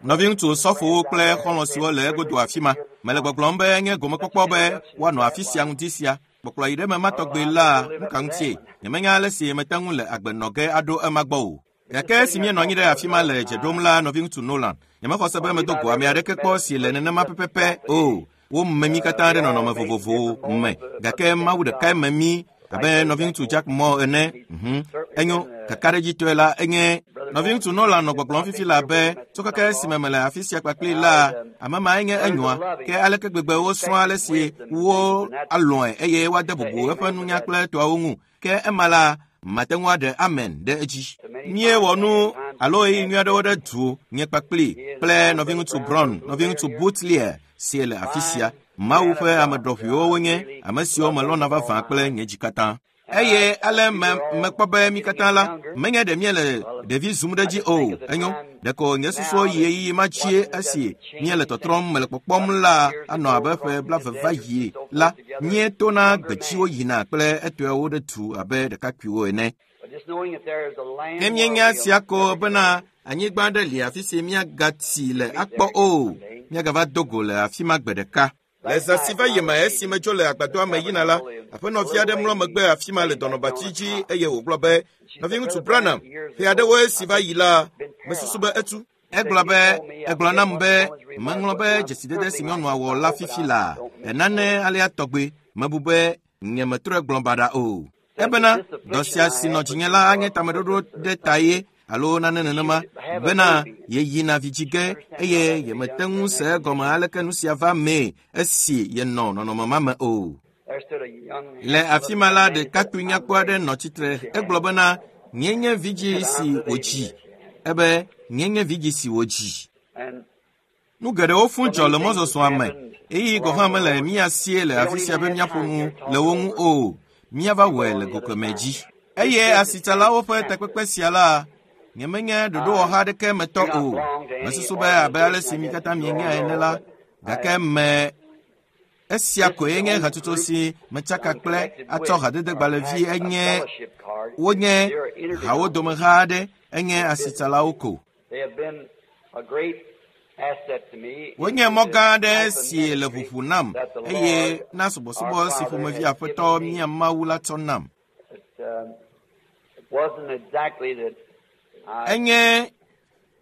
Nɔviŋutsu sɔfowo kple xɔlɔ̃ siwo le egodo afi ma, mele gbɔgblɔm be enye gomekpɔkpɔ be woanɔ afi sia ŋdi sia. Kpɔkplɔ yi ɖe eme ma tɔgbe la, nu ka ŋutie? Nyemenya ale si mete ŋu le agbe nɔ ge aɖo ema gbɔ o. Gake esi míenɔ anyi ɖe afi ma le dze ɖom la, nɔviŋutsu Nolan, nyemexɔ se be medo go ame aɖeke kpɔ si le nenema pɛpɛpɛ o. Wome mí katã ɖe nɔnɔme vovovowo me, gake Mawu ɖekae me mí abe nɔviŋutsu Jack Moore ene. Mhm. Enyo, kakaɖedzitɔe la, enye nɔviŋutsu Nolan nɔ gbɔgblɔm fifi la be tso keke esime mele afi sia kpakpli la, ame ma enye enyoa. Ke aleke gbegbe wosrɔ̃ ale si wo alɔ̃e eye woade bubu eƒe nunya kple tɔawo ŋu. Ke ema la, mate ŋu aɖe amen ɖe edzi. Míewɔ nu alo ɣeyiɣi nyui aɖewo ɖe du nye kpakpli kple nɔviŋutsu Brown, nɔviŋutsu Butlier si le afi sia. Mawu ƒe ame ɖɔʋuiwo wonye, ame siwo melɔ̃na vavã kple nye dzi katã. Eye ale me mekpɔ be mí katã la, menye ɖe míele ɖevi zum ɖe edzi o. Enyo, ɖeko nye susuwo yi ɣeyiɣi ma dzie esi míele tɔtrɔm mele kpɔkpɔm la anɔ abe ƒe blave va yi la, míetona gbetsiwo yina kple etɔewo ɖe du abe ɖekakpuiwo ene. Ne míenya sia ko bena anyigba aɖe li afi si míagatsi le akpɔ o, míagava do go le afi ma gbe ɖeka. Le zã si va yi me esi medzo le agbadɔa me yina la, aƒenɔvi aɖe mlɔ megbe afi ma le dɔnɔbatsi dzi eye wògblɔ be, Nɔviŋutsu Branham, ƒe aɖewo esi va yi la, mesusu be etu. Egblɔ be, egblɔ nam be, meŋlɔ be dzesidede si nyɔnua wɔ la fifi la, enane alea tɔgbe, mebu be nyemetrɔe gblɔ baɖa o. Ebena, dɔ sia si nɔ dzinye la anye tameɖoɖo ɖe ta ye alo nane nenema bena yeyina vidzi ge eye yemete ŋu se egɔme aleke nu sia va mee esi yenɔ nɔnɔme ma me o. Le afi ma la, ɖekakpui nyakpɔ aɖe nɔ tsitre. Egblɔ bena, nye nye vidzi si wòdzi. Ebe, nye nye vidzi si wòdzi. Nu geɖewo fũ dzɔ le mɔzɔzɔa me eye gɔ̃ hã mele mía sie le afi sia be míaƒo nu le wo ŋu o. Míava wɔe le go kemɛ dzi. Eye asitsalawo ƒe takpekpe sia la, nyemenye ɖoɖowɔha aɖeke me tɔ o. Mesusu be abe ale si mi katã mienya ene la, gake me esia koe nye hatsotso si metsaka kple atsɔ hadedegbalẽvi enye wonye hawo domeha aɖe enye asitsalawo ko. Wonye mɔ gã aɖe si le ʋuʋu nam eye na subɔsubɔ si ƒomevi aƒetɔ mía Mawu la tsɔ nam. Enye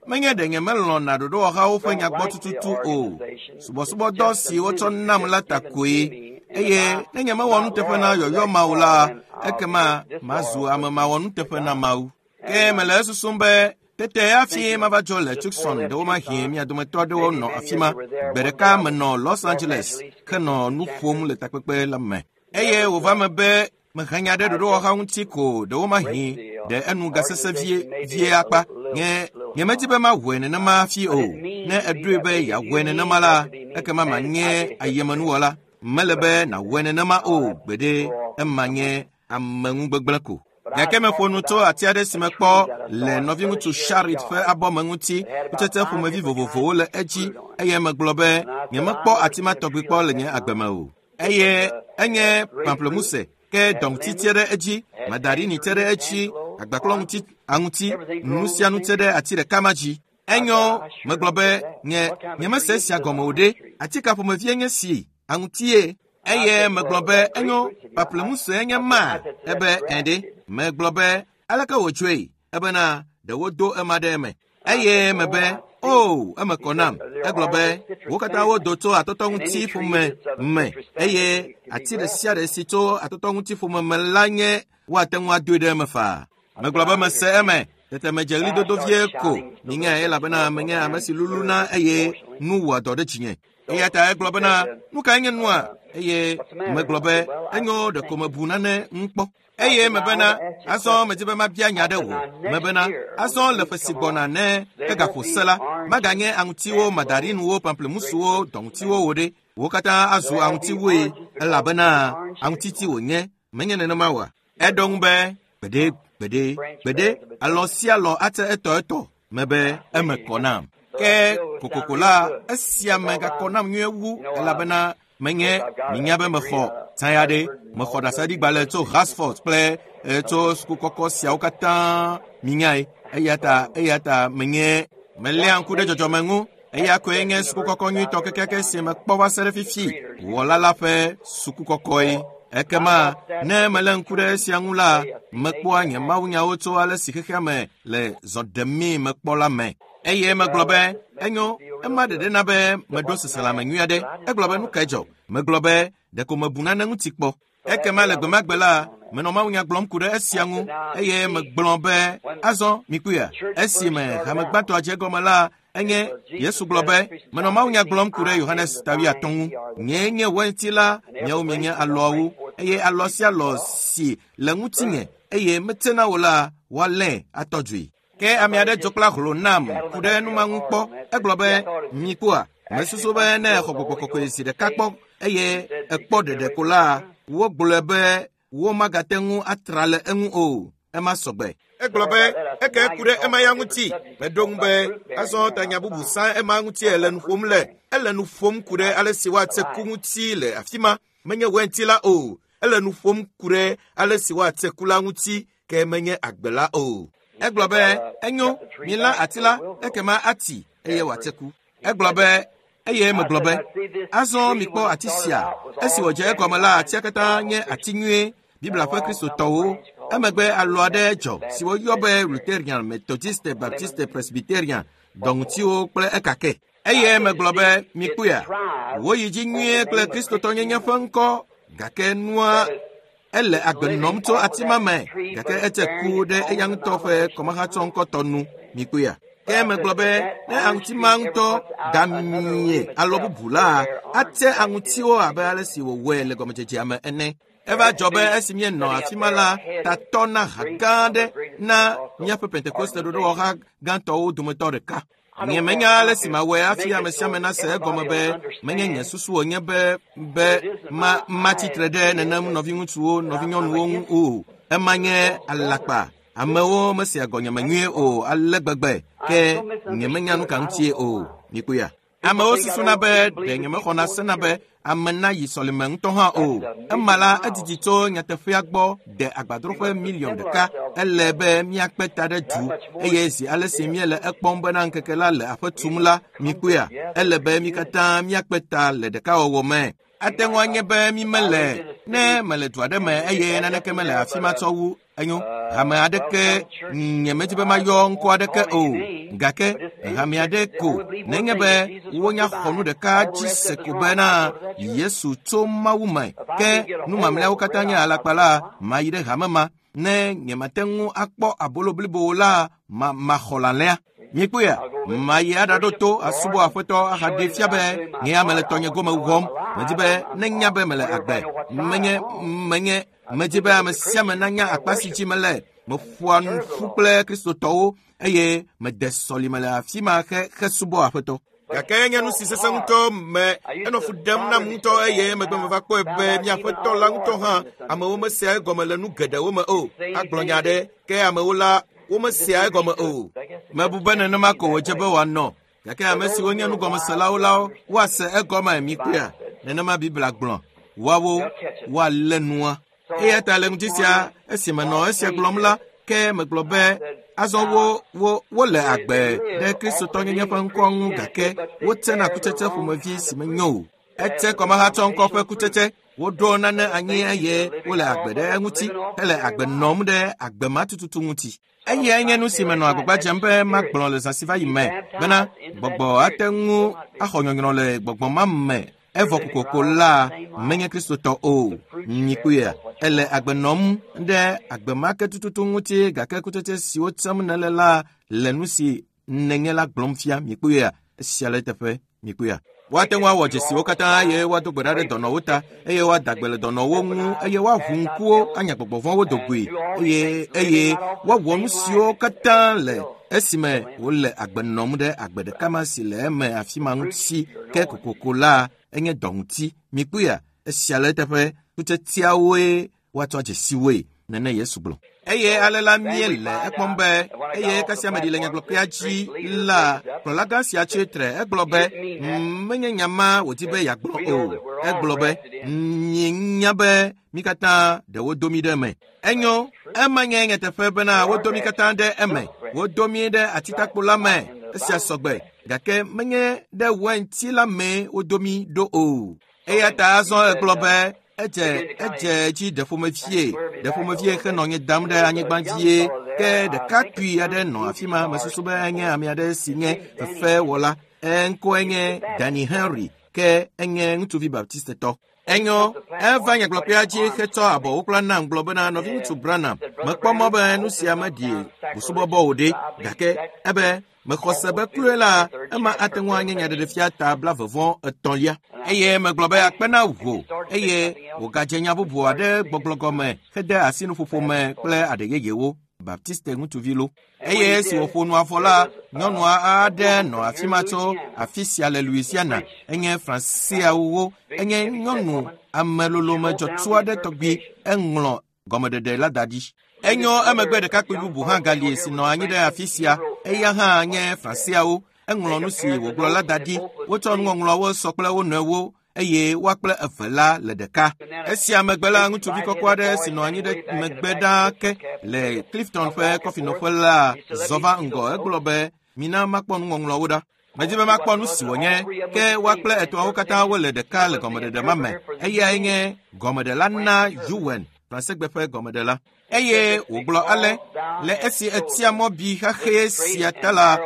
menye ɖe nyemelɔ̃na ɖoɖowɔhawo ƒe nyagbɔ tututu o. Subɔsubɔdɔ si wotsɔ nam la ta koe eye ne nyemewɔ nuteƒe na yɔyɔ ma o la, ekema mazu ame mawɔ nuteƒe na Mawu. Ke mele esusum be tete hafi mava dzo le Tucson ɖewomahi mia dometɔ aɖewo nɔ afi ma. Gbe ɖeka menɔ Los Angeles henɔ nu ƒom le takpekpe la me. Eye wòva me be mehe nya ɖe ɖoɖowɔha ŋuti ko ɖewomahi ɖe enu gasesẽ vie vie akpa. Nye nyemedi be mawɔe nenema hafi o. Ne eɖoe be yeawɔe nenema la, ekema manye ayemenuwɔla. Mele be nàwɔe nenema o gbeɖe. Ema nye ameŋugbegblẽ ko. Gake meƒo nu tso ati aɖe si mekpɔ le nɔviŋutsu Sharit ƒe abɔ me ŋuti. Kutsetse ƒomevi vovovowo le edzi eye megblɔ be nyemekpɔ ati ma tɔgbi kpɔ le nye agbe me o. Eye enye pamplemuse ke dɔŋuti te ɖe edzi, mandarini te ɖe edzi, agbaklɔŋuti, aŋuti, nu sia nu te ɖe ati ɖeka ma dzi. Enyo, megblɔ be nye nyemese esia gɔme o ɖe. Ati ka ƒomevie nye si? Aŋutie. Eye megblɔ be enyo, pamplemuse nye ma. Ebe ẽ ɖe. Megblɔ be aleke wòdzɔe? Ebena ɖe wodo ema ɖe eme. Eye mebe, o, eme kɔ nam. Egblɔ be, wo katã wodo tso atɔtɔŋuti ƒome me eye ati ɖe sia ɖe si tso atɔtɔŋuti ƒome me la nye woate ŋu adoe ɖe eme faa. Megblɔ be mese eme. Tete medze ɣlidodo vie ko. Minyae elabena menye ame si luluna eye nu wɔa dɔ ɖe dzinye. Eya ta egblɔ bena, nu kae nye nua? Eye megblɔ be, enyo ɖeko mebu nane ŋu kpɔ. Eye mebena, azɔ medi be mabia nya ɖe wò. Mebena, azɔ le ƒe si gbɔna ne egaƒo se la, maganye aŋutiwo, mandarinuwo, pamplemusuwo, dɔŋutiwo wo ɖe. Wo katã azu aŋutiwoe elabena aŋutiti wònye. Menye nenema oa? Eɖo ŋu be, gbeɖe, gbeɖe, gbeɖe, alɔ sia alɔ ate etɔ etɔ. Mebe eme kɔ nam. Ke kokoko la, esia me gakɔ nam nyuie wu elabena menye minya be mexɔ taya ɖe mexɔ ɖaseɖigbalẽ tso Oxford kple tso suku kɔkɔ siawo katã minyae. Eya ta eya ta menye Meléa ŋku ɖe dzɔdzɔme ŋu. Eya koe nye sukukɔkɔ nyuitɔ kekeake si mekpɔ va se ɖe fifi wɔla la ƒe sukukɔkɔe. Ekema ne melé ŋku ɖe esia ŋu la, mekpɔa nye mawunyawo tso ale si xexea me le zɔ ɖemii mekpɔ la me. Eye megblɔ be, enyo, ema ɖeɖe na be meɖo seselãme nyui aɖe. Egblɔ be nu kae dzɔ? Megblɔ be ɖeko mebu nane ŋuti kpɔ. Ekema le gbe ma gbe la, menɔ mawunya gblɔm ku ɖe esia ŋu eye megblɔ be azɔ mikpɔea, esime hame gbãtɔa dze egɔme la, enye Yesu gblɔ be menɔ mawunya gblɔm ku ɖe Yohanes ta wuiatɔ̃ ŋu. Nyee nye wainti la, miawo mienye alɔawo eye alɔ sia alɔ si le ŋutinye eye metsena o la, woalée atɔ dzoe. Ke ame aɖe dzo kple ahlo nam ku ɖe nu ma ŋu kpɔ. Egblɔ be, mikpɔa, mesusu be ne exɔ gbɔgbɔ kɔkɔe zi ɖeka kpɔ eye ekpɔ ɖeɖe ko la, wogblɔe be womagate ŋu atra le eŋu o. Ema sɔgbe. Egblɔ be eke ku ɖe ema ya ŋuti. Meɖo ŋu be azɔ tanya bubu sã ema ŋuti ele nu ƒom le. Ele nu ƒom ku ɖe ale si woatse ku ŋuti le afi ma. Menye wainti la o. Ele nu ƒom ku ɖe ale si woatse ku la ŋuti ke menye agbe la o. Egblɔ be enyo, milã ati la, ekema ati eye wòatse ku. Egblɔ be eye megblɔ be azɔ mikpɔ ati sia. Esi wòdze egɔme la, atia katã nye ati nyuie. Biblia ƒe kristotɔwo. Emegbe alɔ aɖe dzɔ si woyɔ be Lutheran, Methodiste, Baptiste, Presbyterian, dɔŋutiwo kple ekake. Eye megblɔ be mikpɔea, woyi dzi nyuie kple kristotɔnyenye ƒe ŋkɔ gake nua ele agbe nɔm tso ati ma me gake etse ku ɖe eya ŋutɔ ƒe kɔmahatsɔ ŋkɔtɔ nu mikpɔea. Ke megblɔ be ne aŋuti ma ŋutɔ gamie alɔ bubu la, atse aŋutiwo abe ale si wòwɔe le gɔmedzedzea me ene. Eva dzɔ be esi míenɔ afi ma la, tatɔ na ha gã aɖe na míaƒe Pentekoste ɖoɖowɔha gãtɔwo dometɔ ɖeka. Nye menya ale si mawɔe hafi ame sia ame nase egɔme be menye nye susu wònye be be ma matsitre ɖe nenem nɔviŋutsuwo, nɔvinyɔnuwo ŋu o. Ema nye alakpa. Amewo mesea gɔnyeme nyuie o ale gbegbe ke nye menya nu ka ŋutie o. Mikpɔea? Amewo susuna be ɖe nyemexɔna sena be ame nayi sɔlime ŋutɔ hã o. Ema la edidi tso nyateƒea gbɔ de agbadroƒe miliɔn ɖeka. Ele be míakpe ta ɖe du eye zi ale si míele ekpɔm bena ŋkeke la le aƒe tum la, mikpɔea, ele be mí katã míakpe ta le ɖekawɔwɔ me. Ate ŋu anye be mi mele ne mele du aɖe me eye naneke mele afi ma tsɔ wu enyo hame aɖeke nye medi be mayɔ ŋkɔ aɖeke o gake hame aɖe ko nenye be wonya xɔ nu ɖeka dzi se ko bena Yesu tso Mawu me ke nu mamlɛawo katã nye alakpa la mayi ɖe hame ma ne nyemate ŋu akpɔ abolo blibo la ma maxɔ lalẽa. Mikpɔea, mayi aɖaɖo to asubɔ aƒetɔ ahaɖee fia be nye ya mele tɔnye gome wɔm. Medi be nenya be mele agbe. Menye menye medi be ame sia ame nanya akpa si dzi mele. Meƒoa nu ƒu kple kristotɔwo eye mede sɔlime le afi ma xe xesubɔ aƒetɔ. Gake nye nu si sesẽ ŋutɔ me enɔ fu ɖem nam ŋutɔ eye megbe meva kpɔe be míaƒetɔ la ŋutɔ hã amewo mesea egɔme le nu geɖewo me o. Agblɔ nya aɖe ke amewo la womesea egɔme o. Mebu be nenema ko wòdze be wòanɔ gake ame siwo nye nugɔmeselawo la woase egɔme mikpɔea. Nenema Biblia gblɔ. Woawo woalé nua. Eya ta le ŋuti sia esi menɔ esia gblɔm la, ke megblɔ be azɔ wo wo wole agbe ɖe kristotɔnyenye ƒe ŋkɔ ŋu gake wotsena kutsetse ƒomevi si menyo o. Etse kɔmahatsɔ ŋkɔ ƒe kutsetse. Woɖo nane anyi eye wole agbe ɖe eŋuti hele agbe nɔm ɖe agbe ma tututu ŋuti. Eyae nye nu si menɔ agbagba dzem be magblɔ le zã si va yi me bena gbɔgbɔ ate ŋu axɔ nyɔnyrɔ le gbɔgbɔ ma me evɔ kokoko la menye kristotɔ o. Mikpɔea, ele agbe nɔm ɖe agbe ma ke tututu ŋuti gake kutsetse siwo tsem nèle la le nu si nènye la gblɔm fia. Mikpɔea, esia le eteƒe. Mikpɔea. Woate ŋu awɔ dzesiwo katã eye woado gbe ɖa ɖe dɔnɔwo ta eye woada gbe le dɔnɔwo ŋu eye woaʋu ŋkuwo anya gbɔgbɔ vɔ̃wo do goe eye eye woawɔ nu siwo katã le esime wole agbe nɔm ɖe agbe ɖeka ma si le eme afi ma ŋuti ke kokoko la enye dɔ ŋuti. Mikpɔea, esia le eteƒe. Kutsetseawoe woatsɔ dzesiwoe nene Yesu gblɔ. Eye ale la míele ekpɔm be eye kasia meɖi le nyagblɔkpea dzi la, kplɔlagã sia tsi tre egblɔ be menye nya ma wòdi be yeagblɔ o. Egblɔ be míenya be mí katã ɖe wodo mí ɖe eme. Enyo, ema nye nyateƒe bena wodo mí katã ɖe eme. Wodo mí ɖe atitakpo la me. Esia sɔgbe, gake menye ɖe wainti la mee wodo mí ɖo o. Eya ta azɔ egblɔ be edze dzi ɖeƒomevie henɔ nye dam ɖe anyigba dzie. Ke ɖekakpui aɖe nɔ afi ma, mesusu be enye ame aɖe si nye fefewɔla. Eŋkɔe nye Danny Henry, ke enye ŋutsuvi baptistetɔ. Enyo, eva nyagblɔƒea dzi hetsɔ abɔwo kpla nam gblɔ bena nɔviŋutsu Branham, mekpɔ mɔ be nu sia meɖi busubɔbɔ o ɖe, gake ebe mexɔ se be kloe la, ema ate ŋu anye nyaɖeɖefia ta 33. Eye megblɔ be akpe na wò, eye wògadze nya bubu aɖe gbɔgblɔ gɔme hede asi nuƒoƒo me kple aɖe yeyewo. Baptiste ŋutsuvi lo. Eye esi wòƒo nua vɔ la, nyɔnua aɖe nɔ afi ma tso afi sia le Louisiana. Enye Franseawo, enye nyɔnu amelolome dzɔtsu aɖe tɔgbi. Eŋlɔ gɔmeɖeɖe la da ɖi. Enyo, emegbe ɖekakpui bubu hã gali si nɔ anyi ɖe afi sia. Eya hã nye Franseawo. Eŋlɔ nu si wògblɔ la da ɖi. Wotsɔ nuŋɔŋlɔawo sɔ kple wo nɔewo eye woa kple eve la le ɖeka. Esia megbe la, ŋutsuvi kɔkɔ aɖe si nɔ anyi ɖe megbe ɖaa ke le Clifton ƒe kɔfinɔƒe la zɔ va ŋgɔ. Egblɔ be, mina makpɔ nuŋɔŋlɔawo ɖa. Medi be makpɔ nu si wònye, ke woa kple etɔ̃awo katã wole ɖeka le gɔmeɖeɖe ma me. Eyae nye gɔmeɖela na Yuen, Fransegbe ƒe gɔmeɖela. Eye wògblɔ ale, le esi etia mɔ bi xaxɛ sia ta la,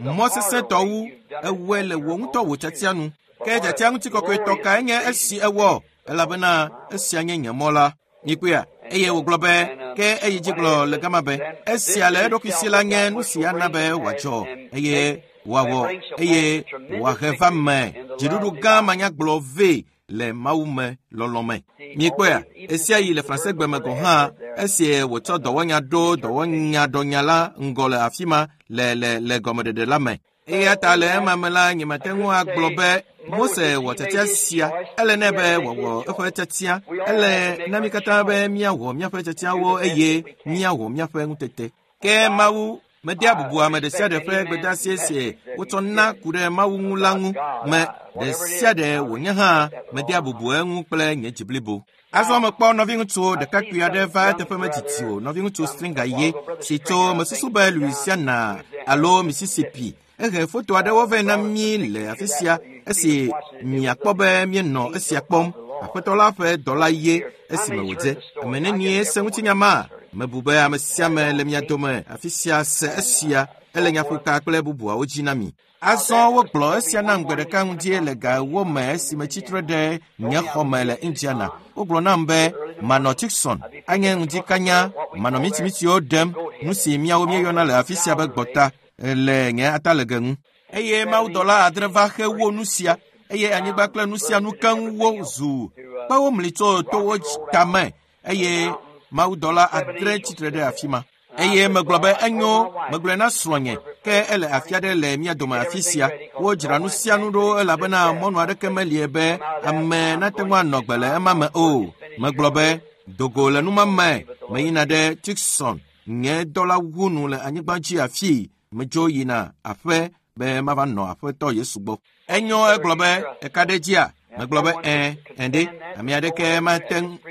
mɔ sesẽtɔ wu ewɔe le wò ŋutɔ wò tiatia nu. Ke tiatia ŋutikɔkɔetɔ kae nye esi ewɔ, elabena esia nye nye mɔ la. Mikpɔea? Eye wògblɔ be, ke eyi dzi gblɔ le gama be, esia le eɖokui si la nye nu si ana be wòadzɔ, eye wòawɔ, eye wòahe va me dziɖuɖu gã manyagblɔ vɛ le Mawu me lɔlɔ me. Mikpɔea? Esia yi le Fransegbe me gɔ̃ hã, esi wòtsɔ dɔwɔnya ɖo dɔwɔnyaɖɔnya la ŋgɔ le afi ma le le le gɔmeɖeɖe la me. Eya ta le ema me la, nyemate ŋu agblɔ be Mose wɔ tiatia sia. Ele nɛ be wòawɔ eƒe tiatia. Ele na mí katã be míawɔ míaƒe tiatiawo eye míawɔ míaƒe ŋutete. Ke Mawu medea bubu ame ɖe sia ɖe ƒe gbedeasi si wotsɔ na ku ɖe Mawu ŋu la ŋu me ɖe sia ɖe wònye hã medea bubu eŋu kple nye dzi blibo. Azɔ mekpɔ nɔviŋutsu ɖekakpui aɖe va eteƒe medidi o, nɔviŋutsu Stringer ye si tso mesusu be Louisiana alo Mississippi. Ehe foto aɖewo vɛ na mí le afi sia esi miakpɔ be míenɔ esia kpɔm. Aƒetɔ la ƒe dɔla ye esime wòdze. Ame nenie se ŋutinya ma? Mebu be ame sia ame le mia dome afi sia se esia. Ele nyaƒoka kple bubuawo dzi na mi. Azɔ wogblɔ esia nam gbe ɖeka ŋdie le ga 4 me esime tsitre ɖe nye xɔ me le Indiana. Wogblɔ nam be manɔ Tucson, anye ŋdikanya, manɔ mitimitiwo ɖem, nu si míawo míeyɔna le afi sia be gbɔta le nye atalege ŋu. Eye mawudɔla 7 va xewo nu sia, eye anyigba kple nu sia nu keŋ wo zu kpewo mli tso towo tame, eye mawudɔla 7 tsitre ɖe afi ma. Eye megblɔ be enyo, megblɔe na srɔ̃nye, ke ele afi aɖe le mía dome afi sia. Wodzra nu sia nu ɖo elabena mɔnu aɖeke melie be ame nate ŋu anɔ gbe le ema me o. Megblɔ be, dogo le numa me, meyina ɖe Tucson, nye dɔla wu nu le anyigba dzi afii. Medzo yina aƒe be mava nɔ aƒetɔ Yesu gbɔ. Enyo, egblɔ be, eka ɖe dzia? Megblɔ be, ẽ ɖe, ame aɖeke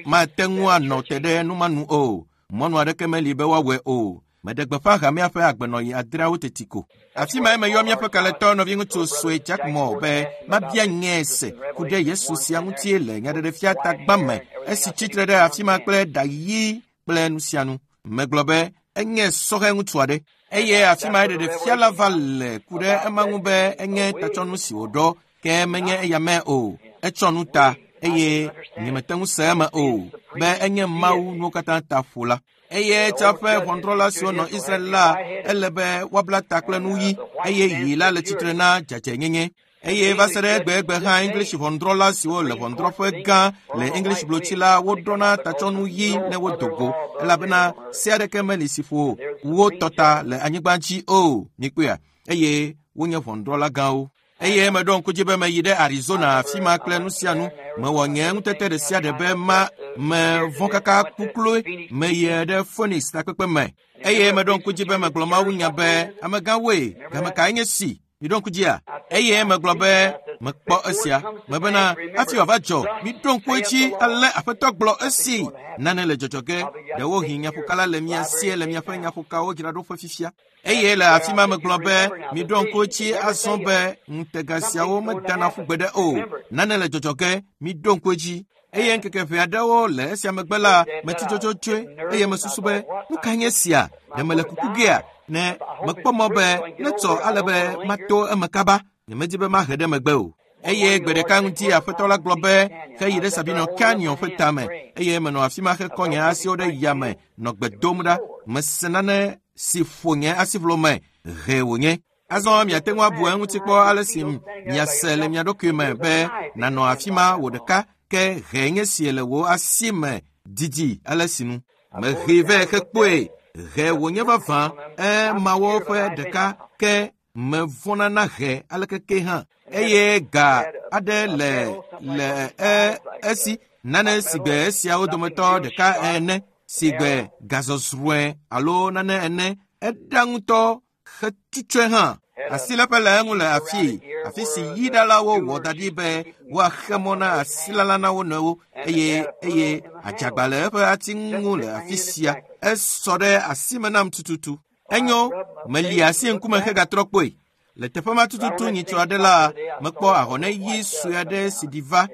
mate ŋu anɔ te ɖe numa nu o. Mɔnu aɖeke meli be woawɔe o. Meɖe gbeƒã hamea ƒe agbenɔɣi 8 teti ko. Afi mae meyɔ míaƒe kalẽtɔ nɔviŋutsu sue Jack Moore be mabia nye se ku ɖe Yesu sia ŋuti le nyaɖeɖefia tagbã me esi tsitre ɖe afi ma kple ɖa ɣi kple nu sia nu. Megblɔ be enye sɔhɛ ŋutsu aɖe. Eye afi mae ɖeɖefia la va le ku ɖe ema ŋu be enye tatsɔnu si wòɖɔ, ke menye eya me o. Etsɔ nu ta eye nyemete ŋu se eme o be enye Mawu nuwo katã ta ƒola. Eye tsã ƒe ʋɔnudrɔ̃la siwo nɔ Israel la, ele be woabla ta kple nu ɣi, eye ɣi la le tsitre na dzadzɛnyenye. Eye va se ɖe egbegbe hã English ʋɔnudrɔ̃la siwo le ʋɔnudrɔ̃ƒe gã le English blotsi la woɖɔna tatsɔnu ɣi ne wodo go, elabena se aɖeke meli si ƒo wo tɔ ta le anyigba dzi o. Mikpɔea? Eye wonye ʋɔnudrɔ̃la gãwo. Eye meɖo ŋku dzi be meyi ɖe Arizona afi ma kple nu sia nu. Mewɔ nye ŋutete ɖe sia ɖe be ma mevɔ̃ kaka kukloe meyi ɖe Phoenix takpekpe me. Eye meɖo ŋku dzi be megblɔ Mawu nya be amegãwoe, game kae nye si? Miɖo ŋku dzia? Eye megblɔ be Mekpɔ esia. Mebena hafi wòava dzɔ, miɖo ŋku edzi ale Aƒetɔ gblɔ esi. Nane le dzɔdzɔ ge. Ɖewohĩ nyaƒokala le mia sie le miaƒe nyaƒokawo dzraɖoƒe fifia. Eye le afi ma megblɔ be miɖo ŋku edzi azɔ be ŋutega siawo medana ƒu gbeɖe o. Nane le dzɔdzɔ ge, miɖo ŋku edzi. Eye ŋkeke ʋɛ aɖewo le esia megbe la, metsi dzodzodzoe eye mesusu be, nu ka nye sia? Ɖe mele kuku gea? Ne mekpɔ mɔ be netsɔ ale be mato eme kaba. Nyemedi be mahe ɖe megbe o. Eye gbe ɖeka ŋuti Aƒetɔ la gblɔ be heyi ɖe Sabino Canyon ƒe tame eye menɔ afi ma hekɔ nye asiwo ɖe yame nɔ gbe dom ɖa. Mese nane si ƒo nye asiʋlo me he wònye. Azɔ miate ŋu abu eŋuti kpɔ ale si miase le mia ɖokui me be nànɔ afi ma wò ɖeka ke he nye si le wò asi me didi ale si nu. Mehee vɛ hekpɔe. He wònye vavã emawo ƒe ɖeka ke mevɔ̃na na he aleke ke hã. Eye ga aɖe le esi nane si gbe esiawo dometɔ ɖeka ene si gbe gazɔzrɔ̃e alo nane ene eɖa ŋutɔ hetutsɔe hã. Asiléƒe le eŋu le afii, afi si yiɖalawo wɔ da ɖi be woaxe mɔ na asilala na wo nɔewo eye eye adzagba le eƒe ati ŋu le afi sia. Esɔ ɖe asime nam tututu. Enyo, meli asi ŋkume hegatrɔ kpɔe. Le teƒe ma tututu nyitsɔ aɖe la, mekpɔ ahɔne ɣi sue aɖe si ɖi va.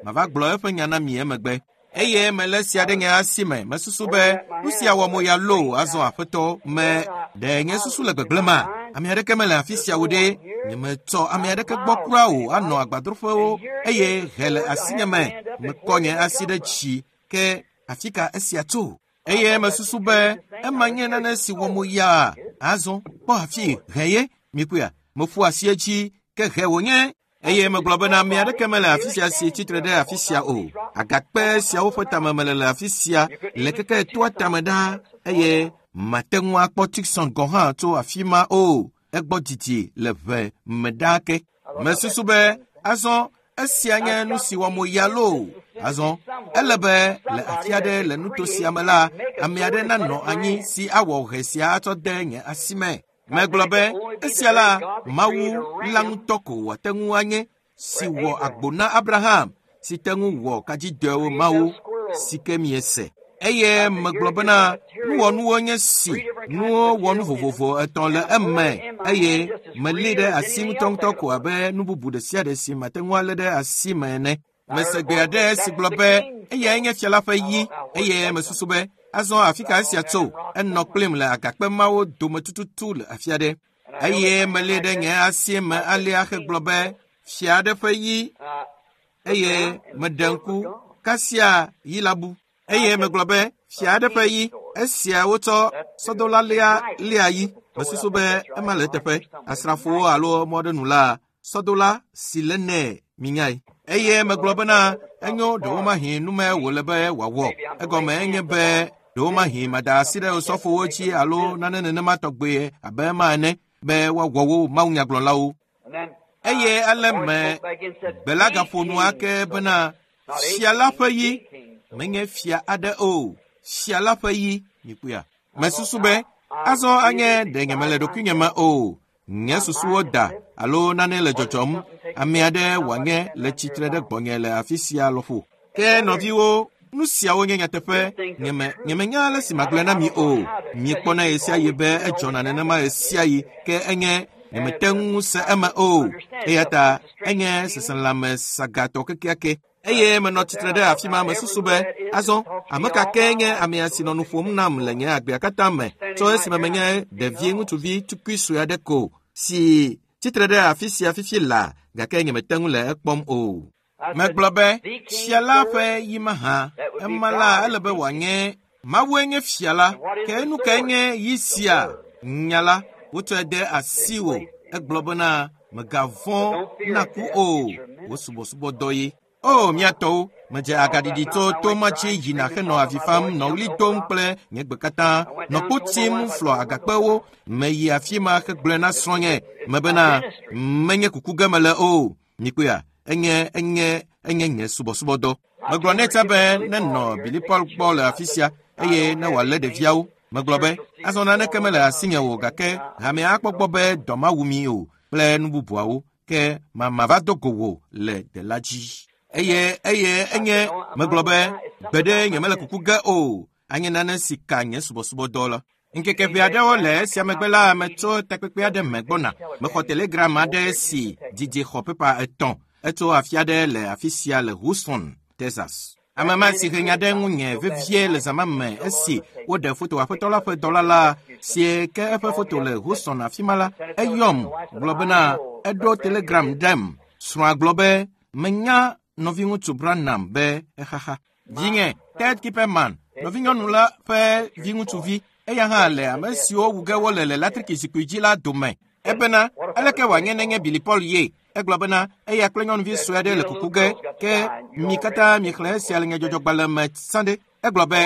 Mava gblɔ eƒe nya na mi emegbe. Eye melé sia ɖe nye asi me. Mesusu be nu sia wɔ moya loo azɔ Aƒetɔ me ɖe nye susu le gbegblẽ ma. Ame aɖeke mele afi sia o ɖe. Nyemetsɔ ame aɖeke gbɔ kura o anɔ agbadroƒewo eye he le asinye me. Mekɔ nye asi ɖe dzi ke afi ka esia tso? Eye mesusu be ema nye nane si wɔ moya. Azɔ kpɔ afi he ye mikpɔea. Meƒu asi edzi ke he wònye. Eye megblɔ bena ame aɖeke mele afi sia si tsitre ɖe afi sia o. Agakpe siawo ƒe tame mele le afi sia le keke toa tame ɖaa eye mate ŋu akpɔ Tucson gɔ̃ hã tso afi ma o. Egbɔ didi le ʋe me ɖaa ke. Mesusu be azɔ esia nye nu si wɔ mo ya loo. Azɔ ele be le afi aɖe le nuto sia me la, ame aɖe nanɔ anyi si awɔ ʋe sia atsɔ de nye asi me. Megblɔ be esia la Mawu la ŋutɔ ko wòate ŋu anye si wɔ agbo na Abraham si te ŋu wɔ kadzidɔewo Mawu si ke miese. Eye megblɔ bena nuwɔnuwo nye si nuwo wɔ nu vovovo etɔ̃ le eme eye melé ɖe asi ŋutɔŋutɔ ko abe nu bubu ɖe sia ɖe si mate ŋu alé ɖe asi me ene. Mese gbe aɖe si gblɔ be eyae nye fia la ƒe yi eye mesusu be azɔ afi ka esia tso enɔ kplim le agakpe mawo dome tututu le afi aɖe. Eye melé ɖe nye asi me alea hegblɔ be fia aɖe ƒe yi eye meɖe ŋku kasia yi la bu. Eye megblɔ be fia aɖe ƒe yi esia wotsɔ sɔdola lia yi. Mesusu be ema le eteƒe. Asrafowo alo mɔ ɖe nu la sɔdola si le nɛ minyae. Eye megblɔ bena enyo ɖewomahi nume wòle be wòawɔ. Egɔme enye be ɖewomahi mada asi ɖe osɔfowo dzi alo nane nenema tɔgbe abe ema ene be woawɔ wo mawunyagblɔlawo. Eye ale me gbe la gaƒo nu ake bena fia la ƒe yi menye fia aɖe o. Fia la ƒe yi mikpɔea. Mesusu be azɔ anye ɖe nyemele ɖokuinye me o. Nye susuwo da alo nane le dzɔdzɔm. Ame aɖe wòanye le tsitre ɖe gbɔnye le afi sia lɔƒo. Ke nɔviwo, nu siawo nye nyateƒe. Nyemenya ale si magblɔe na mi o. Miekpɔna ɣe sia ɣi be edzɔna nenema ɣe sia ɣi ke enye nyemete ŋu se eme o. Eya ta enye seselãme sagatɔ kekeake. Eye menɔ tsitre ɖe afi ma mesusu be azɔ ame ka ke nye amea si nɔ nu ƒom nam le nye agbea katã me tso esime menye ɖevi ŋutsuvi tukui sue aɖe ko si tsitre ɖe afi sia fifi laa gake nyemete ŋu le ekpɔm o. Megblɔ be fia la ƒe yi mahã ema la ele be wòanye Mawue nye fia la ke nu kae nye yi sia nya la wotsɔe de asiwò. Egblɔ bena mègavɔ̃ na ku o wò subɔsubɔdɔ ye. O miatɔwo, medze agaɖiɖi tso to ma dzi yina henɔ avi fam, nɔ ɣli dom kple nye gbe katã, nɔ kpo tim flɔ agakpewo. Meyi afi ma hegblɔe na srɔ̃nye me bena menye kuku ge mele o. Mikpɔea, enye enye enye nye subɔsubɔdɔ. Megblɔ nɛ tsã be nenɔ Billy Paul gbɔ le afi sia eye ne wòalé ɖeviawo. Megblɔ be azɔ naneke mele asinye o gake hamea akpɔ gbɔ be dɔ mawu mi o kple nu bubuawo. Ke mama va do go wò le dela dzi. Eye enye megblɔ be gbeɖe nyemele kuku ge o. Anye nane si ka nye subɔsubɔdɔ la. Ŋkeke ʋɛ aɖewo le esia megbe la metso takpekpe aɖe me gbɔna. Mexɔ telegram aɖe si didi xɔ pepa 3. Etso afi aɖe le afi sia le Houston, Texas. Ame ma si he nya ɖe ŋunye vevie le zã ma me esi woɖe foto aƒetɔ la ƒe dɔla la si ke eƒe foto le Houston afi ma la, eyɔm gblɔ bena eɖo telegram ɖem. Srɔ̃a gblɔ be menya nɔviŋutsu Branham be exaxa. Vinye Ted Kipperman, nɔvinyɔnu la ƒe viŋutsuvi, eya hã le ame siwo wu ge wole le latriki zikpui dzi la dome. Ebena aleke wòanye nenye Billy Paul ye? Egblɔ bena eya kple nyɔnuvi sue aɖe le kuku ge ke mi katã miexlẽ esia le nyadzɔdzɔgbalẽ me sãde. Egblɔ be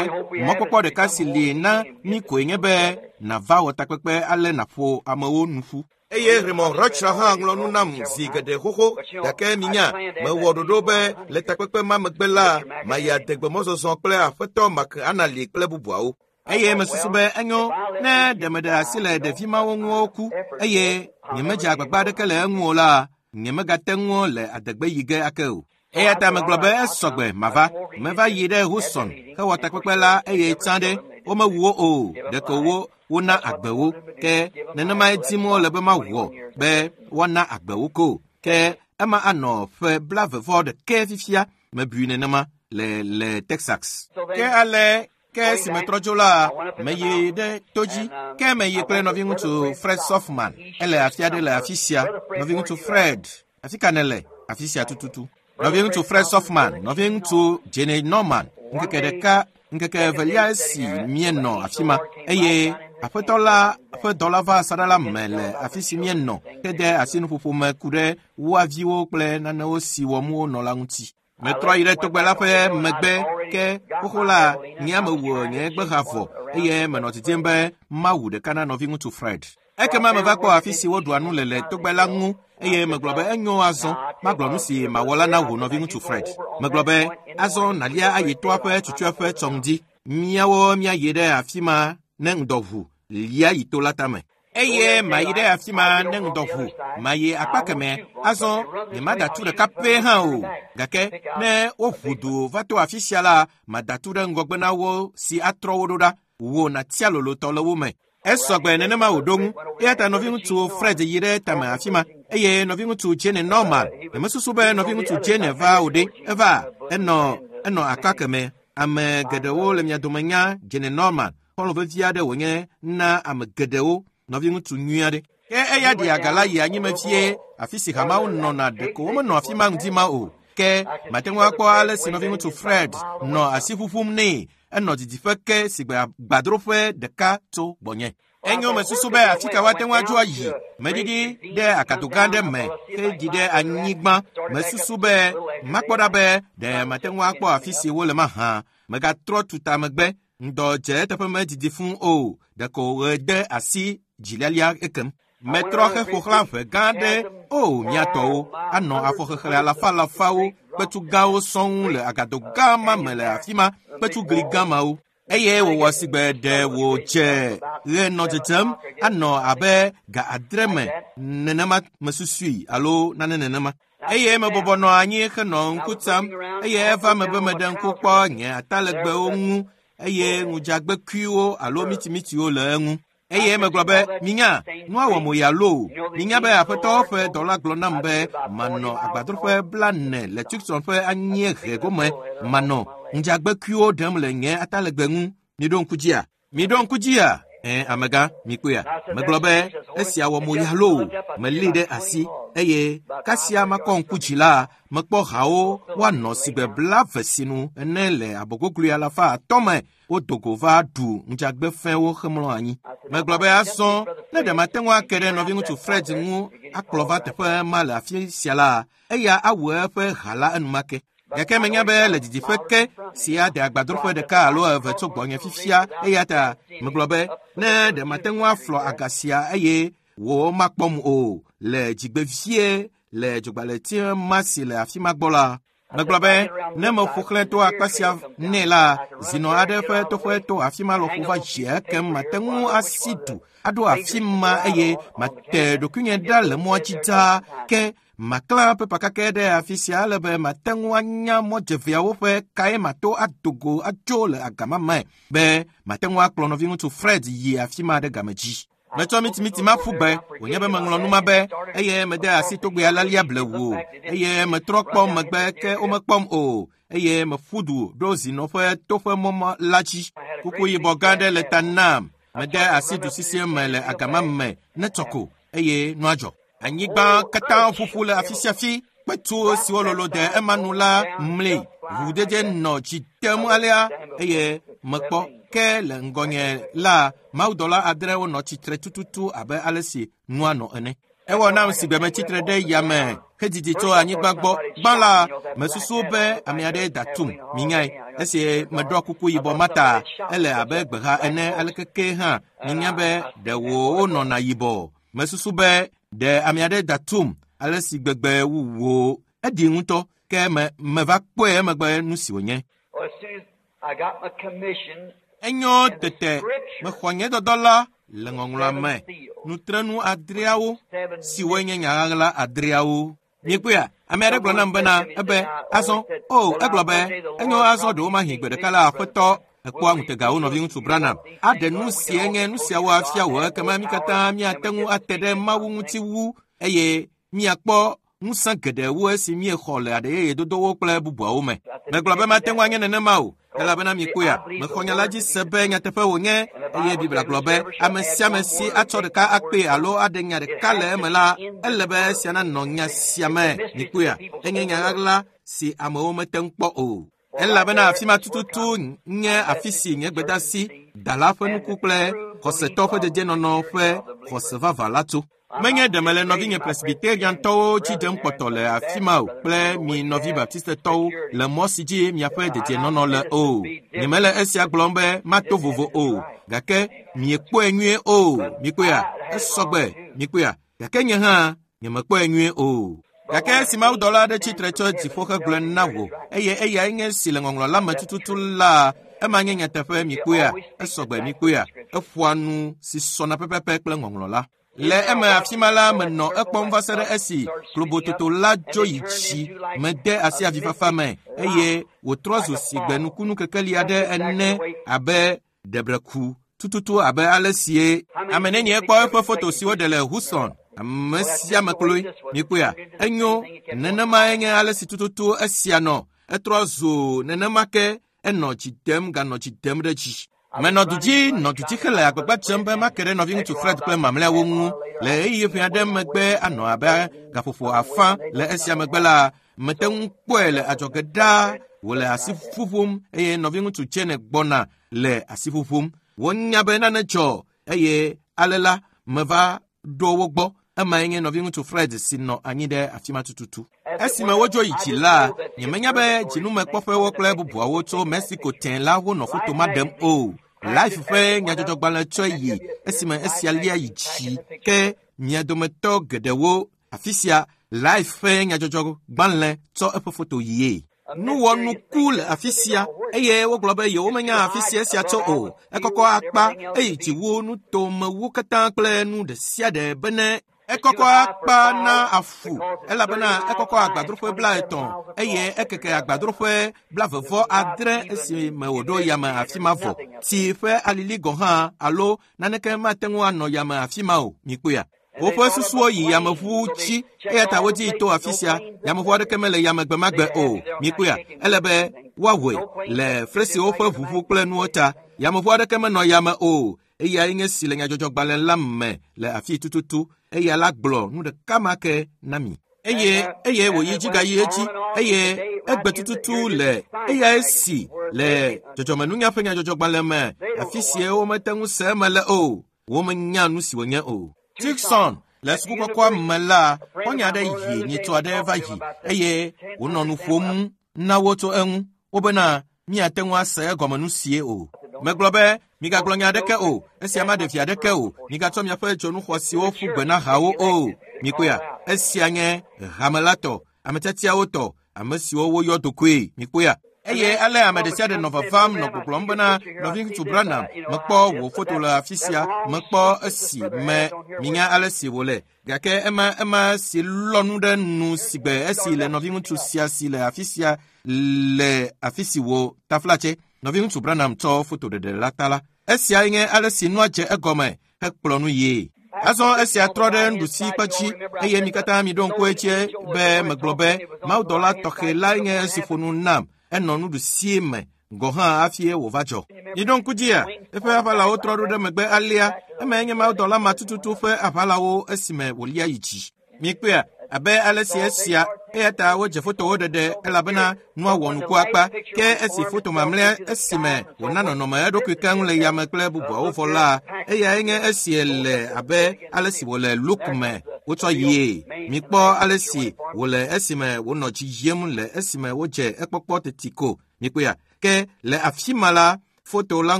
mɔkpɔkpɔ ɖeka si li na mi koe nye be nàva wɔ takpekpe ale nàƒo amewo nu ƒu. Eye Raymond Rocha hã ŋlɔ nu nam zi geɖe xoxo, gake minya, mewɔ ɖoɖo be le takpekpe ma megbe la, mayi adegbemɔzɔzɔ kple aƒetɔ Mark Anali kple bubuawo. Eye mesusu be enyo ne ɖe meɖe asi le ɖevi mawo ŋu woku eye nyemedze agbagba aɖeke le eŋu o la, nyemegate ŋu le adegbe yi ge ake o. Eya ta megblɔ be esɔgbe mava. Meva yi ɖe Houston hewɔ takpekpe la eye tsã ɖe womewu wo o, ɖeko wona agbe wo. Ke nenemae dim wole be mawɔ be woana agbe wo ko. Ke ema anɔ ƒe 40 fifia mebui nenema le Texas. Ke ale ke esi metrɔ tso la, meyi ɖe to dzi. Ke meyi kple nɔviŋutsu Fred Sothmann. Ele afi aɖe le afi sia. Nɔviŋutsu Fred, afi ka nèle? Afi sia tututu. Nɔviŋutsu Fred Sothmann, nɔviŋutsu Jenny Norman, ŋkeke ɖeka, ŋkeke evelia esi míenɔ afi ma eye aƒetɔ la ƒe dɔla va asaɖa la me le afi si míenɔ hede asi nuƒoƒo me ku ɖe woa viwo kple nanewo si wɔm wonɔ la ŋuti. Metrɔ yi ɖe togbe la ƒe megbe ke xoxo la nye ame wɔ nye gbeha vɔ eye menɔ didim be mawu ɖeka na nɔviŋutsu Fred. Ekema meva kpɔ afi si woɖua nu le le togbe la ŋu eye megblɔ be enyo azɔ magblɔ nu si mawɔ la na wò nɔviŋutsu Fred. Megblɔ be azɔ nàlia ayi toa ƒe tsutsueƒe tsɔŋdi. Míawo míayi ɖe afi ma ne ŋdɔ ʋu lia yi to la tame. Eye mayi ɖe afi ma ne ŋdɔ ʋu mayi akpa kemɛ azɔ nyemada tu ɖeka pɛ hã o. Gake ne woʋu du va to afi sia la, mada tu ɖe ŋgɔgbe na wo si atrɔ wo ɖo ɖa. Wò nàtia lolotɔ le wo me. Esɔgbe nenema wòɖo ŋu. Eya ta nɔviŋutsu Fred yi ɖe tame afi ma eye nɔviŋutsu Jane Norman. Nyemesusu be nɔviŋutsu Jane va o ɖe. Eva enɔ akpa kemɛ. Ame geɖewo le mia dome nya Jane Norman. Xɔlɔ̃ vevi aɖe wònye na ame geɖewo. Nɔviŋutsu nyui aɖe. Ke eya ɖi aga la yi anyime vie afi si hamawo nɔna ɖeko womenɔ afi ma ŋdi ma o. Ke mate ŋu akpɔ ale si nɔviŋutsu Fred nɔ asi ƒuƒum nɛ. Enɔ didiƒe ke si gbe gbadroƒe ɖeka tso gbɔnye. Enyo mesusu be afi ka woate ŋu adzo ayi. Meɖiɖi ɖe akado gã ɖe me heɖi ɖe anyigba. Mesusu be makpɔ ɖa be ɖe mate ŋu akpɔ afi si wole mahã. Megatrɔ tuta megbe. Ŋdɔ dze eteƒe medidi fũu o. Ɖeko ɣe de asi dzilialia ekem. Metrɔ heƒo xlã ʋe gã aɖe. O mía tɔwo anɔ afɔxexlẽ alafa alafawo, kpetu gãwo sɔŋ le agado gã ma me le afi ma, kpetu gli gã mawo. Eye wòwɔ sigbe ɖe wòdze ɣe nɔ dzedzem anɔ abe ga 8 me nenema mesusui alo nane nenema. Eye mebɔbɔ nɔ anyi henɔ ŋku tsam eye eva me be meɖe ŋku kpɔ nye atalegbewo ŋu eye ŋudzagbekuiwo alo mitimitiwo le eŋu. Eye megblɔ be minya nua wɔ mo ya loo. Minya be aƒetɔ ƒe dɔla gblɔ nam be manɔ agbadroƒe 40 le Tucson ƒe anyiehe gome manɔ ŋudzagbekuiwo ɖem le nye atalegbe ŋu. Miɖo ŋku dzia? Miɖo ŋku dzia? Amegã, mikpɔea? Megblɔ be esia wɔ mo ya loo. Melée ɖe asi eye kasia makɔ ŋku dzi la, mekpɔ hawo woanɔ sigbe 20 sinu ene le abɔgoglui 300 me. Wodo go va ɖu ŋudzagbe fɛ̃wo hemlɔ anyi. Megblɔ be azɔ ne ɖe mate ŋu ake ɖe nɔviŋutsu Fred ŋu akplɔ va teƒe ma le afi sia la, eya awu eƒe ha la enumake. Gake menya be le didiƒe ke si ade agbadroƒe ɖeka alo eve tso gbɔnye fifia, eya ta megblɔ be ne ɖe mate ŋu aflɔ aga sia eye wò makpɔm o le dzigbevie le dzogbalẽti ma si le afi ma gbɔ la. Megblɔ be ne meƒo xlẽ to akpa sia nɛ la, zinɔ aɖe ƒe toƒe to afi ma lɔƒo va dzia ekem mate ŋu asi du aɖo afi ma eye mate ɖokuinye ɖa le mɔa dzi dzaa ke maklã pepa kakɛ ɖe afi sia ale be mate ŋu anya mɔdzeveawo ƒe kae mato ado go adzo le agama me be mate ŋu akplɔ nɔviŋutsu Fred yi afi ma ɖe game dzi. Metsɔ mitimiti ma ƒu gbe wònye be meŋlɔ nu ma be eye mede asi togbea lalia blewu eye metrɔ kpɔ megbe ke womekpɔm o eye meƒu du ɖo zinɔ ƒe toƒe mɔmɔ la dzi. Kuku yibɔ gã aɖe le ta nam. Mede asi du sisi me le agama me ne tsɔ ko eye nua dzɔ. Anyigba katã ƒuƒu le afi sia afi. Kpetu siwo lolo de ema nu la mli. Ʋuʋudede nɔ dzi dem alea eye mekpɔ ke le ŋgɔnye la mawudɔla adrewo nɔ tsitre tututu abe ale si nua nɔ ene. Ewɔ nam si gbe metsitre ɖe yame hedidi tso anyigba gbɔ. Gbã la, mesusu be ame aɖe da tum, minyae. Esi meɖɔ kuku yibɔ ma ta, ele abe gbeha ene aleke ke hã minya be ɖe wonɔna yibɔ. Mesusu be ɖe ame aɖe da tum ale si gbegbe wu wò. Eɖi ŋutɔ ke me meva kpɔe emegbe nu si wònye. Well, as soon as I got my commission, Enyo tete mexɔ nye dɔdɔ la le ŋɔŋlɔa me. Nutrenu adreawo siwoe nye nya ɣaɣla adreawo. Miekpɔea, ame aɖe gblɔ nam bena ebe azɔ o egblɔ be enyo azɔ ɖewomahi gbe ɖeka la aƒetɔ ekpɔa ŋutegawo nɔviŋutsu Branham aɖe nu sie nye nu siawo afia wò ekema mi katã míate ŋu ate ɖe Mawu ŋuti wu eye míakpɔ ŋusẽ geɖe wu esi míexɔ le aɖeyeyedodowo kple bubuawo me. Megblɔ be mate ŋu anye nenema o, elabena mikpɔea, mexɔ nya la dzi se be nyateƒe wònye eye Biblia gblɔ be ame sia ame si atsɔ ɖeka akpee alo aɖe nya ɖeka le eme la, ele be esia nanɔ nya sia me. Mikpɔea, enye nya ɣaɣla si amewo mete ŋu kpɔ o. Elabena afi ma tututu nye afi si nye gbedasi dala ƒe nuku kple xɔsetɔ ƒe dedienɔnɔ ƒe xɔse vavã la tso. Menye ɖe mele nɔvinye Presbyteriantɔwo dzi ɖem kpɔtɔ le afi ma o kple mi nɔvi Baptistetɔwo le mɔ si dzi miaƒe dedienɔnɔ le o. Nyemele esia gblɔm be mato vovo o, gake miekpɔe nyuie o. Mikpɔea? Esɔgbe, mikpɔea? Gake nye hã nyemekpɔe nyuie o. Gake esi mawudɔla aɖe tsitre tso dziƒo hegblɔe na wò eye eyae nye si le ŋɔŋlɔ la me tututu la, ema nye nyateƒe mikpɔea? Esɔgbe mikpɔea? Eƒoa nu si sɔna pɛpɛpɛ kple ŋɔŋlɔ la. Le eme afi ma la menɔ ekpɔm va se ɖe esi klobototo la dzo yi dzi mede asi avifafa me eye wòtrɔ zu sigbe nukunu kekeli aɖe ene abe ɖebreku tututu abe ale sie ame nenie kpɔ eƒe foto si woɖe le Houston ame sia ame kloe mikpɔea enyo nenemae nye ale si tututu esia nɔ etrɔ zu nenema ke enɔ dzi dem ganɔ dzi dem ɖe dzi. Menɔ du dzi nɔ du dzi hele agbagba dzem be make ɖe nɔviŋutsu Fred kple mamlɛawo ŋu le ɣeyiɣi ʋɛ aɖe megbe anɔ abe gaƒoƒo afã le esia megbe la mete ŋu kpɔe le adzɔge ɖaa wòle asi ƒuƒum eye nɔviŋutsu Jane gbɔna le asi ƒuƒum. Wonya be nane dzɔ eye ale la meva ɖo wo gbɔ. Emae nye nɔviŋutsu Fred si nɔ anyi ɖe afi ma tututu. Esime wodzo yi dzi la, nyemenya be dzinumekpɔƒewo kple bubuawo tso Mexico tẽ la wonɔ foto ma ɖem o. Life ƒe nyadzɔdzɔgbalẽ tsɔe yi esime esia lia yi dzi ke mia dometɔ geɖewo afi sia Life ƒe nyadzɔdzɔgbalẽ tsɔ eƒe foto yie. Nuwɔnuku le afi sia eye wogblɔ be yewomenya afi sia esia tso o. Ekɔkɔ akpa eye dzi wu nutomewu katã kple nu ɖe sia ɖe bene ekɔkɔ akpa na afu elabena ekɔkɔ agbadroƒe 30 eye ekeke agbadroƒe 26 esime wòɖo yame afi ma vɔ. Tsi ƒe alili gɔ̃ hã alo naneke mate ŋu anɔ yame afi ma o. Mikpɔea? Woƒe susuwo yi yameʋu dzi eya ta wodii to afi sia. Yameʋu aɖeke mele yame gbe ma gbe o. Mikpɔea? Ele be woawɔe le fresiwo ƒe ʋuʋu kple nuwo ta. Yameʋu aɖeke menɔ yame o. Eyae nye si le nyadzɔdzɔgbalẽ la me le afi tututu. Eya la gblɔ nu ɖeka ma ke na mi. Eye eye wòyi dzi gayi edzi eye egbe tututu le eyae si le dzɔdzɔmenunya ƒe nyadzɔdzɔgbalẽ me afi sie womete ŋu se eme le o. Womenya nu si wònye o. Tucson le sukukɔkɔa me la, xɔ̃nye aɖe yi nyitɔ aɖe va yi eye wònɔ nu ƒom na wo tso eŋu. Wobena míate ŋu ase egɔme nu sie o. Megblɔ be migagblɔ nya aɖeke o, esia maɖe vi aɖeke o. Migatsɔ miaƒe dzonu xɔasiwo ƒu gbe na hawo o. Mikpɔea, esia nye hame la tɔ, ame tiatiawo tɔ. ame siwo woyɔ dokoe. Mikpɔea? Eye ale ame ɖe sia ɖe nɔ vavam nɔ gbɔgblɔm bena, nɔviŋutsu Branham, mekpɔ wò foto le afi sia, mekpɔ esi me minya ale si wòle. Gake ema si lɔ nu ɖe nu sigbe esi le nɔviŋutsu sia si le afi sia le afi si wò taflatse. Nɔviŋutsu Branham tsɔ fotoɖeɖe la ta la. Esia nye ale si nua dze egɔme hekplɔ nu yie. Azɔ esia trɔ ɖe nuɖusi kpe dzi eye mi katã miɖo ŋku edzi be megblɔ be mawudɔla tɔxɛ lae nye esi ƒo nu nam. Enɔ nuɖusie me gɔ̃ hã hafi wòva dzɔ. Miɖo ŋku dzia, eƒe aʋalawo trɔ ɖo ɖe megbe alea. Emae nye mawudɔla ma tututu ƒe aʋalawo esime wòlia yi dzi. Mikpɔea, abe ale si esia, eya ta wodze fotowo ɖeɖe elabena nua wɔ nuku akpa. Ke esi foto mamlɛa esime wòna nɔnɔme eɖokui keŋ le yame kple bubuawo vɔ la, eyae nye esie le abe ale si wòle Luke me wotsɔ yie. Mikpɔ ale si wòle esime wònɔ dzi yiem le esime wodze ekpɔkpɔ teti ko. Mikpɔea, ke le afi ma la, foto la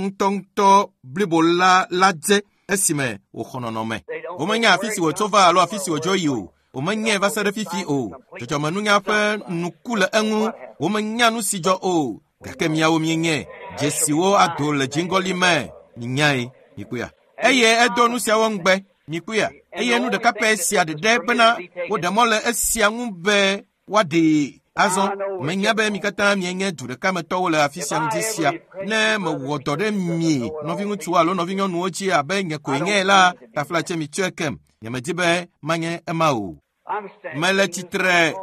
ŋutɔŋutɔ blibo la dze esime wòxɔ nɔnɔme. Womenya afi si wòtso va alo afi si wòdzo yi o. Womenyae va se ɖe fifi o. Dzɔdzɔmenunya ƒe nuku le eŋu. Womenya nu si dzɔ o. Gake miawo mienyae. Dzesiwo ado le dziŋgɔli me. Minyae. Mikpɔea? Eye edo nu siawo ŋugbe. Mikpɔea? Eye nu ɖeka pɛ sia ɖeɖe bena woɖe mɔ le esia ŋu be woaɖee. Azɔ menya be mi katã mienye du ɖeka me tɔwo le afi sia ŋdi sia. Ne mewɔ dɔ ɖe mi nɔviŋutsuwo alo nɔvinyɔnuwo dzi abe nye koe nye la, taflatse mitsɔe kem. Nyemedi be manye ema o. Mele tsitre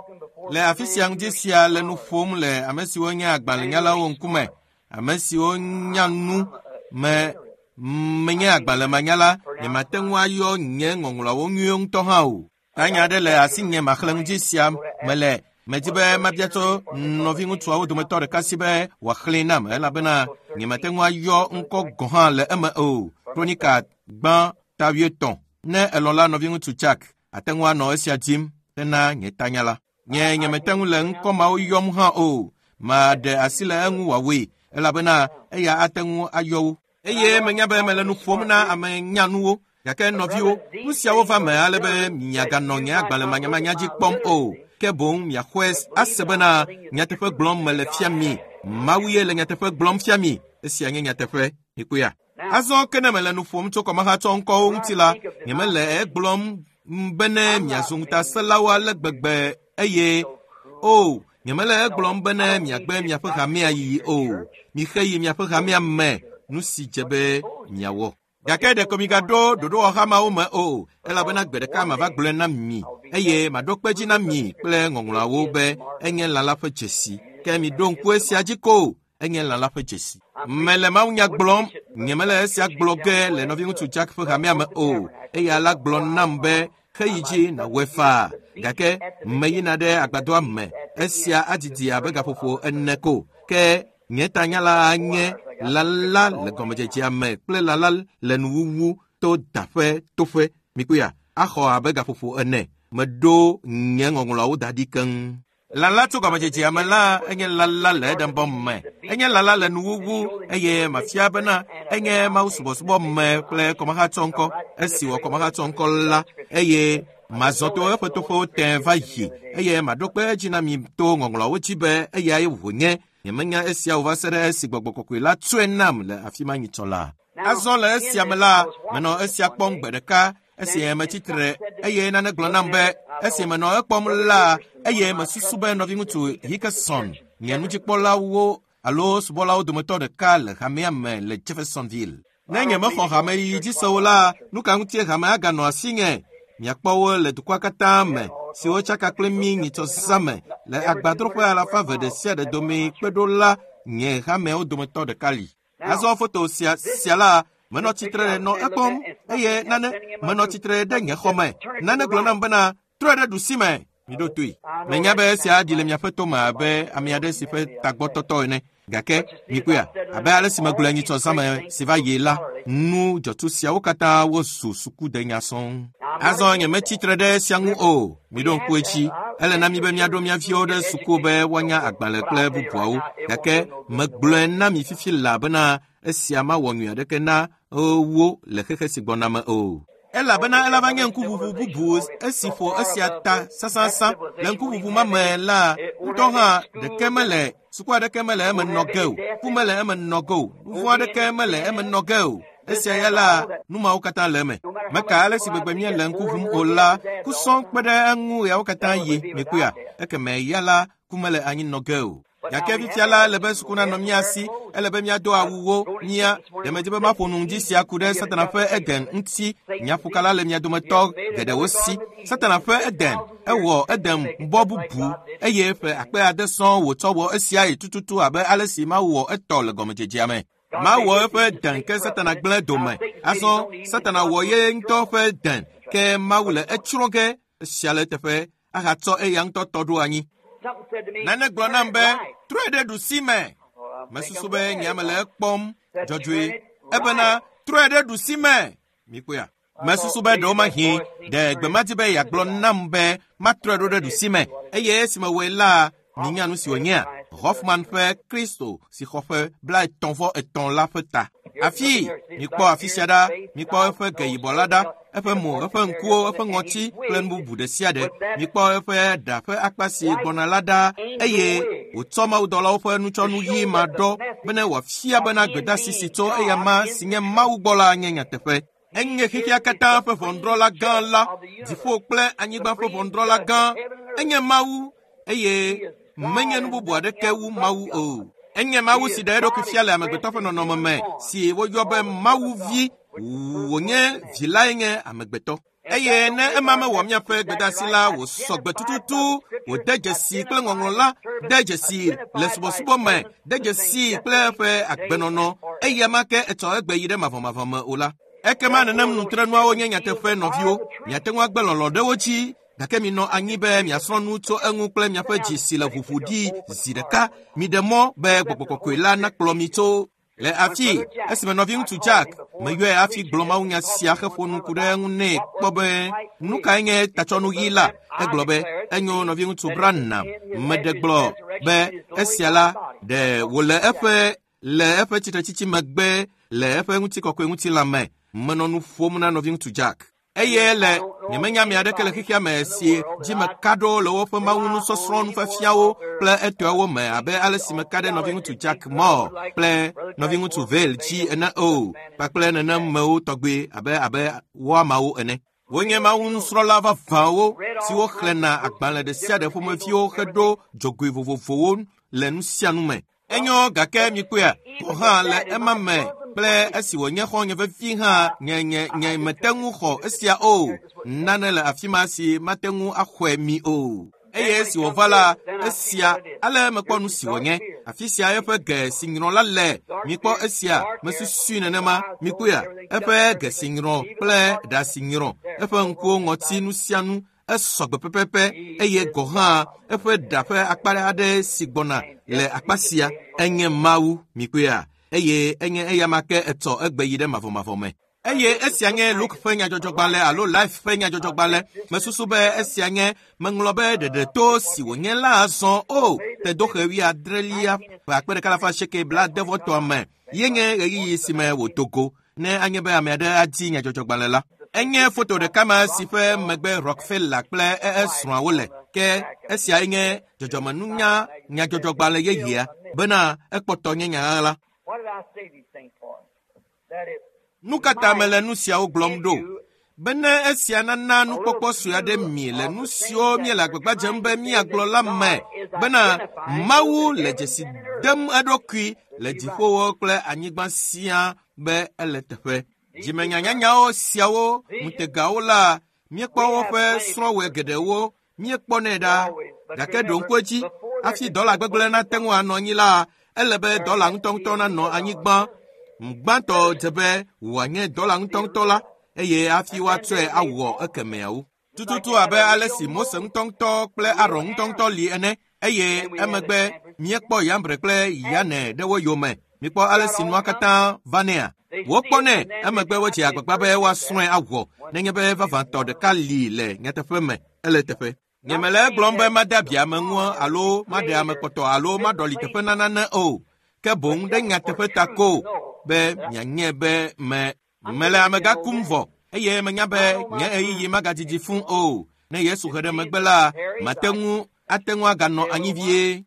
le afi sia ŋdi sia le nu ƒom le ame siwo nye agbalẽnyalawo ŋkume, ame siwo nya nu me. Menye agbalẽmanyala, nyemate ŋu ayɔ nye ŋɔŋlɔawo nyuie ŋutɔ hã o. Tanya aɖe le asinye maxlẽ ŋdi sia mele. Medi be mabia tso nɔviŋutsuawo dometɔ ɖeka si be wòaxlẽe nam elabena nyemate ŋu ayɔ ŋkɔ gɔ̃ hã le eme o. Kronika gbã ta 5. Ne elɔ̃ la nɔviŋutsu Jack, ate ŋu anɔ esia dim hena nye tanya la. Nye nyemete ŋu le ŋkɔ mawo yɔm hã o. Maɖe asi le eŋu wòawɔe elabena eya ate ŋu ayɔ wo. Eye menya be mele nu ƒom na ame nyanuwo. Gake nɔviwo, nu siawo va me ale be miaganɔ nye agbalẽmanyamanya dzi kpɔm o. Ke boŋ miaxɔe ase bena nyateƒe gblɔm mele fia mi. Mawu ye le nyateƒe gblɔm fia mi. Esia nye nyateƒe. Mikpɔea? Azɔ ke ne mele nu ƒom tso kɔmahatsɔ ŋkɔwo ŋuti la, nyemele egblɔm bene miazu ŋutasẽlawo ale gbegbe eye o, nyemele egblɔm bene miagbe miaƒe hamea yiyi o. Mixe yi miaƒe hamea me nu si dze be miawɔ. Gake ɖeko migaɖo ɖoɖowɔha mawo me o, elabena gbe ɖeka mava gblɔe na mi, eye maɖo kpe dzi na mi kple ŋɔŋlɔawo be enye lã la ƒe dzesi. Ke miɖo ŋku esia dzi ko, enye lã la ƒe dzesi. Mele mawunya gblɔm, nyemele esia gblɔ ge le nɔviŋutsu Jack ƒe hamea me o. Eya la gblɔ nam be xeyi dzi nàwɔe faa. Gake meyina ɖe agbadɔa me. Esia adidi abe gaƒoƒo 4 ko. Ke nye tanya la nye lala le gɔmedzedzea me kple lala le nuwuwu to daƒe toƒe. Mikpɔea, axɔ abe gaƒoƒo 4. Meɖo nye ŋɔŋlɔawo da ɖi keŋ. Lala tso gɔmedzedzea me la enye lala le Edenbɔ me. Enye lala le nuwuwu eye mafia bena enye mawusubɔsubɔ me kple kɔmahatsɔ ŋkɔ. Esi wɔ kɔmahatsɔ ŋkɔ la eye mazɔ to eƒe toƒewo tẽ va yi eye maɖo kpe edzi na mi to ŋɔŋlɔawo dzi be eyae wònye. Nyemenya esia o va se ɖe esi gbɔgbɔ kɔkɔe la tsɔe nam le afi ma nyitsɔ la. Azɔ le esia me la, menɔ esia kpɔm gbe ɖeka esi metsitre eye nane gblɔ nam be esi menɔ ekpɔm la eye mesusu be nɔviŋutsu Hickerson nye nudzikpɔlawo alo subɔlawo dometɔ ɖeka le hamea me le Jeffersonville. Ne nyemexɔ hame yiyi dzi se o la, nu ka ŋutie hame aganɔ asinye? Miakpɔ wo le dukɔa katã me siwo tsaka kple mí nyitsɔ zã me le agbadroƒe 200 ɖe sia ɖe dome kpeɖola nye hameawo dometɔ ɖeka li. Azɔ foto sia la, menɔ tsitre nɔ ekpɔm eye nane menɔ tsitre ɖe nye xɔ me. Nane gblɔ nam bena trɔe ɖe ɖusi me. Miɖo toe. Menya be esia aɖi le miaƒe tome abe ame aɖe si ƒe tagbɔtɔtɔ ene. Gake mikpɔea, abe ale si megblɔe nyitsɔ zã me si va yi la, nu dzɔtsu siawo katã wozu sukudenya sɔŋ. Azɔ nyemetsi tre ɖe esia ŋu o. Miɖo ŋku edzi. Ele na mi be miaɖo mia viwo ɖe suku be woanya agbalẽ kple bubuawo. Gake megblɔe na mi fifi laa bena esia mawɔ nyui aɖeke na wo le xexe si gbɔna me o. Elabena elava nye ŋkuʋuʋu bubu esi ƒo esia ta sãsãsã. Le ŋkuʋuʋu ma me la, ŋutɔ hã ɖeke mele suku aɖeke mele eme nɔ ge o, ku mele eme nɔ ge o, nu vɔ̃ aɖeke mele eme nɔ ge o. Esia ya la, nu mawo katã le eme. Meka ale si gbegbe míele ŋku ʋum o la, ku sɔŋ kpe ɖe eŋu ɣeawo katã yi, mikpɔea? Ekeme ya la, ku mele anyi nɔ ge o. Gake fifia la, ele be suku nanɔ mía si, ele be míado awuwo, mía. Ɖe medzi be maƒo nu ŋdi sia ku ɖe Satana ƒe Eden ŋuti. Nyaƒokala le mia dometɔ geɖewo si. Satana ƒe Eden, ewɔ Eden bɔ bubu eye ƒe akpe ade sɔŋ wòtsɔ wɔ esiae tututu abe ale si Mawu wɔ etɔ le gɔmedzedzea me. Mawu wɔ eƒe Eden ke Satana gblẽ dome. Azɔ Satana wɔ ye ŋutɔ ƒe Eden ke Mawu le etsrɔ̃ ge esia le eteƒe ahatsɔ eya ŋutɔ tɔ ɖo anyi. Nane gblɔ nam be, trɔe ɖe ɖusi me. Mesusu be nye ame le ekpɔm dzɔdzɔe. Ebena, trɔe ɖe ɖusi me. Mikpɔea? Mesusu be ɖewomahi ɖe gbe ma di be yeagblɔ nam be matrɔe ɖo ɖe ɖusi me. Eye esime wɔe la, minya nu si wònyea? Hoffman ƒe Kristo si xɔ ƒe 33 la ƒe ta. Afi, mikpɔ afi sia ɖa, mikpɔ eƒe ge yibɔ la ɖa, eƒe mo, eƒe ŋkuwo, eƒe ŋɔti kple nu bubu ɖe sia ɖe. Mikpɔ eƒe ɖa ƒe akpa si gbɔna la ɖa, eye wòtsɔ mawudɔlawo ƒe nutsɔnu ɣi ma ɖɔ bene wòafia bena gbedeasi si tso eya ma si nye Mawu gbɔ la nye nyateƒe. Enye xexea katã ƒe ʋɔnudrɔ̃la gã la, dziƒo kple anyigba ƒe ʋɔnudrɔ̃la gã. Enye Mawu eye menye nu bubu aɖeke wu Mawu o. Enye Mawu si ɖe eɖokui fia le amegbetɔ ƒe nɔnɔme me si woyɔ be Mawu vi, wònye vi lae nye amegbetɔ. Eye ne ema mewɔ míaƒe gbedeasi la wòsɔ gbe tututu, wòde dzesi kple ŋɔŋlɔ la, de dzesi le subɔsubɔ me, de dzesi kple eƒe agbenɔnɔ, eya ma ke etsɔ egbe yi ɖe mavɔmavɔ me o la. Ekema nenem nutrenuawo nye nyateƒe nɔviwo, miate ŋu agbe lɔlɔ̃ ɖe wo dzi, gake minɔ anyi be miasrɔ̃ nu tso eŋu kple miaƒe dzi si le ʋuʋu ɖi zi ɖeka. Miɖe mɔ be gbɔgbɔ kɔkɔe la nakplɔ mi tso le afi esime nɔviŋutsu Jack meyɔe hafi gblɔ mawunya sia heƒo nu ku ɖe eŋu nɛ kpɔ be nu kae nye tatsɔnu ɣi la. Egblɔ be enyo nɔviŋutsu Branham meɖe gblɔ be esia la ɖe wòle eƒe le eƒe tsitretsitsi megbe le eƒe ŋutikɔkɔe ŋutilã me. Menɔ nu ƒom na nɔviŋutsu Jack. Eye le nyemenya ame aɖeke le xexea me si dzi meka ɖo le woƒe mawunusɔsrɔ̃ nufiafiawo kple etɔawo me abe ale si meka ɖe nɔviŋutsu Jack Moore kple nɔviŋutsu Vayle dzi ene o, kpakple nenemewo tɔgbe abe abe woamawo ene. Wonye mawunusrɔ̃la vavãwo siwo xlẽna agbalẽ ɖe sia ɖe ƒomeviwo heɖo dzogoe vovovowo le nu sia nu me. Enyo gake mikpɔea, gɔ̃ hã le ema me kple esi wònye xɔ̃nye vevi hã nye nye nye mete ŋu xɔ esia o. Nane le afi ma si mate ŋu axɔe mi o. Eye esi wòva la, esia ale mekpɔ nu si wònye. Afi sia eƒe ge si nyrɔ la le. Mikpɔ esia, mesusui nenema. Mikpɔea, eƒe ge si nyrɔ kple ɖa si nyrɔ, eƒe ŋkuwo, ŋɔti, nu sia nu esɔ gbe pɛpɛpɛ eye gɔ̃ hã eƒe ɖa ƒe akpa aɖe si gbɔna le akpa sia enye Mawu. Mikpɔea, eye enye eya ma ke etsɔ egbe yi ɖe mavɔmavɔ me. Eye esia nye Luke ƒe nyadzɔdzɔgbalẽ alo Life ƒe nyadzɔdzɔgbalẽ. Mesusu be esia nye meŋlɔ be ɖeɖeto si wònye la azɔ o tedoxe 70 ƒe 1980 me ye nye ɣeyiɣi si me wòdo go ne anye be ame aɖe adi nyadzɔdzɔgbalẽ la. Enye foto ɖeka ma si ƒe megbe Rockefeller kple esrɔ̃awo le. Ke esiae nye dzɔdzɔmenunya nyadzɔdzɔgbalẽ yeyea bena ekpɔtɔ nye nya ɣaɣla. What did I say these things for? That it Nu ka ta mele nu siawo gblɔm ɖo? Bene esia nana nukpɔkpɔ sue aɖe mi le nu siwo míele agbagba dzem be míagblɔ la me bena Mawu le dzesi dem eɖokui le dziƒowo kple anyigba siaa be ele teƒe. Dzimenyanyanyawo siawo ŋutegawo la, míekpɔ woƒe srɔ̃wɔe geɖewo, míekpɔnɛ ɖa. Gake ɖo ŋku edzi, hafi dɔla gbegblẽ nate ŋu anɔ anyi la, ele be dɔla ŋutɔŋutɔ nanɔ anyigba. Gbãtɔ dze be wòanye dɔla ŋutɔŋutɔ la, eye hafi woatsɔe awɔ ekemeawo. Tututu abe ale si Mose ŋutɔŋutɔ kple Aron ŋutɔŋutɔ li ene, eye emegbe míekpɔ Yambre kple Yane ɖe wo yome. Mikpɔ ale si nua katã va nɛa. Wokpɔnɛ, emegbe wodze agbagba be woasrɔ̃e awɔ nenye be vavãtɔ ɖeka li le nyateƒe me, ele teƒe. Nyemele egblɔm be made abi ame ŋu alo maɖe ame kpɔtɔ alo maɖɔli teƒe na nane o, ke boŋ ɖe nyateƒe ta ko be mianye be me mele amegã kum vɔ. Eye menya be nye ɣeyiɣi magadidi fũu o. Ne Yesu he ɖe megbe la, mate ŋu ate ŋu aganɔ anyi vie.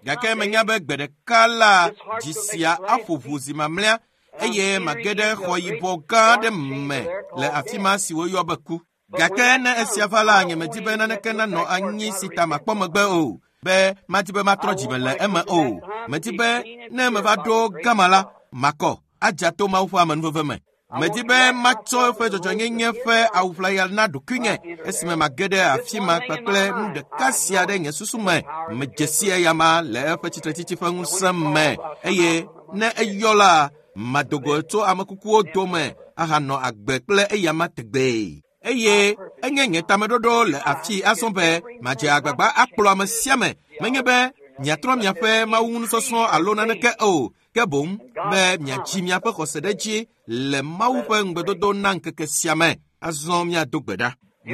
Gake menya be gbe ɖeka la, dzi sia aƒo ʋu zi mamlɛa eye mage ɖe xɔ yibɔ gã aɖe me le afi ma si woyɔ be ku. Gake ne esia va la, nyemedi be naneke nanɔ anyi si ta makpɔ megbe o, be madi be matrɔ dzime le eme o. Medi be ne meva ɖo gama la, makɔ adza to Mawu ƒe amenuveve me. Medi be matsɔ eƒe dzɔdzɔnyenye ƒe awuʋlaya na ɖokuinye esime mage ɖe afi ma kpakple nu ɖeka sia ɖe nye susu me. Medze si eyama le eƒe tsitretsitsi ƒe ŋusẽ me eye ne eyɔ la, mado go tso ame kukuwo dome ahanɔ agbe kple eyama tegbee. Eye enye nye tameɖoɖo le afii azɔ be madze agbagba akplɔ ame sia ame, menye be miatrɔ miaƒe mawuŋunusɔsrɔ̃ alo naneke o, ke boŋ be miadzi miaƒe xɔse ɖe edzi le Mawu ƒe ŋugbedodo na ŋkeke sia me. Azɔ míado gbe ɖa.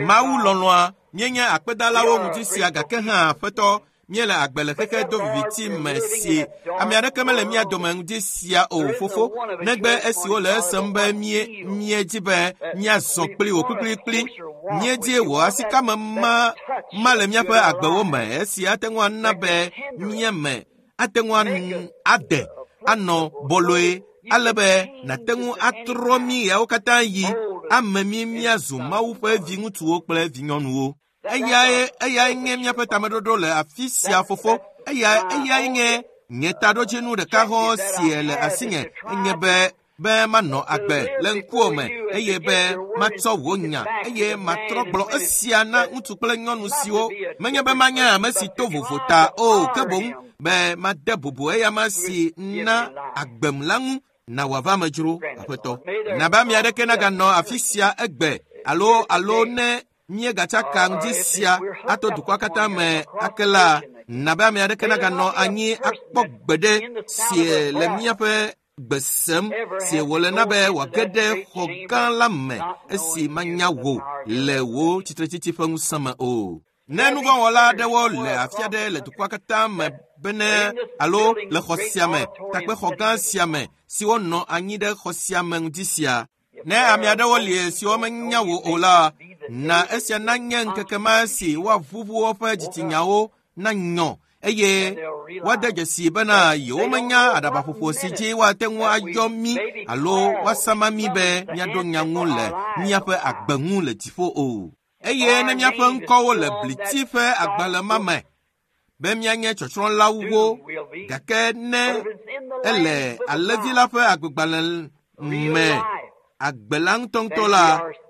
Mawu lɔlɔ̃a, míenye akpedalawo ŋdi sia gake hã Aƒetɔ, míele agbe le xexe doviviti me si ame aɖeke mele mía dome ŋdi sia o fofo, negbe esiwo le esem be míedi be míazɔ kpli wò kplikplikpli. Míedi wò asikame ma le míaƒe agbewo me esi ate ŋu ana be míeme ate ŋu ade anɔ bɔlɔe ale be nàte ŋu atrɔ mí ɣeawo katã yi ame mí míazu Mawu ƒe viŋutsuwo kple vinyɔnuwo. Eyae nye míaƒe tameɖoɖo le afi sia fofo. Eyae nye nye taɖodzinu ɖeka hɔ̃ si le asinye enye be manɔ agbe le ŋkuwò me eye be matsɔ wò nya eye matrɔ gblɔ esia na ŋutsu kple nyɔnu siwo menye be manye ame si to vovo ta o, ke boŋ be made bubu eyama si na agbem la ŋu na wòava me dzro, Aƒetɔ. Na be ame aɖeke naganɔ afi sia egbe alo ne míegatsaka ŋdi sia ato dukɔa katã me ake la, na be ame aɖeke naganɔ anyi akpɔ gbeɖe si le míaƒe gbe sem si wòle na be wòage ɖe xɔ gã la me esi manya wò le wò tsitretsitsi ƒe ŋusẽ me o. Ne nuvɔ̃wɔla aɖewo le afi aɖe le dukɔa katã me bene alo le xɔ sia me, takpexɔ gã sia me siwo nɔ anyi ɖe xɔ sia me ŋdi sia, ne ame aɖewo li siwo menya wò o la, na esia nanye ŋkeke ma si woaʋuʋu woƒe dzitsinyawo nanyɔ eye woade dzesi bena yewomenya aɖabaƒoƒo si dzi woate ŋu ayɔ mí alo woasama mí be míaɖo nya ŋu le míaƒe agbe ŋu le dziƒo o. Eye ne míaƒe ŋkɔwo le bliti ƒe agbalẽ ma me be míanye tsɔtsrɔ̃lawo, gake ne ele Alẽvi la ƒe agbegbalẽ me agbe la ŋutɔŋutɔ la,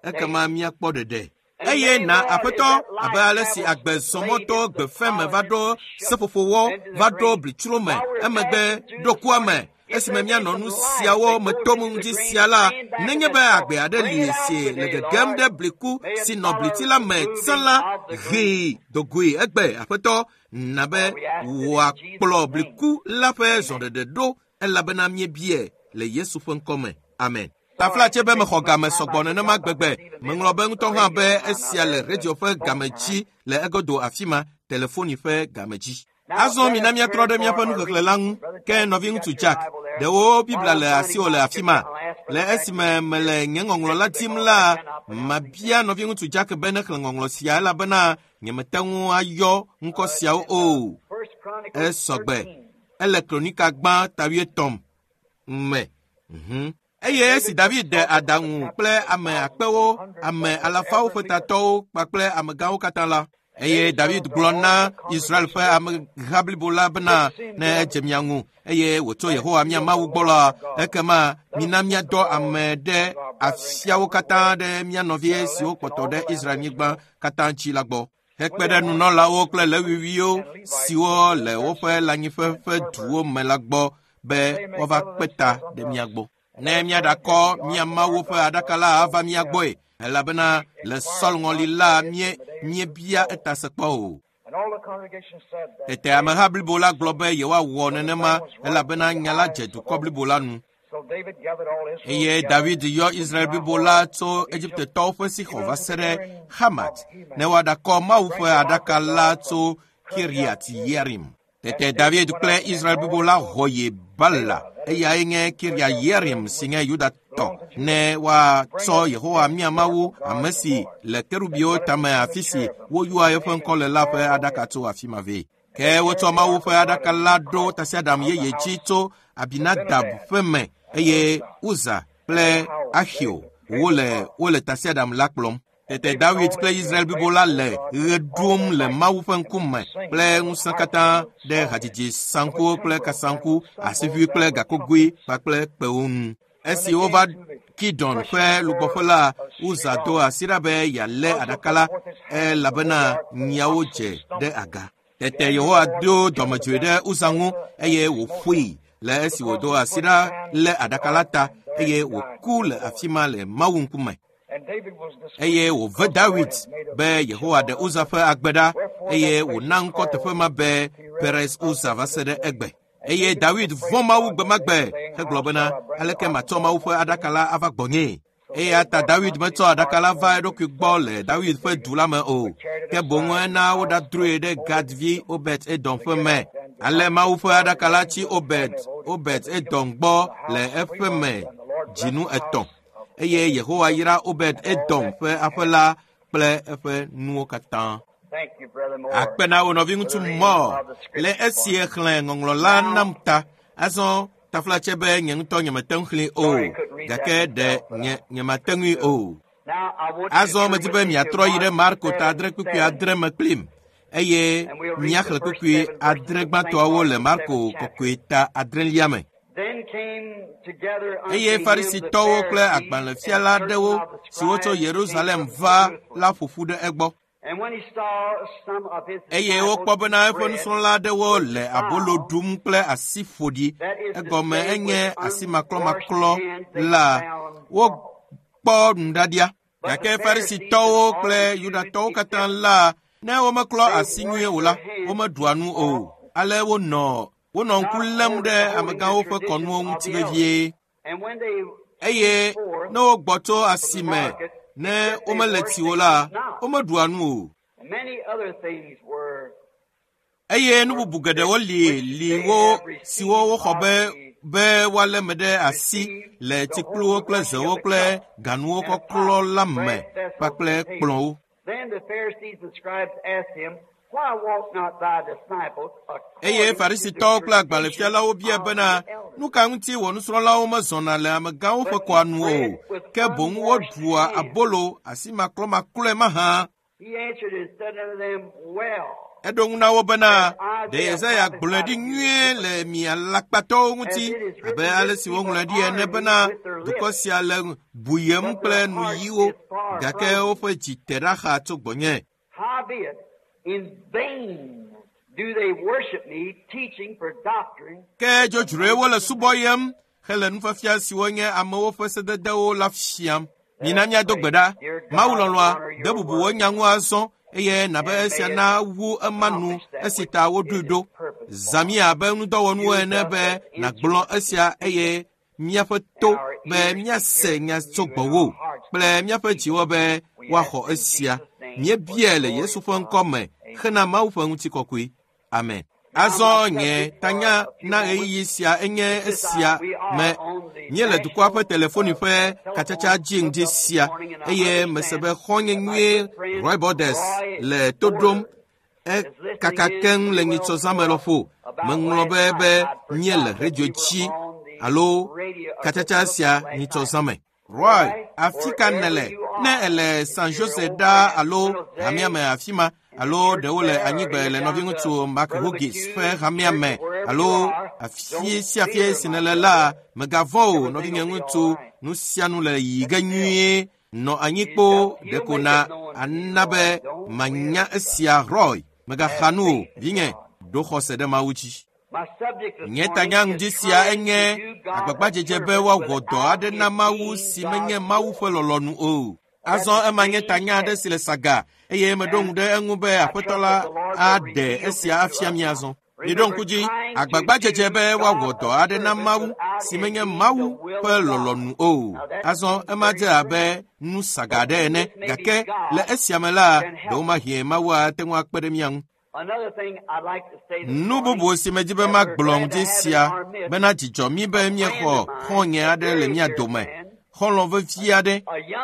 ekema míakpɔ ɖeɖe. Eye na Aƒetɔ, abe ale si agbe zɔmɔtɔ gbefe me va ɖo seƒoƒowɔ va ɖo blitsro me, emegbe ɖo kua me, esime míanɔ nu siawo me tom ŋdi sia la, nenye be agbe aɖe li si le gegem ɖe bliku si nɔ bliti la me tsã la, hee dogoe egbe, Aƒetɔ, na be wòakplɔ bliku la ƒe zɔɖeɖe ɖo, elabena míebie le Yesu ƒe ŋkɔ me. Amen. Taflatse be mexɔ game sɔgbɔ nenema gbegbe. Meŋlɔ be ŋutɔ hã be esia le radio ƒe game dzi le egodo afi ma, telefoni ƒe game dzi. Azɔ mina míatrɔ ɖe míaƒe nuxexlẽ la ŋu. Ke nɔviŋutsu Jack, ɖewo Biblia le asiwò le afi ma. Le esime mele nye ŋɔŋlɔ la dim la, mabia nɔviŋutsu Jack be nexlẽ ŋɔŋlɔ sia elabena nyemete ŋu ayɔ ŋkɔ siawo o. Esɔgbe. Ele Kronika gbã ta wuietɔ̃ me. Eye esi David de adaŋu kple ame akpewo, ame alafawo ƒe tatɔwo kpakple amegãwo katã la, eye David gblɔ na Israel ƒe ameha blibo la bena ne edze mia ŋu eye wòtso Yehowa mía Mawu gbɔ la, ekema mina míadɔ ame ɖe afiawo katã ɖe mía nɔvi siwo kpɔtɔ ɖe Israel-nyigba katã dzi la gbɔ. Hekpe ɖe nunɔlawo kple Lewiviwo siwo le woƒe lãnyiƒe ƒe duwo me la gbɔ be woava kpe ta ɖe mía gbɔ. Ne míaɖakɔ mía Mawu ƒe aɖaka la ava mía gbɔe, elabena le Saul ŋɔli la míebia eta se kpɔ o. Tete ameha blibo la gblɔ be yewoawɔ nenema elabena nya la dze dukɔ blibo la nu. Eye David yɔ Israel blibo la tso Egiptetɔwo ƒe Sixɔ va se ɖe Hamat ne woaɖakɔ Mawu ƒe aɖaka la tso Kiriat Yearim. Tete David kple Israel blibo la xɔ yi Bala. Eyae nye Kiria Yearim si nye Yudatɔ, ne woatsɔ Yehowa mía Mawu, ame si le kerubiwo tame afi si woyɔa eƒe ŋkɔ le la ƒe aɖaka tso afi ma vɛ. Ke wotsɔ Mawu ƒe aɖaka la ɖo tasiaɖam yeye dzi tso Abinadab ƒe me eye Uza kple Ahio wole tasiaɖam la kplɔm. Tete David kple Israel blibo la le ɣe ɖum le Mawu ƒe ŋkume kple ŋusẽ katã ɖe hadzidzi saŋkuwo kple kasaŋku, asiʋui kple gakogoe kpakple kpewo ŋu. Esi wova Kidon ƒe lugbɔƒe la, Uza do asi ɖa be yealé aɖaka la elabena nyiawo dze ɖe aga. Tete Yehowa do dɔmedzoe ɖe Uza ŋu eye wòƒoe le esi wòdo asi ɖa lé aɖaka la ta eye wòku le afi ma le Mawu ŋkume. Eye wòve Dawid be Yehowa ɖe Uza ƒe agbe ɖa eye wòna ŋkɔ teƒe ma be Perez Uza va se ɖe egbe. Eye Dawid vɔ̃ Mawu gbemagbe hegblɔ bena, aleke matsɔ Mawu ƒe aɖaka la ava gbɔnyee? Eya ta Dawid metsɔ aɖaka la va eɖokui gbɔ le Dawid ƒe du la me o, ke boŋ ena woɖadroe ɖe Gad vi Obed Edom ƒe me. Ale Mawu ƒe aɖaka la tsi Obed Edom gbɔ le eƒe me dzinu 3. Eye Yehowa yra Obed Edom ƒe aƒe la kple eƒe nuwo katã. Akpe na wo nɔviŋutsu Moore le esi exlẽ ŋɔŋlɔ la nam ta. Azɔ taflatse be nye ŋutɔ nyemete ŋu xlẽe o, gake ɖe nye nyemate ŋui o. Azɔ medi be miatrɔ yi ɖe Marko ta 8:6 me kplim eye míaxlẽ kpukpui 8 gbãtɔawo le Marko kɔkɔe ta 8 me. Eye Farisitɔwo kple agbalẽfiala aɖewo siwo tso Yerusalem va la ƒo ƒu ɖe egbɔ. Eye wokpɔ bena eƒe nusrɔ̃la aɖewo le abolo ɖum kple asi ƒoɖi, egɔme enye asi maklɔmaklɔ la, wokpɔ nuɖaɖia. Gake Farisitɔwo kple Yudatɔwo katã la, ne womeklɔ asi nyuie o la, womeɖua nu o. Ale wonɔ ŋku lém ɖe amegãwo ƒe kɔnuwo ŋuti vevie. Eye ne wogbɔ tso asi me, ne womele tsi o la, womeɖua nu o. Eye nu bubu geɖewo li wo siwo woxɔ be woalé me ɖe asi le tsikpluwo kple zewo kple ganuwo kɔklɔ la me kpakple kplɔ̃wo. Eye Farisitɔwo kple agbalẽfialawo bia bena, nu ka ŋuti wò nusrɔ̃lawo mezɔna le amegãwo ƒe kɔa nu o, ke boŋ woɖua abolo asi maklɔmaklɔe mahã? Eɖo ŋu na wo bena, ɖe Yesaya gblɔe ɖi nyuie le mi alakpatɔwo ŋuti, abe ale si woŋlɔe ɖi ene bena, dukɔ sia le buyem kple nuyiwo, gake woƒe dzi te ɖa xa tso gbɔnye. Ke dzodzroe wole subɔyem hele nufiafia siwo nye amewo ƒe sededewo la fiam. Mina míado gbe ɖa. Mawu lɔlɔ̃a, de bubu wò nya ŋu azɔ eye nabe esia na wu ema nu esi ta woɖoe ɖo. Zã mí abe ŋudɔwɔnuwo ene be nàgblɔ esia eye míaƒe to be míase nya tso gbɔwò kple míaƒe dziwo be woaxɔ esia. Míebiae le Yesu ƒe ŋkɔ me hena Mawu ƒe ŋutikɔkɔe. Amen. Azɔ nye tanya na ɣeyiɣi sia enye esia me. Míele dukɔa ƒe telefoni ƒe katsatsa dzi ŋdi sia eye mese be xɔ̃nye nyuie Roy Borders le to ɖom ekaka keŋ le nyitsɔzãme lɔƒo. Meŋlɔ be míele redio dzi alo katsatsa sia nyitsɔzãme. Roy, afi ka nèle? Ne ele San Jose ɖaa alo hamea me afi ma, alo ɖewo le anyigbe le nɔviŋutsu Mark Hughes ƒe hamea me, alo afi sia afi si nèle la, mègavɔ̃ o, nɔvinyeŋutsu, nu sia nu le yiyi ge nyuie. Nɔ anyi kpoo ɖeko na ana be manya esia. Roy, mègaxa nu o, vinye, ɖo xɔse ɖe Mawu dzi. Nye tanya ŋdi sia enye agbagbadzedze be woawɔ dɔ aɖe na Mawu si menye Mawu ƒe lɔlɔ̃nu o. Azɔ ema nye tanya aɖe si le saga eye meɖo ŋu ɖe eŋu be Aƒetɔ la aɖe esia afia mí azɔ. Miɖo ŋku dzi, agbagbadzedze be woawɔ dɔ aɖe na Mawu si menye Mawu ƒe lɔlɔ̃nu o. Azɔ ema dze abe nu saga aɖe ene, gake le esia me la, ɖewomahi Mawu ate ŋu akpe ɖe mía ŋu. Nu bubu si medi be magblɔ ŋdi sia bena dzidzɔ mí be míexɔ xɔ̃nye aɖe le mía dome, xɔlɔ̃ vevi aɖe,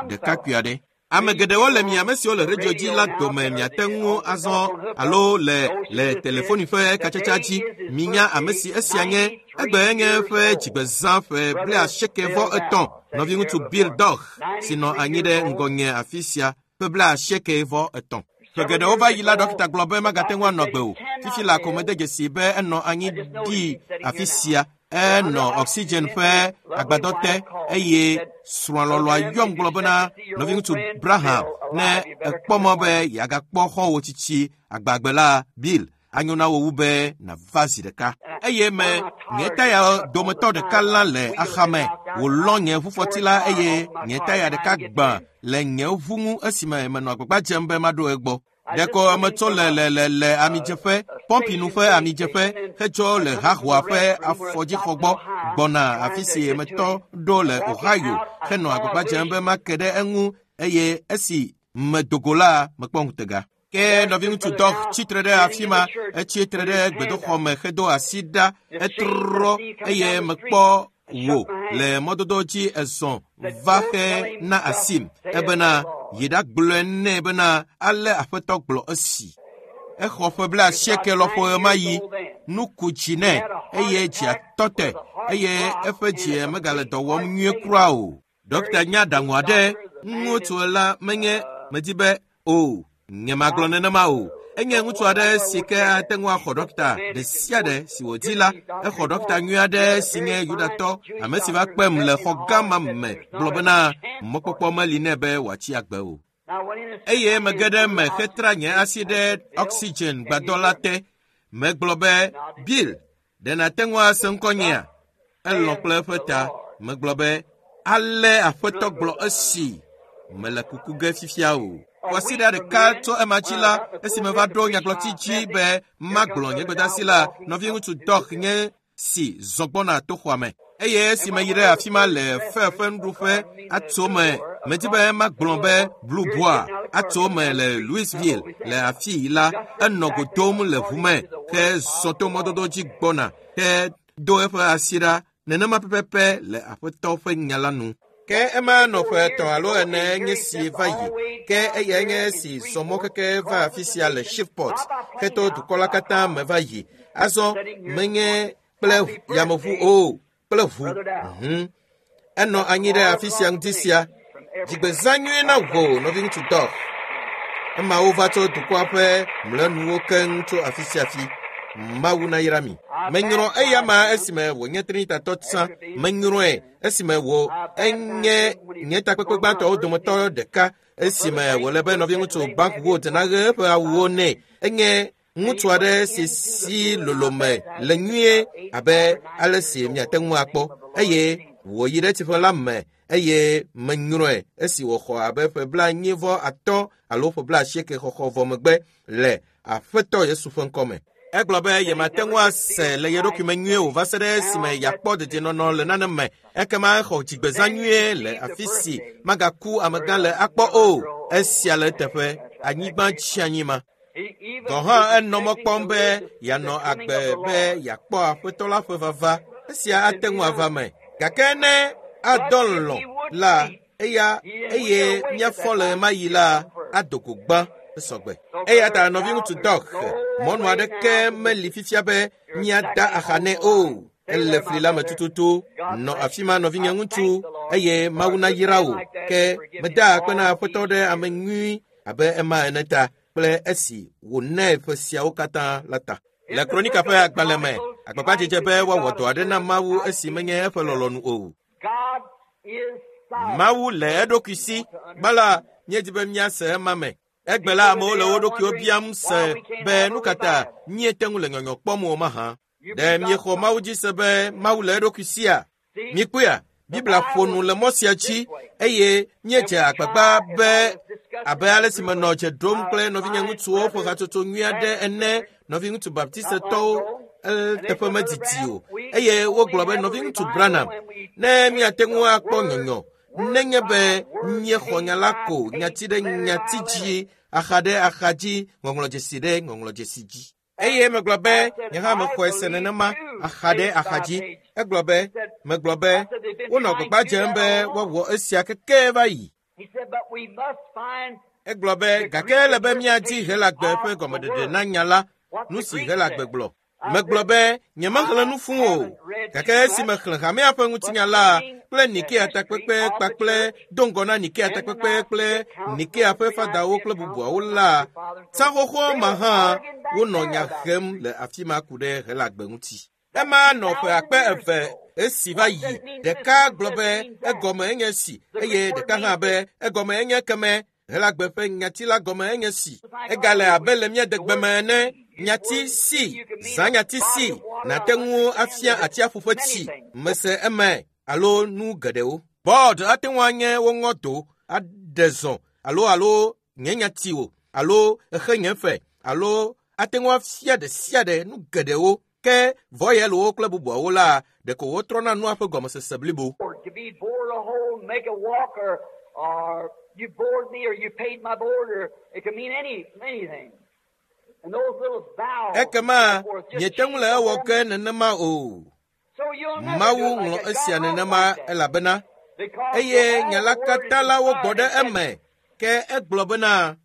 ɖekakpui aɖe. Ame geɖewo le mi ame siwo le redio dzi la dome miate ŋu azɔ alo le telefoni ƒe katsatsa dzi. Minya ame si esia nye. Egbe nye eƒe dzigbezã ƒe 93. Nɔviŋutsu Bill Dauch si nɔ anyi ɖe ŋgɔnye afi sia ƒe 93. Ƒe geɖewo va yi la, ɖɔkita gblɔ be magate ŋu anɔ agbe o. Fifi la ko mede dzesi be enɔ anyi ɖi afi sia. Enɔ oxygen ƒe agbadɔ te eye srɔ̃a lɔlɔ̃a yɔm gblɔ bena nɔviŋutsu Braham ne ekpɔ mɔ be yeagakpɔ xɔ̃wò tsitsi agbagbe la Bill anyo na wò wu be nàva zi ɖeka. Eye me nye taya dometɔ ɖeka lã le axame wòlɔ nye ʋufɔti la eye nye taya ɖeka gbã le nye ʋu ŋu esime menɔ agbagba dzem be maɖo egbɔ. Ɖeko metso le amidzeƒe, pɔmpinu ƒe amidzeƒe hetsɔ le hahoa ƒe afɔdzixɔ gbɔ gbɔna afi si metɔ ɖo le Ohio henɔ agbagba dzem be make ɖe eŋu eye esi medogo la mekpɔ ŋutega. Ke nɔviŋutsu Dauch tsitre ɖe afi ma, etsitre ɖe gbedoxɔ me hedo asi ɖa, etrɔ eye mekpɔ wò le mɔdodo dzi ezɔ va xe na asim ebena yi ɖagblɔe nɛ bena ale aƒetɔ gblɔ esi. Exɔ ƒe 80 lɔƒo ɣemaɣi, nu ku dzi nɛ eye dzia tɔ te eye eƒe dzi megale dɔ wɔm nyuie kura o. Ɖɔkita nya aɖaŋu aɖe ŋutsu la menye medi be o nye magblɔ nenema o. Enye ŋutsu aɖe si ke ate ŋu axɔ ɖɔkita ɖe sia ɖe si wòdi la. Exɔ ɖɔkita nyui aɖe si nye Yudatɔ, ame si va kpem le xɔ gã ma me gblɔ bena mɔkpɔkpɔ meli nɛ be wòatsi agbe o. Eye mege ɖe eme hetra nye asi ɖe oxygen gbadɔ la te. Megblɔ be, Bill, ɖe nàte ŋu ase ŋkɔnyea? Elɔ̃ kple eƒe ta. Megblɔ be, ale aƒetɔ gblɔ esi. Mele kuku ge fifia o. Kwasiɖa ɖeka tso ema dzi la, esime va ɖo nyagblɔti dzi be magblɔ nye gbedeasi la, nɔviŋutsu Dauch nye si zɔ gbɔna to xɔa me. Eye esime yi ɖe afi ma le fe ƒe nuɖuƒe atso me, medi be magblɔ be Blue Boar atso me le Louisville le afii la, enɔ go dom le ʋu me ke zɔ to mɔdodo dzi gbɔna ke do eƒe asi ɖa nenema pɛpɛpɛ le aƒetɔ ƒe nya la nu. Ke ema nɔ ƒe 3 alo 4 nye si va yi. Ke eyae nye si zɔ mɔ keke va afi sia le Shreveport heto dukɔ la katã me va yi. Azɔ menye kple yameʋu o, kple ʋu. Enɔ anyi ɖe afi sia ŋdi sia. Dzigbezã nyuie na wò, nɔviŋutsu Dauch. Emawo va tso dukɔa ƒe mlɔenuwo keŋ tso afi sia afi. Mawu nayra mi. Menyrɔ eya ma esime wònye Trinitatɔ tsã. Menyrɔe esime wò enye nye takpekpe gbãtɔwo dometɔ ɖeka esime wòle be nɔviŋutsu Buckwood naɣe eƒe awuwo nɛ. Enye ŋutsu aɖe si si lolome le nyuie abe ale si miate ŋu akpɔ eye wòyi ɖe tsiƒe la me eye menyrɔe esi wòxɔ abe ƒe 45 alo ƒe 80 xɔxɔ vɔ megbe le aƒetɔ Yesu ƒe ŋkɔme. Egblɔ be yemate ŋu ase le ye ɖokui me nyuie o va se ɖe esime yeakpɔ dedienɔnɔ le nane me. Ekema exɔ dzigbezã nyuie le afi si magaku amegã le akpɔ o. Esia le eteƒe, anyigba tsi anyi ma. Gɔ̃ hã enɔ mɔ kpɔm be yeanɔ agbe be yeakpɔ aƒetɔ la ƒe vava. Esia ate ŋu ava me. Gake ne adɔ lɔ̃ la, eya eye míafɔ le ɣemaɣi la ado go gbã esɔgbe. Eya ta nɔviŋutsu Dauch, mɔnu aɖeke meli fifia be míada axa nɛ o. Ele fli la me tututu. Nɔ afi ma nɔvinye ŋutsu eye Mawu nayra wò. Ke meda akpe na aƒetɔ ɖe ame nyui abe ema ene ta kple esi wònae ƒe siawo katã la ta. Le Kronika ƒe agbalẽ me, agbagbadzedze be woawɔ dɔ aɖe na Mawu esi menye eƒe lɔlɔ̃nu o. Mawu le eɖokui si. Gbã la, míedi be míase ema me. Egbe la, amewo le wo ɖokuiwo biam se be nu ka ta míete ŋu le nyɔnyɔ kpɔm o mahã. Ɖe miexɔ Mawu dzi se be Mawu le eɖokui sia? Mikpɔea, Biblia ƒo nu le mɔ sia dzi eye míedze agbagba be abe ale si menɔ dze ɖom kple nɔvinye ŋutsuwo ƒe hatsotso nyui aɖe ene, nɔviŋutsu baptistetɔwo eteƒe medidi o. Eye wogblɔ be nɔviŋutsu Branham, ne míate ŋu akpɔ nyɔnyɔ, nenye be míexɔ nya la ko nyati ɖe nyati dzi axa ɖe axa dzi, ŋɔŋlɔdzesi ɖe ŋɔŋlɔdzesi dzi. Eye megblɔ be, nye hã mexɔe se nenema, axa ɖe axa dzi. Egblɔ be, megblɔ be, wonɔ gbagba dzem be woawɔ esia keke va yi. Egblɔ be, gake ele be míadi Helagbe ƒe gɔmeɖeɖe na nya la, nu si Helagbe gblɔ. Megblɔ be, nyemexlẽ nu fũu o, gake esi mexlẽ hamea ƒe ŋutinya la kple Nikea takpekpe kpakple do ŋgɔ na Nikea takpekpe kple Nikea ƒe fadawo kple bubuawo la, tsã xoxo ma hã wonɔ nya hem le afi ma ku ɖe Helagbe ŋuti. Ema nɔ ƒe akpe eve esi va yi. Ɖeka gblɔ be egɔme enye si eye ɖeka hã be egɔme enye keme. Helagbe ƒe nyati la gɔme enye si. Egale abe le mía degbe me ene. Nyati si, zã nyati si, nàte ŋu afia atsiaƒu ƒe tsi, mese eme alo nu geɖewo. Bɔd ate ŋu anye woŋɔ do, aɖe zɔ alo alo nye nyati o, alo exe nye fe, alo ate ŋu afia ɖe sia ɖe nu geɖewo. Ke vɔyɛlwo kple bubuawo la, ɖeko wotrɔna nua ƒe gɔmesese blibo. To be bored a hole, make a walk, or you bored me, or you paid my board, or it can mean anything. And those little vowels Ekema and so forth just miete ŋu le change the ewɔ whole ke nenema o. So you'll never Mawu do it like ŋlɔ that. God esia wrote nenema like that. elabena Because eye all nya la the word is katã la wogbɔ inspired ɖe and said eme. Ke egblɔ bena,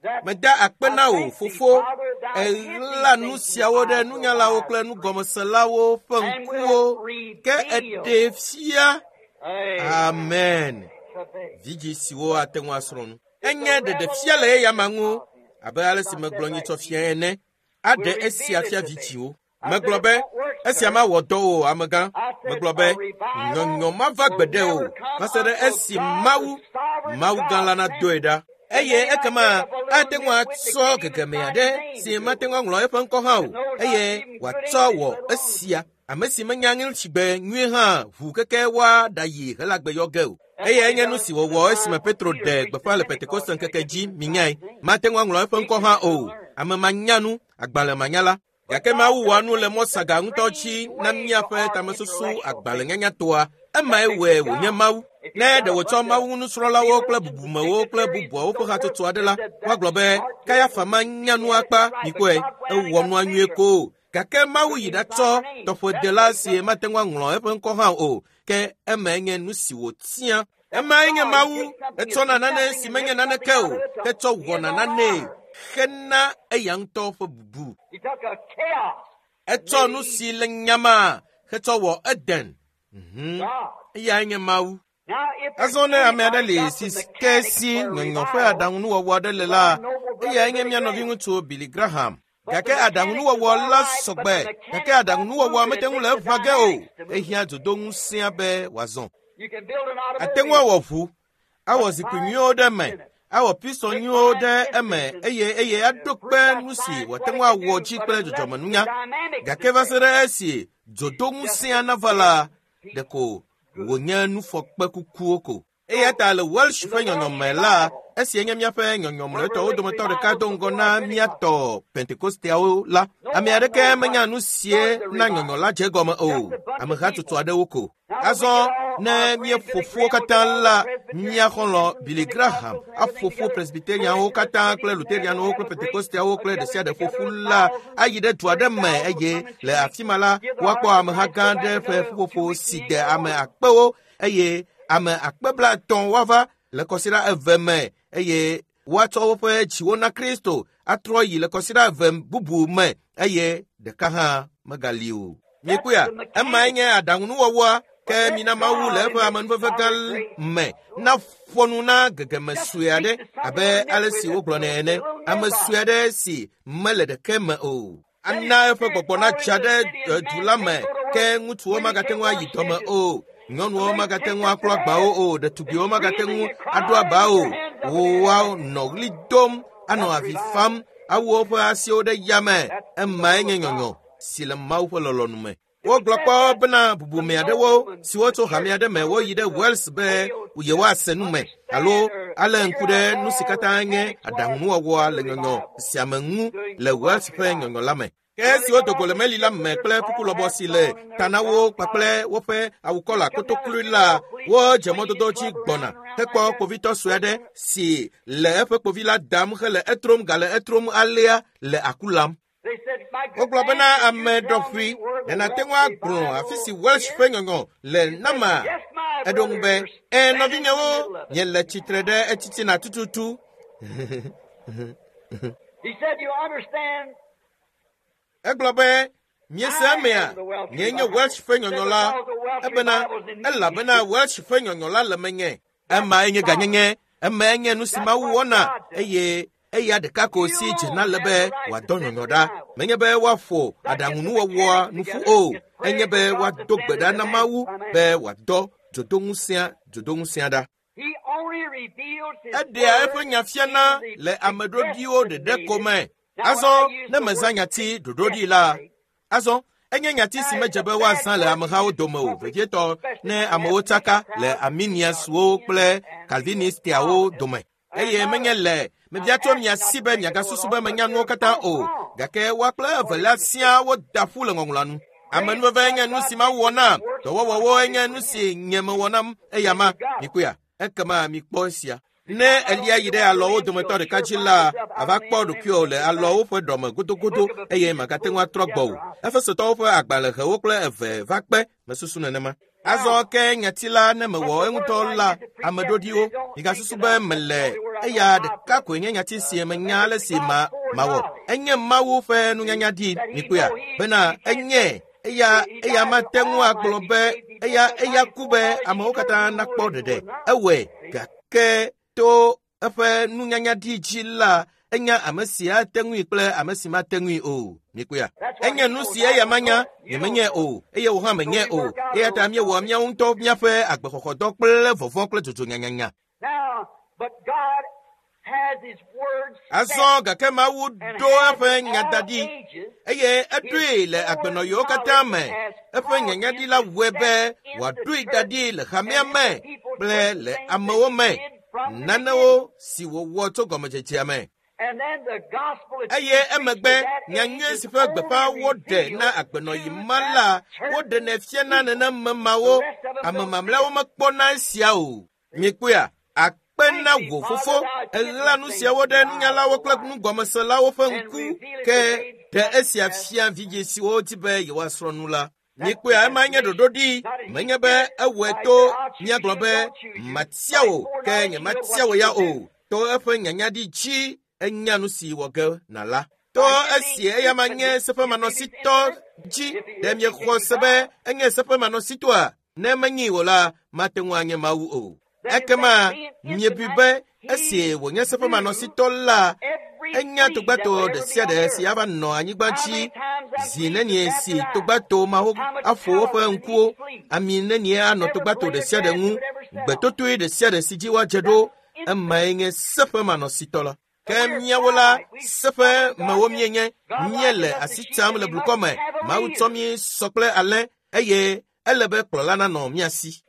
that meda akpe I na wò, thank thee, fofo, Father, thou hid èɣla these nu things from the siawo ɖe eyes of the nunyalawo wise kple and prudent, nugɔmeselawo ƒe and ŋkuwo, wilt ke reveal. eɖe fia. Amen. Amen. Today. Vidzĩ siwo ate ŋu asrɔ̃ nu. It's a Enye ɖeɖefia le eyama revelation ŋu of him. abe ale As si I megblɔ said nyitsɔ last fia week, ene. we'll Aɖe esia reveal it fia to them. vidzĩwo. I said Megblɔ it be, won't work, esia sir. mawɔ dɔ o, amegã. I said Megblɔ a be, revival nyɔnyɔ mava will gbeɖe o, never come va se ɖe until esi God, the Mawu, sovereign Mawu gã God, la sends nadoe it. ɖa. And Eye then he might ekema take up a little ate ŋu nitwit that atsɔ can't even gegeme sign aɖe his name si to mate it. ŋu aŋlɔ eƒe ŋkɔ hã o, That knows not eye even good wòatsɔ English, wɔ let alone esia. Ame si menya ŋlitsigbe nyuie hã ʋu keke woaɖayi Helagbe yɔ ge o. That's Eye what he enye nu done si the wòwɔ esime time when Petro Peter ɖe preached the gbeƒã le Pentecost Pentekoste and they ŋkeke couldn't dzi even sign minyae. his name. Mate ŋu aŋlɔ eƒe He ŋkɔ hã couldn't o. learn. Ame manyanu, agbalẽmanyala. But Gake God Mawu wɔa does nu le things mɔ such saga ŋutɔ dzi strange na ways for míaƒe our tamesusu intellectual thinking. agbalẽnyanyatɔa. Emae That makes wɔe it wònye God. Mawu. If Ne you've ɖe got a wòtsɔ bunch of Mawu nusrɔ̃lawo kple theologians and bubumewo kple dignitaries and bubuawo ƒe so forth hatsotso aɖe that la, said that's woagblɔ be smart to it, Kayafa manya nu yeah, akpa, that's right. But mikpɔe, God went out and ewɔ got nua nyuie Peter. ko. Gake Mawu Couldn't yi even sign ɖatsɔ her name. That tɔƒodela says si something. mate ŋu aŋlɔ eƒe ŋkɔ hã o, ke emae nye nu si wòtia. That's Emae nye God. He Mawu, takes something that's etsɔna nane nothing si and menye makes something naneke out o, of it ke to tsɔ his wɔna own nanee honor. hena eya ŋutɔ ƒe bubu. He took a chaos and Etsɔ made nu it si Eden. le nyamaa hetsɔ wɔ Eden. God. Eyae nye Mawu. Now, if there's Azɔ ne ame aɖe anybody li got si the ke mechanics si for a nyɔnyɔ ƒe revival, aɖaŋunuwɔwɔ aɖe le it's la, our noble brother eyae nye Billy mía Graham. nɔviŋutsu Billy Graham. But the Gake mechanics is aɖaŋunuwɔwɔ all la right, but sɔgbe, the gake mechanics won't aɖaŋunuwɔwɔa move it. mete It ŋu le takes the eʋã ge o. dynamics to move it. Ehiã dzodoŋusẽa be wòazɔ. You can build an Ate ŋu automobile, awɔ ʋu, awɔ but zikpui fine nyuiwo ɖe eme, pistons in it. awɔ pistɔ Make nyuiwo fine ɖe eme pistons eye eye and aɖo prove kpe by nu si science wòate what ŋu it can awɔ do, dzi but kple unless the dzɔdzɔmenunya. dynamics Gake is va se there, ɖe esi it's just dzodoŋusẽa a nava la, dead piece ɖeko of good. wònye nufɔkpe kukuwo ko. Eya So, ta le Welsh in ƒe the Welsh nyɔnyɔme la, revival, esie nye míaƒe nyɔnyɔmlɔetɔwo one religious dometɔ ɖeka revival do ŋgɔ before na our Pentecost. míatɔ Pentekosteawo la. No Ame one aɖeke knows menya what nu sie started the na revival. nyɔnyɔ la dze egɔme o. Just a bunch Ame of hatsotso people. aɖewo ko. Now when we Azɔ get all ne our friend Billy míeƒo ƒuwo Graham will get katã all the la, Presbyterians mía and xɔlɔ̃ Lutherans and Billy Graham Pentecostals and everything aƒo ƒu together, go Presbyterianwo into the katã city kple and there they'll Lutherianwo have kple a great Pentekosteawo a kple ɖe gathering sia ɖe ƒo together ƒu of la thousands, ayi ɖe du aɖe me 30,000 will eye come in 2 le weeks, afi ma la give their woakpɔ hearts to ameha Christ, gã go back aɖe ƒe another 2 ƒuƒoƒo weeks, si and de ain't got ame one. akpewo eye ame akpe blaetɔ̃ woava le kɔsiɖa eve me eye woatsɔ woƒe dziwo na Kristo atrɔ yi le kɔsiɖa eve bubu me eye ɖeka hã megali o. That's Mikpɔea, the emae mechanics. nye aɖaŋunuwɔwɔa ke But let mina Mawu le God eƒe in His amenuveve gã sovereign grace me naƒo nu na gegeme just sue aɖe speak to some abe little ale nitwit si that's wogblɔnɛ a ene. little Ame sue nobody. aɖe si mele ɖeke me o. Let His Ana eƒe Spirit gbɔgbɔ fall natsa into the ɖe city and du man la can't me go to ke work. ŋutsuwo Women magate can't ŋu ayi wash dɔme dishes. o. Nyɔnuwo And they magate take ŋu up aklɔ their agbawo heads o. Ɖetugbiwo and magate screaming ŋu and aɖo crying aba with o. their hands up in the air. Woanɔ ɣli dom, anɔ That's avi revival. fam, awu woƒe asiwo ɖe yame. That's the Emae will nye of nyɔnyɔ God. si le Mawu ƒe lɔlɔ̃nu me. If Wogblɔ it said kpɔ that bena bubume some aɖewo nobleman siwo from the tso hame church aɖe me went over woyi to ɖe the Wales be Wales to yewoase nu me alo understand or alé figure ŋku ɖe out nu si all the katã nye mechanics was aɖaŋunuwɔwɔa to le the nyɔnyɔ revival, sia me ŋu doing le the Wales Welsh ƒe revival. nyɔnyɔ la me. Ke esi wodo go le meli la me kple kuku lɔbɔ si le ta na wo kpakple woƒe awukɔla kotoklui la, wodze mɔdodo dzi gbɔna hekpɔ kpovitɔ sue aɖe si le eƒe kpovi la dam hele etrom gale etrom alea le aku lam. Wogblɔ bena ame ɖɔƒui ɖe nàte ŋu agblɔ afi si Welsh ƒe nyɔnyɔ le nama? Eɖo ŋu be, Ẽ, nɔvinyewo, miele tsitre ɖe etitina tututu. Egblɔ be, Miese emea? Nyee nye Welsh ƒe nyɔnyɔ la. Ebena, elabena Welsh ƒe nyɔnyɔ la le menye. Emae nye ganyenye, emae nye nu si Mawu wɔna, eye eya ɖeka ko si dzena le be wòadɔ nyɔnyɔ ɖa. Menye be woaƒo aɖaŋunuwɔwɔa nu ƒu o, enye be woado gbe ɖa na Mawu be wòadɔ dzodoŋusẽa dzodoŋusẽa ɖa. Eɖea eƒe nya fiana le ame ɖoɖiwo ɖeɖe ko me. Azɔ ne mezã nyati ɖoɖoɖi la, azɔ enye nyati si medze be woazã le amehawo dome o, vevietɔ ne amewo tsaka le Arminianswo kple Calvinistiawo dome. Eye menye le mebia tso mia si be miagasusu be menya nuwo katã o, gake woa kple evelia siaa woda ƒu le ŋɔŋlɔa nu. Amenuveve nye nu si Mawu wɔ nam, dɔwɔwɔwo nye nu si nye mewɔ nam eyama. Mikpɔea? Ekema mikpɔ esia. Ne elia yi ɖe alɔwo dometɔ ɖeka dzi la, àva kpɔ ɖokuiwò le alɔwo ƒe ɖɔme godogodo eye màgate ŋu atrɔ gbɔ o. Efesotɔwo ƒe agbalẽ ʋewo kple eve va kpe, mesusu nenema. Azɔ ke nyati la ne mewɔ eŋutɔ la, ame ɖoɖiwo, migasusu be mele eya ɖeka koe nye nyati si menya ale si ma mawɔ. Enye Mawu ƒe nunyanya ɖi, mikpɔea, bena enye eya eya mate ŋu agblɔ be eya eya ku be amewo katã nakpɔ ɖeɖe. Ewɔe gake to eƒe nunyanya ɖi dzi la, enya ame si ate ŋui kple ame si mate ŋui o. Mikpɔea? Enye nu si eya manya, nyemenyae o, eye wò hã menyae o. Eya ta míewɔa míawo ŋutɔ míaƒe agbexɔxɔdɔ kple vɔvɔ̃ kple dzodzo nyanyanya. Azɔ gake Mawu ɖo eƒe nya da ɖi eye eɖoe le agbenɔɣiwo katã me. Eƒe nyanyaɖi la wɔe be wòaɖoe da ɖi le hamea me kple le amewo me. Nanewo si wòwɔ tso gɔmedzedzea me. Eye emegbe nyanyui si ƒe gbeƒã woɖe na agbenɔɣi ma la, woɖenɛ fiana nenem mawo. Ame mamlɛawo mekpɔna esia o. Mikpɔea? Akpe na wò fofo, èɣla nu siawo ɖe nunyalawo kple nugɔmeselawo ƒe ŋku, ke ɖe esia fia vidzĩ siwo di be yewoasrɔ̃ nu la. Mikpɔea, ema nye ɖoɖoɖi. Menye be ewɔe to míagblɔ be matia wò, ke nyematia wò ya o. To eƒe nyanyaɖi dzi enya nu si wɔ ge nàla. To esi eyama nye seƒemanɔsitɔ dzi, ɖe miexɔ se be enye seƒemanɔsitɔa? Ne menyi o la, mate ŋu anye Mawu o. Ekema miebui be esi wònye seƒemanɔsitɔ la, enya togbato ɖe sia ɖe si ava nɔ anyigba dzi zi nenie si togbato mawo aƒo woƒe ŋkuwo, ami nenie anɔ togbato ɖe sia ɖe ŋu, gbetotoe ɖe sia ɖe si dzi woadze ɖo, emae nye seƒemanɔsitɔ la. Ke míawo la, seƒe mewo míenye, míele asi tsam le blukɔ me. Mawu tsɔ mí sɔ kple alẽ eye ele be kplɔla nanɔ mía si.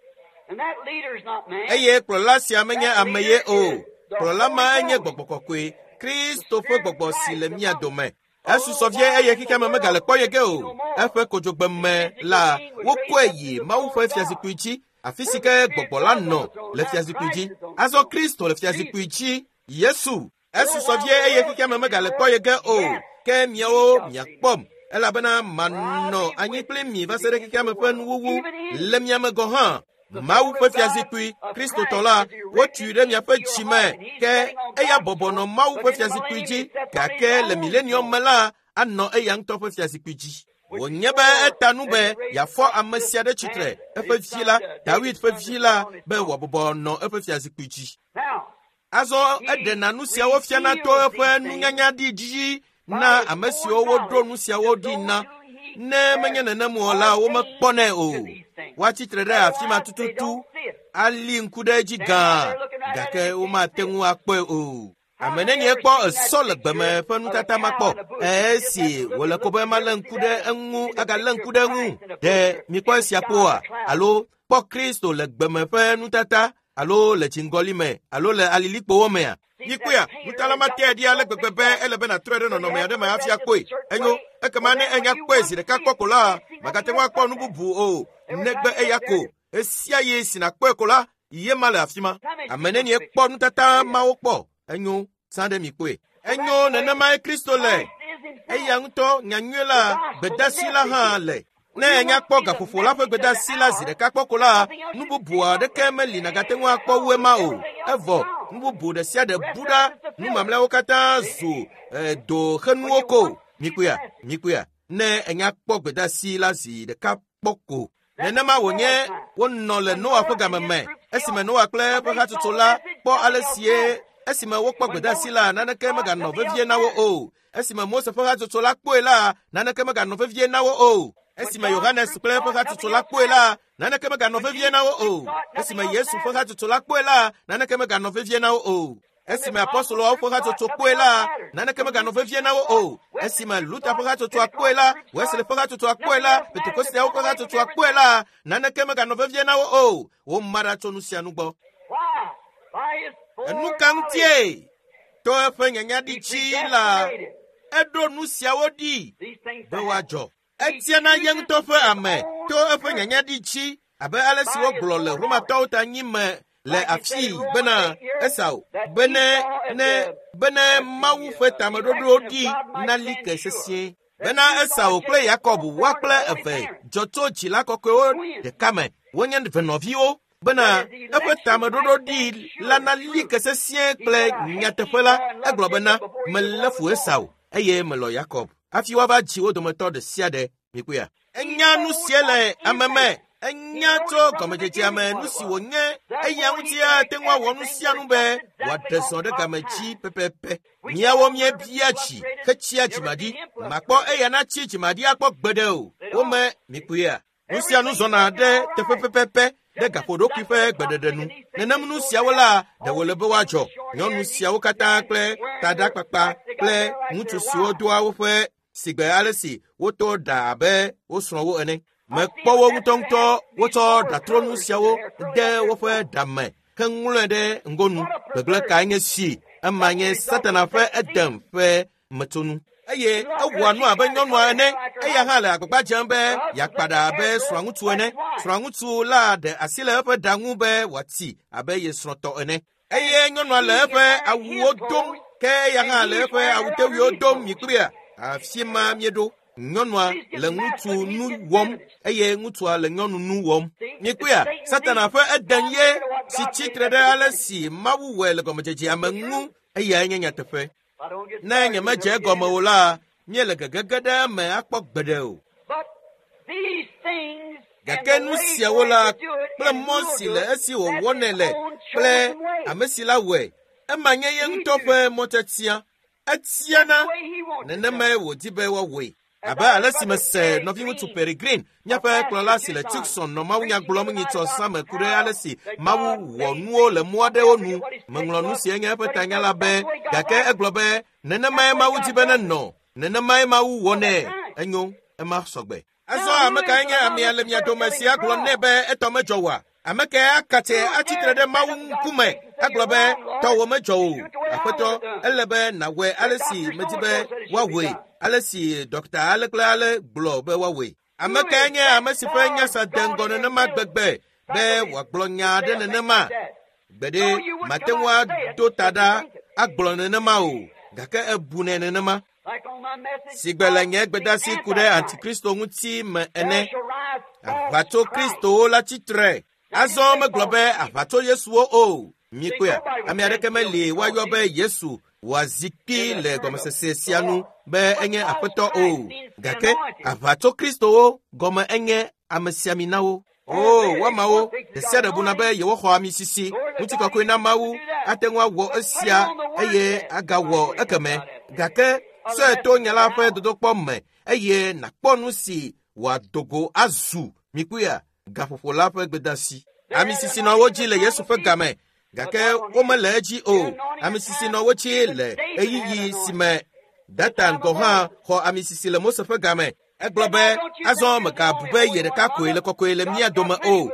Eye kplɔla sia menye ame ye o. Kplɔla ma enye gbɔgbɔ kɔkɔe, Kristo ƒe gbɔgbɔ si le mía dome. Esusɔ vie eye xexeame megale kpɔ ye ge o. Eƒe kodzogbe me la, wokɔe yi Mawu ƒe fiazikpui dzi, afi si ke gbɔgbɔ la nɔ le fiazikpui dzi. Azɔ Kristo le fiazikpui dzi, Yesu. Esusɔ vie eye xexeame megale kpɔ ye ge o. Ke miawo miakpɔm, elabena manɔ anyi kpli mi va se ɖe xexeame ƒe nuwuwu le mia me gɔ̃ hã. Mawu ƒe fiazikpui, Kristotɔ la, wotui ɖe miaƒe dzi me, ke eya bɔbɔ nɔ Mawu ƒe fiazikpui dzi, gake le milenium me la, anɔ eya ŋutɔ ƒe fiazikpui dzi. Wònye be eta nu be yeafɔ ame sia ɖe tsitre, eƒe vi la, Dawid ƒe vi la, be wòabɔbɔ nɔ eƒe fiazikpui dzi. Azɔ eɖena nu siawo fiana to eƒe nunyanya ɖi dzi na ame siwo woɖo nu siawo ɖi na. Ne menye nenem o la, womekpɔnɛ o. Woatsi tre ɖe afi ma tututu, ali ŋku ɖe edzi gãa, gake womate ŋu akpɔe o. Ame nenie kpɔ esɔ le gbeme ƒe nutata ma kpɔ? Esi wòle ko be malé ŋku ɖe eŋu agalé ŋku ɖe eŋu. Ɖe mikpɔ esia kpɔa? Alo kpɔ Kristo le gbeme ƒe nutata? alo le dziŋgɔli me alo le alilikpowo mea? Mikpɔea, nutala ma tea ɖi ale gbegbe be ele be nàtrɔe ɖe nɔnɔme aɖe me hafi akpɔe. Enyo, ekema ne enya kpɔe zi ɖeka kpɔ ko la, màgate ŋu akpɔ nu bubu o, negbe eya ko. Esia ɣi si nàkpɔe ko la, ye ma le afi ma. Ame nenie kpɔ nutata mawo kpɔ? Enyo, zã ɖe mi kpɔe. Enyo, nenemae Kristo le. Eya ŋutɔ nyanyui la, gbedasi la hã le. Ne enya kpɔ gaƒoƒo la ƒe gbedasi la zi ɖeka kpɔ ko la, nu bubu aɖeke meli nàgate ŋu akpɔ wu ema o. Evɔ, nu bubu ɖe sia ɖe bu ɖa, nu mamlɛawo katã zu doxenuwo ko. Mikpɔea, mikpɔea, ne enya kpɔ gbedasi la zi ɖeka kpɔ ko. Nenema wònye wonɔ le Noa ƒe game me esime Noa kple eƒe hatsotso la kpɔ ale sie esime wokpɔ gbedasi la naneke meganɔ vevie na wo o. Esime Mose ƒe hatsotso la kpɔe la naneke meganɔ vevie na wo o. Esime Yohanes kple eƒe hatsotso la kpɔe la naneke meganɔ vevie na wo o. Esime Yesu ƒe hatsotso la kpɔe la naneke meganɔ vevie na wo o. Esime apɔstoloawo ƒe hatsotso kpɔe la, naneke meganɔ vevie na wo o. Esime Luther ƒe hatsotsoa kpɔe la, Wesley ƒe hatsotsoa kpɔe la, Pentekosteawo ƒe hatsotsoa kpɔe la, naneke meganɔ vevie na wo o. Woma ɖa tso nu sia nu gbɔ. Enu ka ŋutie? To eƒe nyanyaɖi dzi la, eɖo nu siawo ɖi be woadzɔ. Etiana ye ŋutɔ ƒe ame to eƒe nyanyaɖi dzi abe ale si wogblɔ le Romatɔwo ta nyi me le afii bena Esau bene ne bene Mawu ƒe tameɖoɖo ɖi nali ke sesĩe. Bena Esau kple Yakob woa kple eve dzɔ tso dzila kɔkɔewo ɖeka me. Wonye venɔviwo bena eƒe tameɖoɖo ɖi la nali ke sesĩe kple nyateƒe la. Egblɔ bena melé fu Esau eye melɔ̃ Yakob. Hafi woava dzi wo dometɔ ɖe sia ɖe. Mikpɔea? Enya nu sia le ame me. Enya tso gɔmedzedzea me nu si wònye. Eya ŋuti ate ŋu awɔ nu sia nu be wòaɖe zɔ ɖe game dzi pɛpɛpɛ. Míawo míebia dzi hetsia dzimaɖi. Makpɔ eya natsi dzimaɖi akpɔ gbeɖe o. Wome mikpɔea? Nu sia nu zɔna ɖe teƒe pɛpɛpɛ ɖe gaƒoɖokui ƒe gbeɖeɖe nu. Nenem nu siawo la ɖe wòle be woadzɔ. Nyɔnu siawo katã kple taɖakpakpa kple ŋutsu siwo doa woƒe sigbe ale si woto ɖa abe wo srɔ̃wo ene. Mekpɔ wo ŋutɔŋutɔ wotsɔ ɖatrɔnu siawo de woƒe ɖa me heŋlɔe ɖe ŋgonu. Gbegblẽ kae nye si? Ema nye Satana ƒe Edem ƒe metsonu. Eye ewɔa nu abe nyɔnua ene. Eya hã le agbagba dzem be yeakpa ɖa abe srɔ̃ŋutsu ene. Srɔ̃ŋutsu la ɖe asi le eƒe ɖa ŋu be wòati abe ye srɔ̃tɔ ene. Eye nyɔnua le eƒe awuwo dom ke eya hã le eƒe awutewuiwo dom mikpɔea? Afi ma míeɖo. Nyɔnua le ŋutsu nu wɔm eye ŋutsua le nyɔnu nu wɔm. Mikpɔea? Satana ƒe Eden ye si tsitre ɖe ale si Mawu wɔe le gɔmedzedzea me ŋu. Eyae nye nyateƒe. Ne nyemedze egɔme o la, míele gegege ɖe eme akpɔ gbeɖe o. Gake nu siawo la kple mɔ si le esi wòwɔnɛ le kple ame si la wɔe, ema nye ye ŋutɔ ƒe mɔtiatia. Etiana nenemae wòdi be woawɔe. Abe ale si mese nɔviŋutsu Peregrine, míaƒe kplɔla si le Tucson nɔ mawunya gblɔm nyitsɔ zã me ku ɖe ale si Mawu wɔ nuwo le mɔ aɖewo nu. Meŋlɔ nu si enye eƒe tanya la be, gake egblɔ be nenemae Mawu di be nenɔ, nenemae Mawu wɔnɛ. Enyo, ema sɔgbe. Azɔ ame kae nye amea le mia dome si agblɔ nɛ be etɔ medzɔ oa? Ame kae akatse atsitre ɖe Mawu ŋkume agblɔ be tɔwò medzɔ o? Aƒetɔ, ele be nàwɔe ale si medi be woawɔe, ale si dɔkta ale kple ale gblɔ be woawɔe. Ame kae nye ame si ƒe nyasa de ŋgɔ nenema gbegbe be wòagblɔ nya aɖe nenema? Gbeɖe mate ŋu ado ta ɖa agblɔ nenema o, gake ebunɛ nenema. Sigbe le nye gbedasi ku ɖe antikristo ŋuti me ene, aʋatso kristowo la tsitre. Azɔ megblɔ be aʋatso Yesuwo o. Mikpɔea, ame aɖeke meli woayɔ be Yesu wòazi kpi le gɔmesese sia nu be enye aƒetɔ o. Gake aʋatso kristowo gɔme enye amesiaminawo. O, woamawo ɖe sia ɖe buna be yewoxɔ ami sisi. Ŋutikɔkɔe na Mawu ate ŋu awɔ esia eye agawɔ ekeme. Gake sɔe to nya la ƒe dodokpɔ me eye nàkpɔ nu si wòado go azu. Mikpɔea, gaƒoƒo la ƒe gbedasi. Ami sisi nɔ wo dzi le Yesu ƒe game, gake womele edzi o. Ami sisi nɔ wo dzi le ɣeyiɣi si me Datan gɔ̃ hã xɔ ami sisi le Mose ƒe game. Egblɔ be, azɔ megabu be ye ɖeka koe le kɔkɔe le mía dome o.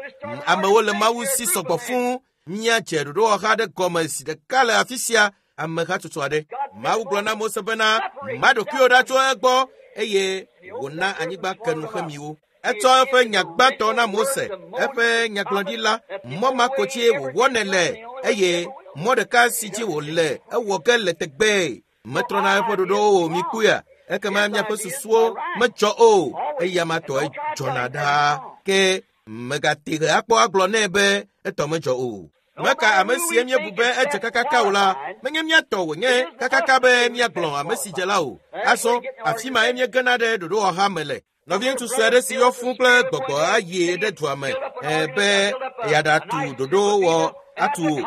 Amewo le Mawu si sɔgbɔ fũu. Míadze ɖoɖowɔha aɖe gɔme zi ɖeka le afi sia amehatsotso aɖe. Mawu gblɔ na Mose bena, ma ɖokuiwò ɖa tso egbɔ eye wòna anyigba ke nu xemiwo. Etsɔ eƒe nya gbãtɔ na Mose, eƒe nyagblɔɖila, mɔ ma ko dzie wòwɔnɛ le eye mɔ ɖeka si dzi wòle ewɔ ge le tegbee. Metrɔna eƒe ɖoɖowo o mikpɔea? Ekema miaƒe susuwo medzɔ o, eya ma tɔe dzɔna ɖaa. Ke megate ɣe akpɔ agblɔ nɛ be etɔ medzɔ o. Meka ame sie míebu be edze kakaka o la, menye míatɔ wònye kakaka be míagblɔ ame si dze la o. Azɔ, afi mae míegena ɖe ɖoɖowɔha me le. Nɔviŋutsu sue aɖe si yɔ fũu kple gbɔgbɔ ayi ɖe dua me be yeaɖatu ɖoɖowɔ atu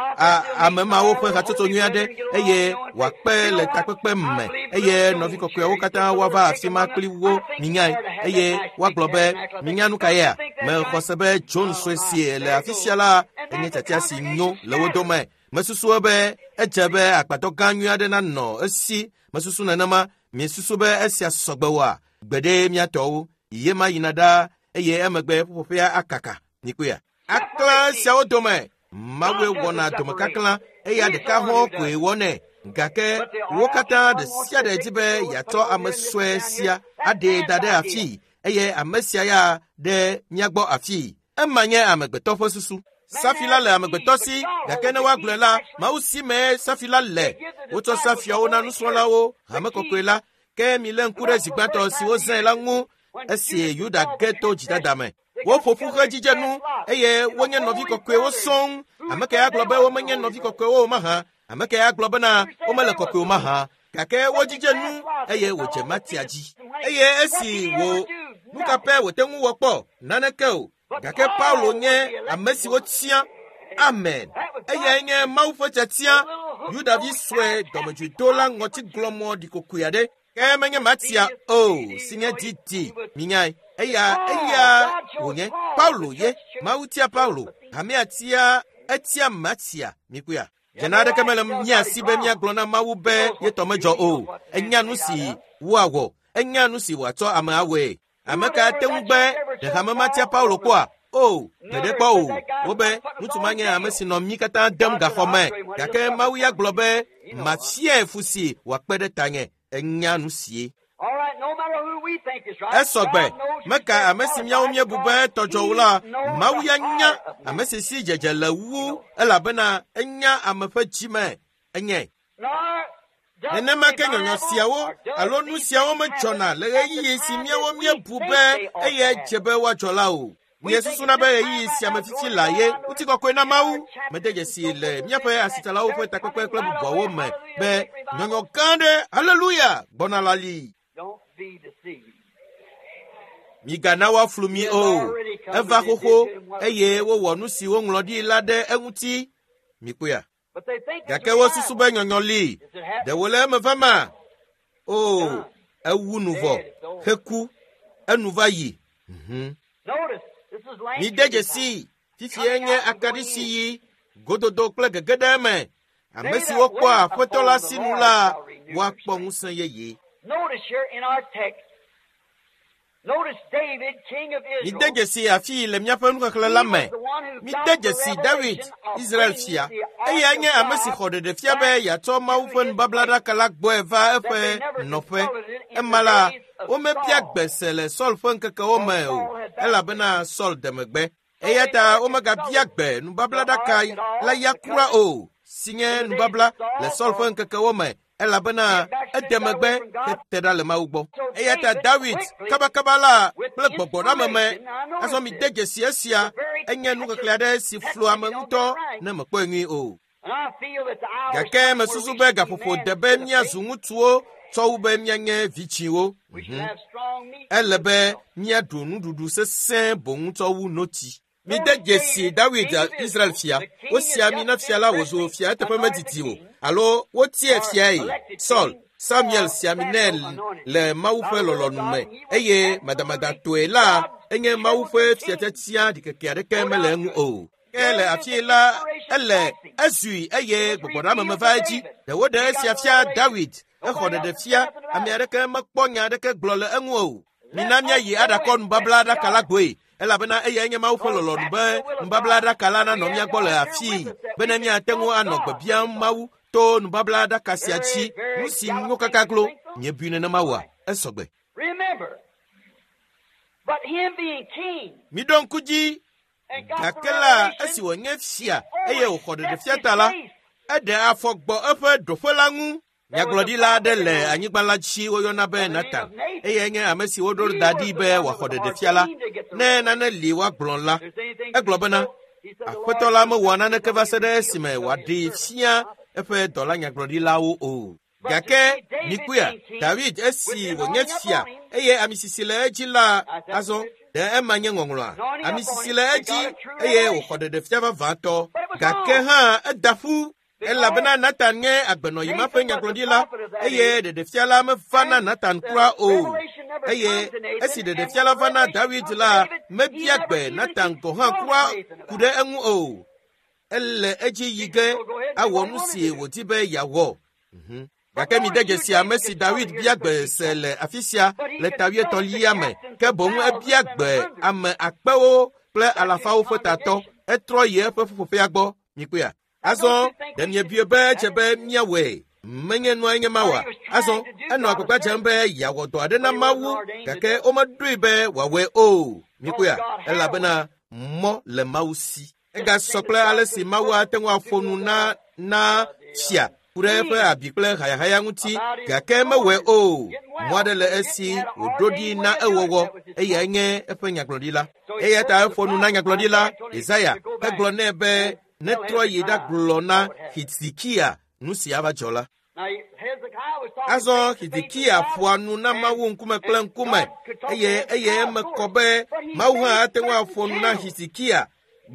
ame mawo ƒe hatsotso nyui aɖe eye wòakpe le takpekpe me eye nɔvi kɔkɔeawo katã woava afi ma kpli wo minyae eye woagblɔ be minya nu ka yea? Mexɔ se be John sue si le afi sia la enye tiatia si nyo le wo dome. Mesusu be edze be agbadɔ gã nyui aɖe nanɔ esi. Mesusu nenema. Miesusu be esia sɔgbe oa? Gbeɖe míatɔwo ye ma yina ɖaa eye emegbe ƒuƒoƒea akaka. Mikpɔea? Aklã siawo dome Mawue wɔna domekaklã eya ɖeka hɔ̃ koe wɔnɛ. Gake wo katã ɖe sia ɖe di be yeatsɔ ame sue sia aɖee da ɖe afii eye ame sia ya ɖe mía gbɔ afii. Ema nye amegbetɔ ƒe susu. Safi la le amegbetɔ si, gake ne woagblɔe la, Mawu si mee safi la le. Wotsɔ safiawo na nusrɔ̃lawo, hame kɔkɔe la. Ke milé ŋku ɖe zi gbãtɔ si wozãe la ŋu esi Yuda ge to dzidada me. Woƒo ƒu he dzidzenu eye wonye nɔvi kɔkɔewo sɔŋ. Ame kae agblɔ be womenye nɔvi kɔkɔewo o mahã? Ame kae agblɔ bena womele kɔkɔe o mahã? Gake wodzidze nu eye wòdze Matia dzi. Eye esi wò nu ka pɛ wòte ŋu wɔ kpɔ? Naneke o. Gake Paulo nye ame si wotia. Amen. Eyae nye Mawu ƒe tiatia, Yudavi sue dɔmedzoedola ŋɔtiglɔmɔ ɖikokoe aɖe. Ke menye Matia o, si nye didi, minyae. Eya, eya wònye. Paulo ye. Mawu tia Paulo. Hamea tia, etia Matia. Mikpɔea? Dzena aɖeke mele mía si be míagblɔ na Mawu be ye tɔ medzɔ o. Enya nu si woawɔ. Enya nu si wòatsɔ ame awɔe. Ame ka ate ŋu be ɖe hame ma tia Paulo kpɔa? O, gbeɖe kpɔ o. Wobe ŋutsu ma nye ame si nɔ mí katã dem gaxɔ me. Gake Mawu ya gblɔ be mafiae fu si wòakpe ɖe tanye. Enya nu sie. Esɔgbe, meka ame si míawo míebu be tɔdzɔ o la, Mawu ya nya ame si si dzedze le wu elabena enya ame ƒe dzi me. Enyae. Nenema ke nyɔnyɔ siawo alo nu siawo medzɔna le ɣeyiɣi si míawo míebu be eyae dze be woadzɔ la o. Míesusuna be ɣeyiɣi sia me fifi la ye ŋutikɔkɔe na Mawu. Mede dzesi le míaƒe asitsalawo ƒe takpekpe kple bubuawo me be nyɔnyɔ gã aɖe, haleluya, gbɔna la li. Migana woaflu mi o. Eva xoxo eye wowɔ nu si woŋlɔ ɖi la ɖe eŋuti. Mikpɔea? Gake wosusu be nyɔnyɔ li. Ɖe wòle eme vama? O, ewu nu vɔ, heku, enu va yi. Mide dzesii, fifia nye akaɖi si yi gododo kple gege ɖe eme. Ame siwo kpɔa Aƒetɔ la sinu la, woakpɔ ŋusẽ yeye. Mide dzesi afii le míaƒe nuxexlẽ la me. Mide dzesi Dawid, Israel fia. Eyae nye ame si xɔ ɖeɖefia be yeatsɔ Mawu ƒe nubablaɖaka la gbɔe va eƒe nɔƒe. Ema la, womebia gbe se le Saul ƒe ŋkekewo me o, elabena Saul de megbe. Eya ta womegabia gbe nubablaɖaka la ya kura o, si nye nubabla le Saul ƒe ŋkekewo me, elabena ede megbe hete ɖa le Mawu gbɔ. Eya ta Dawid kabakaba la kple gbɔgbɔɖame me. Azɔ mide dzesi esia, enye nuxexlẽ aɖe si flu ame ŋutɔ ne mekpɔe nyuie o. Gake mesusu be gaƒoƒo de be míazu ŋutsuwo tsɔ wu be míanye vitsiwo. Ele be míaɖu nuɖuɖu sesẽ boŋ tsɔ wu notsi. Mide dzesi Dawid Israel fia. Wosi ami na fia la wòzu fia eteƒe medidi o alo wotiae fiae. Saul, Samuel si ami nɛ le Mawu ƒe lɔlɔ̃nu me eye madamadatɔe la enye Mawu ƒe fiatiatia ɖikeke aɖeke mele eŋu o. Ke le afii la ele ezui eye gbɔgbɔɖame me va edzi. Ɖe woɖe esia fia Dawid. Exɔ ɖeɖe fia. Ame aɖeke mekpɔ nya aɖeke gblɔ le eŋu o. Mina míayi aɖakɔ nubablaɖaka la gbɔe. Elabena eyae nye Mawu ƒe lɔlɔ̃nu be nubablaɖaka la nanɔ mía gbɔ le afii bene míate ŋu anɔ gbe biam Mawu to nubablaɖaka sia dzi. Nu si nyo kaka glo. Miebui nenema oa? Esɔgbe. Remember, but him being king Miɖo ŋku dzi and got the gake la revelation, esi wònye fia eye wòxɔ stepped ɖeɖefia his ta la, place. eɖe afɔ gbɔ eƒe ɖoƒe la ŋu. Nyagblɔɖila aɖe le anyigba la dzi woyɔna be Natan eyae nye ame si woɖo da ɖi be wòaxɔ ɖeɖefia la. Ne nane li woagblɔ la, There's anything to egblɔ be bena, spoke, he said, "The Aƒetɔ Lord la said, mewɔa nothing naneke shall va be se ɖe revealed esime until wòaɖee his servants." fia eƒe dɔla nyagblɔɖilawo o. But to Gake see David mikpɔea, being king David with esi the wònye anointing fia upon him, eye ame sisi le edzi la I said, azɔ ɖe ema nye ŋɔŋlɔa. anointing Ame upon sisi him, le they edzi got a true eye wòxɔ revelation. ɖeɖefia vavãtɔ. But it was Gake wrong. hã eda ƒu elabena Because Natan nye agbenɔyi ma ƒe Nathan was the nyagblɔɖila prophet of that eye age, ɖeɖefia la meva na and Natan the kura o. revelation never Eye come to Nathan, esi and when ɖeɖefia la the va na revelation David come to la, David, he mebia never gbe even Natan gɔ̃ hã consulted kura Nathan ku about ɖe it. eŋu o. Ele edzi yi He ge just go go ahead and do awɔ what he nu wanted si to do. wòdi be yeawɔ. But Gake mide notice here dzesi ame David si could tell David here bia to put gbe people, se le afi sia but he le consulted the tawietɔlia me captains ke of boŋ ebia thousands and gbe hundreds. ame akpewo kple That's his alafawo ƒe tatɔ. congregation. Etrɔ yi eƒe ƒuƒoƒea gbɔ. Mikpɔea? Now, Azɔ don't you think ɖe we should miebie do be edze that? be míawɔe. Menye nua nye ma Or oa? he was trying Azɔ to do enɔ God a agbagba dzem service, be yeawɔ dɔ aɖe na but he wasn't Mawu ordained to gake do it. womeɖoe be wòawɔe o. Because Mikpɔea? God had a way. Elabena mɔ le Mawu si. Just the Egasɔ same as kple God ale could si Mawu spoke ate ŋu aƒo to nu na na the fia ku ɖe eƒe king abi kple hayahaya ŋuti about his gake mewɔe thorns o. getting Mɔ well, aɖe le but he didn't. esi He had an wòɖo ɖi ordained na way of doing it. ewɔwɔ That was his eyae prophet. nye eƒe nyagblɔɖila. So he Eya spoke ta to the eƒo nu na prophet nyagblɔɖila Isaiah, told him Yesaya to go back hegblɔ nɛ be and tell netrɔ yi Hezekiah ɖagblɔ na what would happen. Hizikia nu si ava dzɔ la. Now Hezekiah was talking Azɔ face to face with Hizikia God, ƒoa nu na and Mawu ŋkume kple and ŋkume God could talk to eye eye Hezekiah, of eme kɔ course, be but he Mawu hã made ate ŋu certain aƒo nu na channels. Hizikia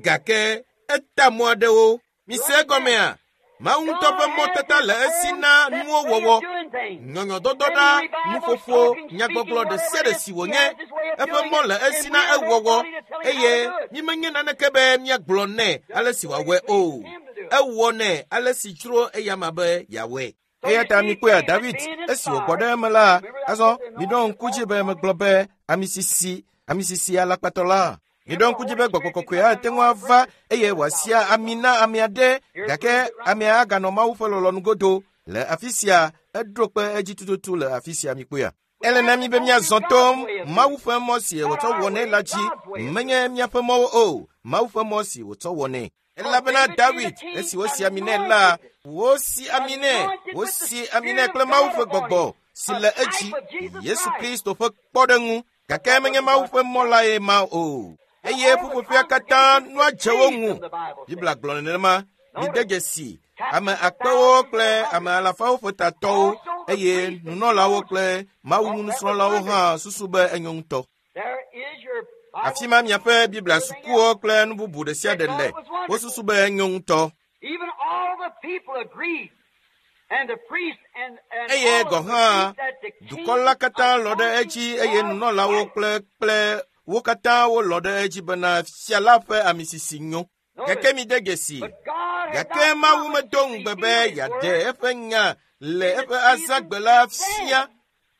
gake eta mɔ aɖewo. You Mise understand? egɔmea? Mawu ŋutɔ God ƒe has mɔtata His le esi own na set nuwo way of wɔwɔ. doing things. Nyɔnyɔdɔdɔɖa, Any revival, nuƒoƒo, talking, speaking, nyagbɔgblɔ ɖe whatever sia it ɖe is, si He wònye, has His way of eƒe doing mɔ it, le and esi we na are ewɔwɔ nobody to tell Him how to eye do it. mímenye naneke be míagblɔ nɛ ale Just si the way wòawɔe it o. pleases Him to do it. Ewɔnɛ ale si dzro eyama be yeawɔe. So Eya you ta see, mikpɔea David David being esi wògbɔ inspired, ɖe eme la, remember I azɔ said the miɖo anointing ŋku dzi falls be upon him? megblɔ be ame sisi, ame sisi alakpatɔ la. Miɖo Remember the ŋku dzi Holy be gbɔgbɔ Spirit can kɔkɔe come ate and ŋu anoint a ava person eye without wòasia the ami na ame aɖe Here gake proves it right amea aganɔ Mawu ƒe lɔlɔ̃nu godo. Le afi sia eɖo kpe edzi tututu le afi sia mikpɔea. We Ele na have mí to be go through míazɔ God's to way of Mawu doing it. ƒe mɔ si Not wòtsɔ our wɔnɛ way, la dzi. God's way of doing Menye it. míaƒe mɔwo o, Mawu ƒe mɔ si wòtsɔ wɔnɛ. Because Elabena David being a David king, esi wosi ami nɛ la, anointed, wosi ami nɛ, anointed with the wosi ami nɛ Spirit kple of Mawu God ƒe upon him, gbɔgbɔ si a le edzi, type of Jesus Yesu Christ. Kristo ƒe kpɔɖeŋu. But Gake that menye wasn't Mawu God's ƒe mɔ plan. lae ma o. And Eye all the ƒuƒoƒea katã congregation nua was dze wo pleased, ŋu. the Bible Biblia says. gblɔ nenema. Mide Notice, dzesi ame captains of akpewo thousands and kple of ame hundreds, alafawo ƒe tatɔwo also the eye priests and nunɔlawo Moses. kple Thought Mawu that was nusrɔ̃lawo hã wonderful. susu be enyo ŋutɔ. There is your Afi Bible ma miaƒe schools and Biblia everything sukuwo else. kple nu bubu ɖe sia They ɖe thought le. it was wonderful. Wosusu be enyo ŋutɔ. Even all the people agreed, and the priests and Eye all gɔ̃ of them hã agreed that the dukɔ la king's katã lɔ̃ ɖe anointing edzi eye was nunɔlawo right. kple kple wo katã wolɔ̃ ɖe edzi bena fia la ƒe ame sisi nyo. Notice, Gake mide dzesi. but God had Gake not Mawu promised medo to ŋugbe reveal be His yeaɖe word eƒe nya le in the eƒe season azãgbe la then. fia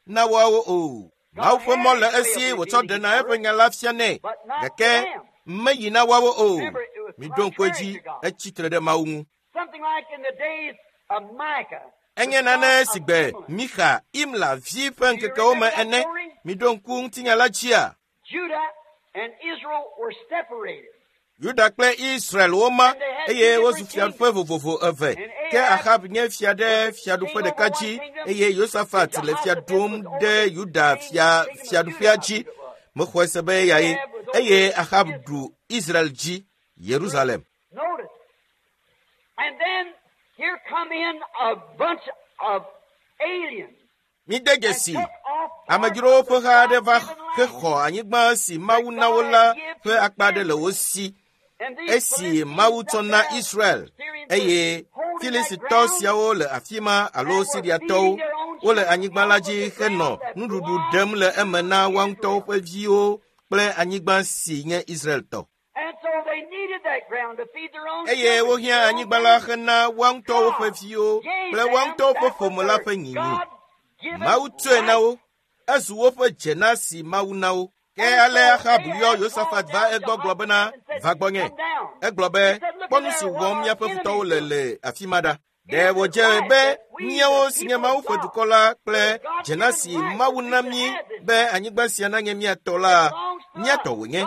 na woawo o. Mawu God ƒe had mɔ le His way esi of wòtsɔ revealing His ɖena eƒe word, nya la fianɛ but not to gake them. meyi na woawo o. Remember, it was Miɖo ŋku contrary edzi to God. etsi tre ɖe Mawu ŋu. Something like in the days of Micah, the Enye son nane of si gbe Imlah. Mixa, Imla vi ƒe Do you ŋkekewo remember me that ene. story? Miɖo ŋku ŋutinya la dzia? Judah and Israel were separated, Yuda kple Israel woma and they had two eye wozu different fiaɖuƒe kingdoms. vovovo eve. And Ke Ahab Ahab nye fia ɖe was fiaɖuƒe king over ɖeka one dzi kingdom, eye and Yosafat le fia Jehoshaphat ɖum was over ɖe the Yuda king, fia kingdom of Judah, fiaɖuƒea I dzi. believe it was. Mexɔe se be eyae. Ahab was over Eye Ahab Israel. ɖu Israel dzi, Yerusalem. Notice. And then here come in a bunch of aliens Mide and dzesi. took off part Amedzrowo of ƒe the ha aɖe va God-given land hexɔ anyigba si that Mawu na wo God had la given ƒe to akpa aɖe le Israel. wo si. And these Esi Philistines Mawu up tsɔ na there, Israel Syrians were eye holding that Filistitɔ ground siawo le afi ma alo and were Siriatɔwo feeding their own wole children anyigba la off of dzi the henɔ ground that nuɖuɖu belonged ɖem le to eme na woa ŋutɔwo Israel. ƒe viwo kple anyigba si nye Israel tɔ. And so they needed that ground to feed their own Eye children, wohiã their own anyigba la family. hena woa ŋutɔwo ƒe God viwo gave kple woa them ŋutɔwo ƒe that was ƒome la their ƒe nyinyi. God-given Mawu tsɔe na right. wo. Ezu woƒe dzena si Mawu na wo. Ke ale Ahab yɔ Yosafat va egbɔ gblɔ bena, va gbɔnye. Egblɔ be, kpɔ nu si wɔm míaƒe futɔwo le le afi ma ɖa. Ɖe wòdze be míawo si nye Mawu ƒe dukɔ la kple dzena si Mawu na mí be anyigba sia nanye mía tɔ la, mía tɔ wònye.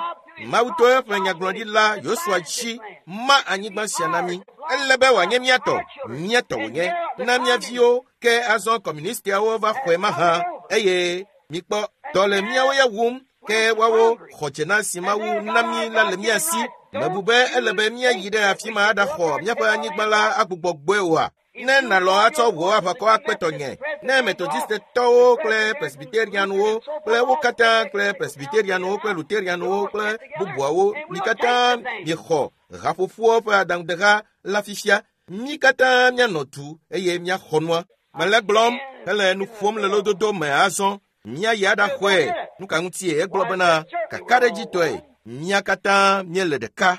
Mawu to eƒe nyagblɔɖila Yosua dzi ma anyigba sia na mí. Ele be wòanye mía tɔ, mía tɔ wònye na mía viwo. Ke azɔ kɔmunistiawo va xɔe mahã eye mikpɔ dɔ le míawo ya wum ke woawo xɔ dzena si Mawu na mí la le mía si. Mebu be ele be míayi ɖe afi ma aɖaxɔ míaƒe anyigba la agbugbɔ gbɔe oa? Ne nàlɔ atsɔ wò aʋakɔ akpe tɔnye, ne Metodistetɔwo kple Presbyterianwo kple wo katã kple Presbyterianwo kple Luterianwo kple bubuawo mi katã miexɔ haƒoƒoa ƒe aɖaŋudeha la fifia, mí katã míanɔ du eye míaxɔ nua. Mele gblɔm hele nu ƒom le lododo me azɔ. Míayi aɖaxɔe. Nu ka ŋutie egblɔ bena kakaɖedzitɔe mía katã míele ɖeka.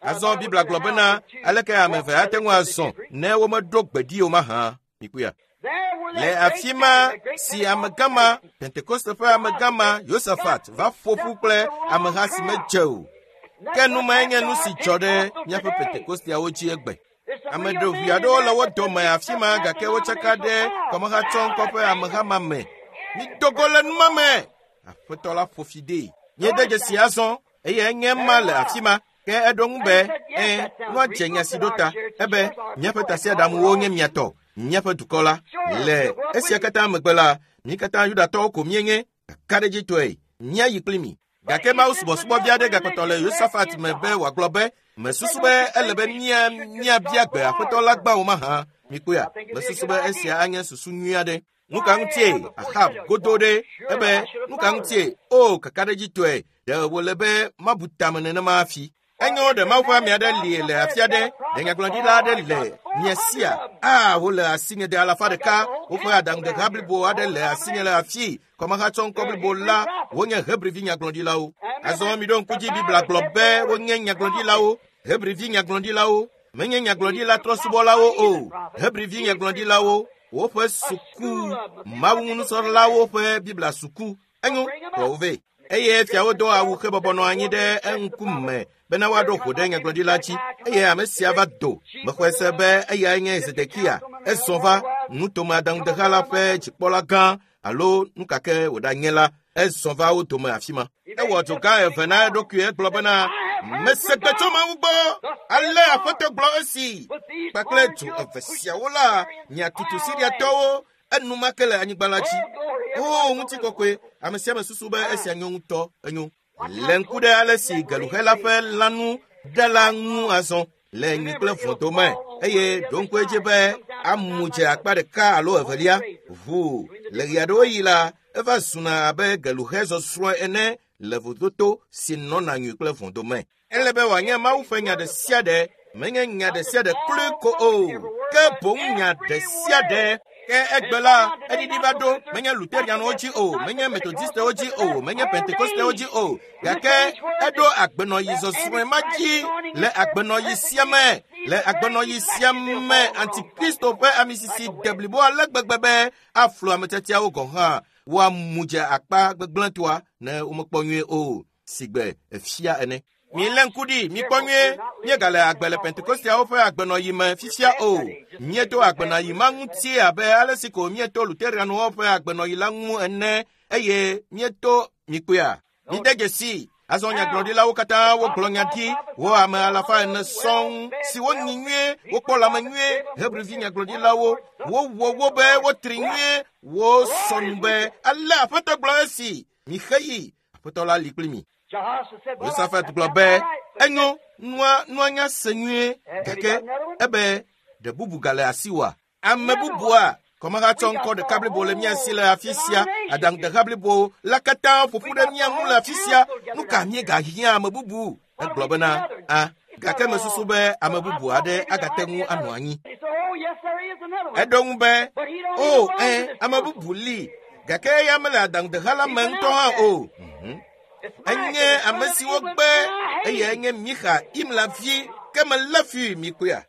Azɔ Biblia gblɔ bena aleke ame eve ate ŋu azɔ ne womeɖo gbe ɖi o mahã. Mikpɔea? Le afi ma si amegã ma, Pentekoste ƒe amegã ma, Yosafat va ƒo ƒu kple ameha si medze o. Ke nu mae nye nu si dzɔ ɖe míaƒe Pentekosteawo dzi egbe. Ame ɖevi aɖewo le wo dome afi ma gake wotsaka ɖe kɔmehatsɔŋkɔ ƒe ameha ma me. Mido go le nu ma me. Aƒetɔ la ƒo fi dee. Míede dzesi azɔ eye enye ma le afi ma. Ke eɖo ŋu be, ẽ, nua dze nya si ɖo ta. Ebe, míaƒe tasiaɖamuwo nye mia tɔ, míaƒe dukɔ la. Le esia katã megbe la, mí katã Yudatɔwo ko míenye, kakaɖedzitɔe, míayi kpli mi. Gake Mawu subɔsubɔvi aɖe gakpɔtɔ le Yosafat me be wòagblɔ be, mesusu be ele be míabia gbe Aƒetɔ la gbã o mahã. Mikpɔea, mesusu be esia anye susu nyui aɖe. Nu ka ŋutie Ahab godo ɖe ebe nu ka ŋutie o kakaɖedzitɔe ɖe wòle be mabu tame nenema hafi. Enyo ɖe Mawu ƒe ame aɖe li le afi aɖe, ɖe nyagblɔɖila aɖe le mia sia? A, wole asinye de 100, woƒe aɖaŋudeha blibo aɖe le asinye le afi. Kɔmehatsɔŋkɔ blibo la, wonye Hebrivi nyagblɔɖilawo. Azɔ miɖo ŋku dzi Biblia gblɔ be wonye nyagblɔɖilawo, Hebrivi nyagblɔɖilawo, menye nyagblɔɖila trɔsubɔlawo o, Hebrivi nyagblɔɖilawo, woƒe suku, Mawu ŋu nusrɔ̃lawo ƒe Biblia suku. Enyo, kplɔ wo vɛ. Eye fiawo do awu hebɔbɔ nɔ anyi ɖe eŋkume bena woaɖo ʋu ɖe nyagblɔɖila dzi. Eye ame sia va do. Mexɔe se be eyae nye Zedekia. Ezɔ va nutome aɖaŋudeha la ƒe dzikpɔla gã alo nu ka ke wòɖanye la, ezɔ va wo dome afi ma. Ewɔ dzo gã eve na eɖokui egblɔ bena, mese gbe tso Mawu gbɔ, ale Aƒetɔ gblɔ esi. Kpakple dzo eve siawo la, miatutu Siriatɔwo enumake le anyigba la dzi. O ŋutikɔkɔe, ame sia ame susu be esia nyo ŋutɔ, enyo. Le ŋku ɖe ale si geluxela ƒe lãnu ɖe la ŋu azɔ le nyui kple vɔ̃ dome eye ɖo ŋku edzi be amu dze akpa ɖeka alo evelia ʋu le ɣe aɖewo yi la eva zuna abe geluxe zɔzrɔ̃ ene le vodoto si nɔna nyui kple vɔ̃ dome. Ele be wòanye Mawu ƒe nya ɖe sia ɖe, menye nya ɖe sia ɖe kloe ko o, ke boŋ nya ɖe sia ɖe. Ke egbe la, eɖiɖi va ɖo, menye Luterianwo dzi o, menye Metodistewo dzi o, menye Pentekostewo dzi o, gake eɖo agbenɔyi zɔzrɔ̃e ma dzi le agbenɔyi sia me, le agbenɔyi sia me Antikristo ƒe amisisi deblibo ale gbegbe be aflu ametiatiawo gɔ̃ hã woamu dze akpa gbegblẽtɔa ne womekpɔ nyuie o, sigbe efia ene. Milé ŋku ɖi, mikpɔ nyuie, míegale agbe le Pentekosteawo ƒe agbenɔyi me fifia o. Míeto agbenɔyi ma ŋuti abe ale si ko míeto Luterianwo ƒe agbenɔyi la ŋu ene eye míeto mikpɔea. Mide dzesi, azɔ nyagblɔɖilawo katã wogblɔ nya ɖi, wo ame 400 sɔŋ si wonyi nyuie, wokpɔ lãme nyuie, Hebrivi nyagblɔɖilawo, wowɔ wo be wotri nyuie, wosɔ nu be ale Aƒetɔ gblɔ esi, mixe yi, Aƒetɔ la li kpli mi. Yosafat gblɔ be, enyo, nua nya se nyuie, gake ebe ɖe bubu gale asiwòa? Ame bubua, kɔmehatsɔ ŋkɔ ɖeka blibo le mía si le afi sia, aɖaŋudeha blibo la katã ƒo ƒu ɖe mía ŋu le afi sia, nu ka míegahiã ame bubu? Egblɔ bena, a, gake mesusu be ame bubu aɖe agate ŋu anɔ anyi. Eɖo ŋu be, o, ẽ, ame bubu li, gake eya mele aɖaŋudeha la me ŋutɔ hã o. Enye ame si wogbe eye enye Mixa Imla vi, ke melé fui mikpɔea.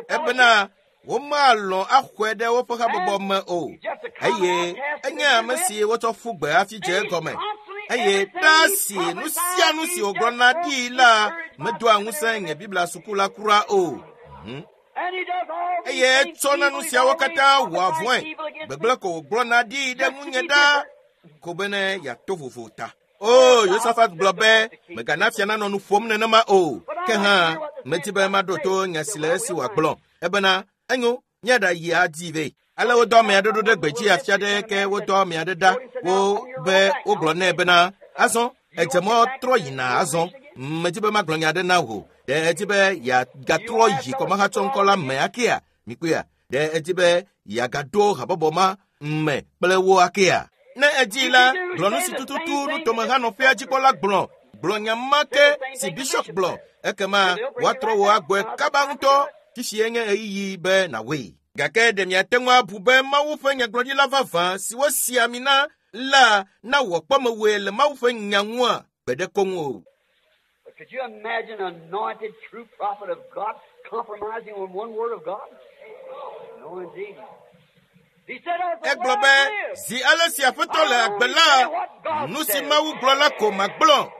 Ebena womalɔ̃ axɔe ɖe woƒe habɔbɔ me o, eye enye ame si wotsɔ ƒu gbe hafi dze egɔme. Eye ɖa si nu sia nu si wògblɔna ɖi la medoa ŋusẽ nye Biblia suku la kura o. Eye etsɔna nu siawo katã wɔa vɔ̃e. Gbegblẽ ko wògblɔna ɖi ɖe ŋunye ɖa ko bene yeato vovo ta. O, Yosafat gblɔ be mègana fia nanɔ nu ƒom nenema o. Ke hã medi be maɖo to nya si le esi wòagblɔ. Ebena enyo míaɖayi adi vɛ. Ale wodɔ ame aɖe ɖo ɖe gbedzi afi aɖe ke wodɔ ame aɖe ɖa wo be wogblɔ nɛ bena azɔ edze mɔ trɔ yina azɔ. Medi be magblɔ nya aɖe na wò. Ɖe edi be yeagatrɔ yi kɔmahatsɔŋkɔ la me akea? Mikpɔea? Ɖe edi be yeagaɖo habɔbɔ ma me kple wo akea? Ne edi la, gblɔ nu si tututu nutomehanɔƒea dzikpɔla gblɔ. Gblɔ nya ma ke si bishop gblɔ. Ekema woatrɔ wò agbɔe kaba ŋutɔ. Fifi nye ɣeyiɣi be nàwɔe. Gake ɖe miate ŋu abu be Mawu ƒe nyagblɔɖila vavã si wosi ami na la nawɔ kpɔmewɔe le Mawu ƒe nya ŋua? Gbeɖe koŋ o. But could you imagine an anointed true prophet of God compromising on one word of God? No, indeed. He said, as the Egblɔ Lord be lives, zi ale si Aƒetɔ le agbe la, nu si Mawu gblɔ la ko magblɔ.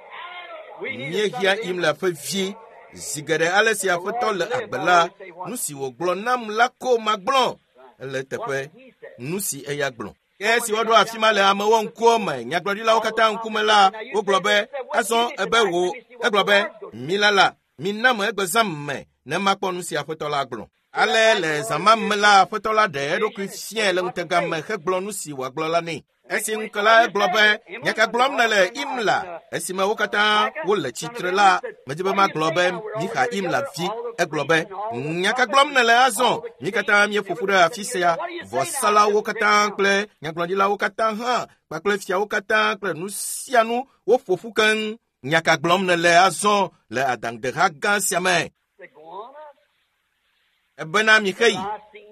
we need a Míehiã son of Imla ƒe vi. Zi geɖe ale si Aƒetɔ le agbe la, nu si wògblɔ nam la ko magblɔ. Ele eteƒe nu si eya gblɔ. Ke esi woɖo afi ma le amewo ŋkuwo me, nyagblɔɖilawo katã ŋkume la, wogblɔ be, azɔ ebe wò, egblɔ be, milala, mina me egbe zã me ne makpɔ nu si Aƒetɔ la gblɔ. Ale le zã ma me la, Aƒetɔ la ɖe eɖokui fiae le ŋutega me hegblɔ nu si wòagblɔ la nɛ. Esi ŋu la egblɔ be, nya ka gblɔm nèle Imla? Esime wo katã wole tsitre la, medi be magblɔ be Mixa Imla vi. Egblɔ be, nya ka gblɔm nèle azɔ? Mí katã míeƒo ƒu ɖe afi sia. Vɔsalawo katã kple nyagblɔɖilawo katã hã kpakple fiawo katã kple nu sia nu woƒo ƒu keŋ. Nya ka gblɔm nèle azɔ le adaŋudeha gã sia me? Say, Go on up. Ebena mixeyi.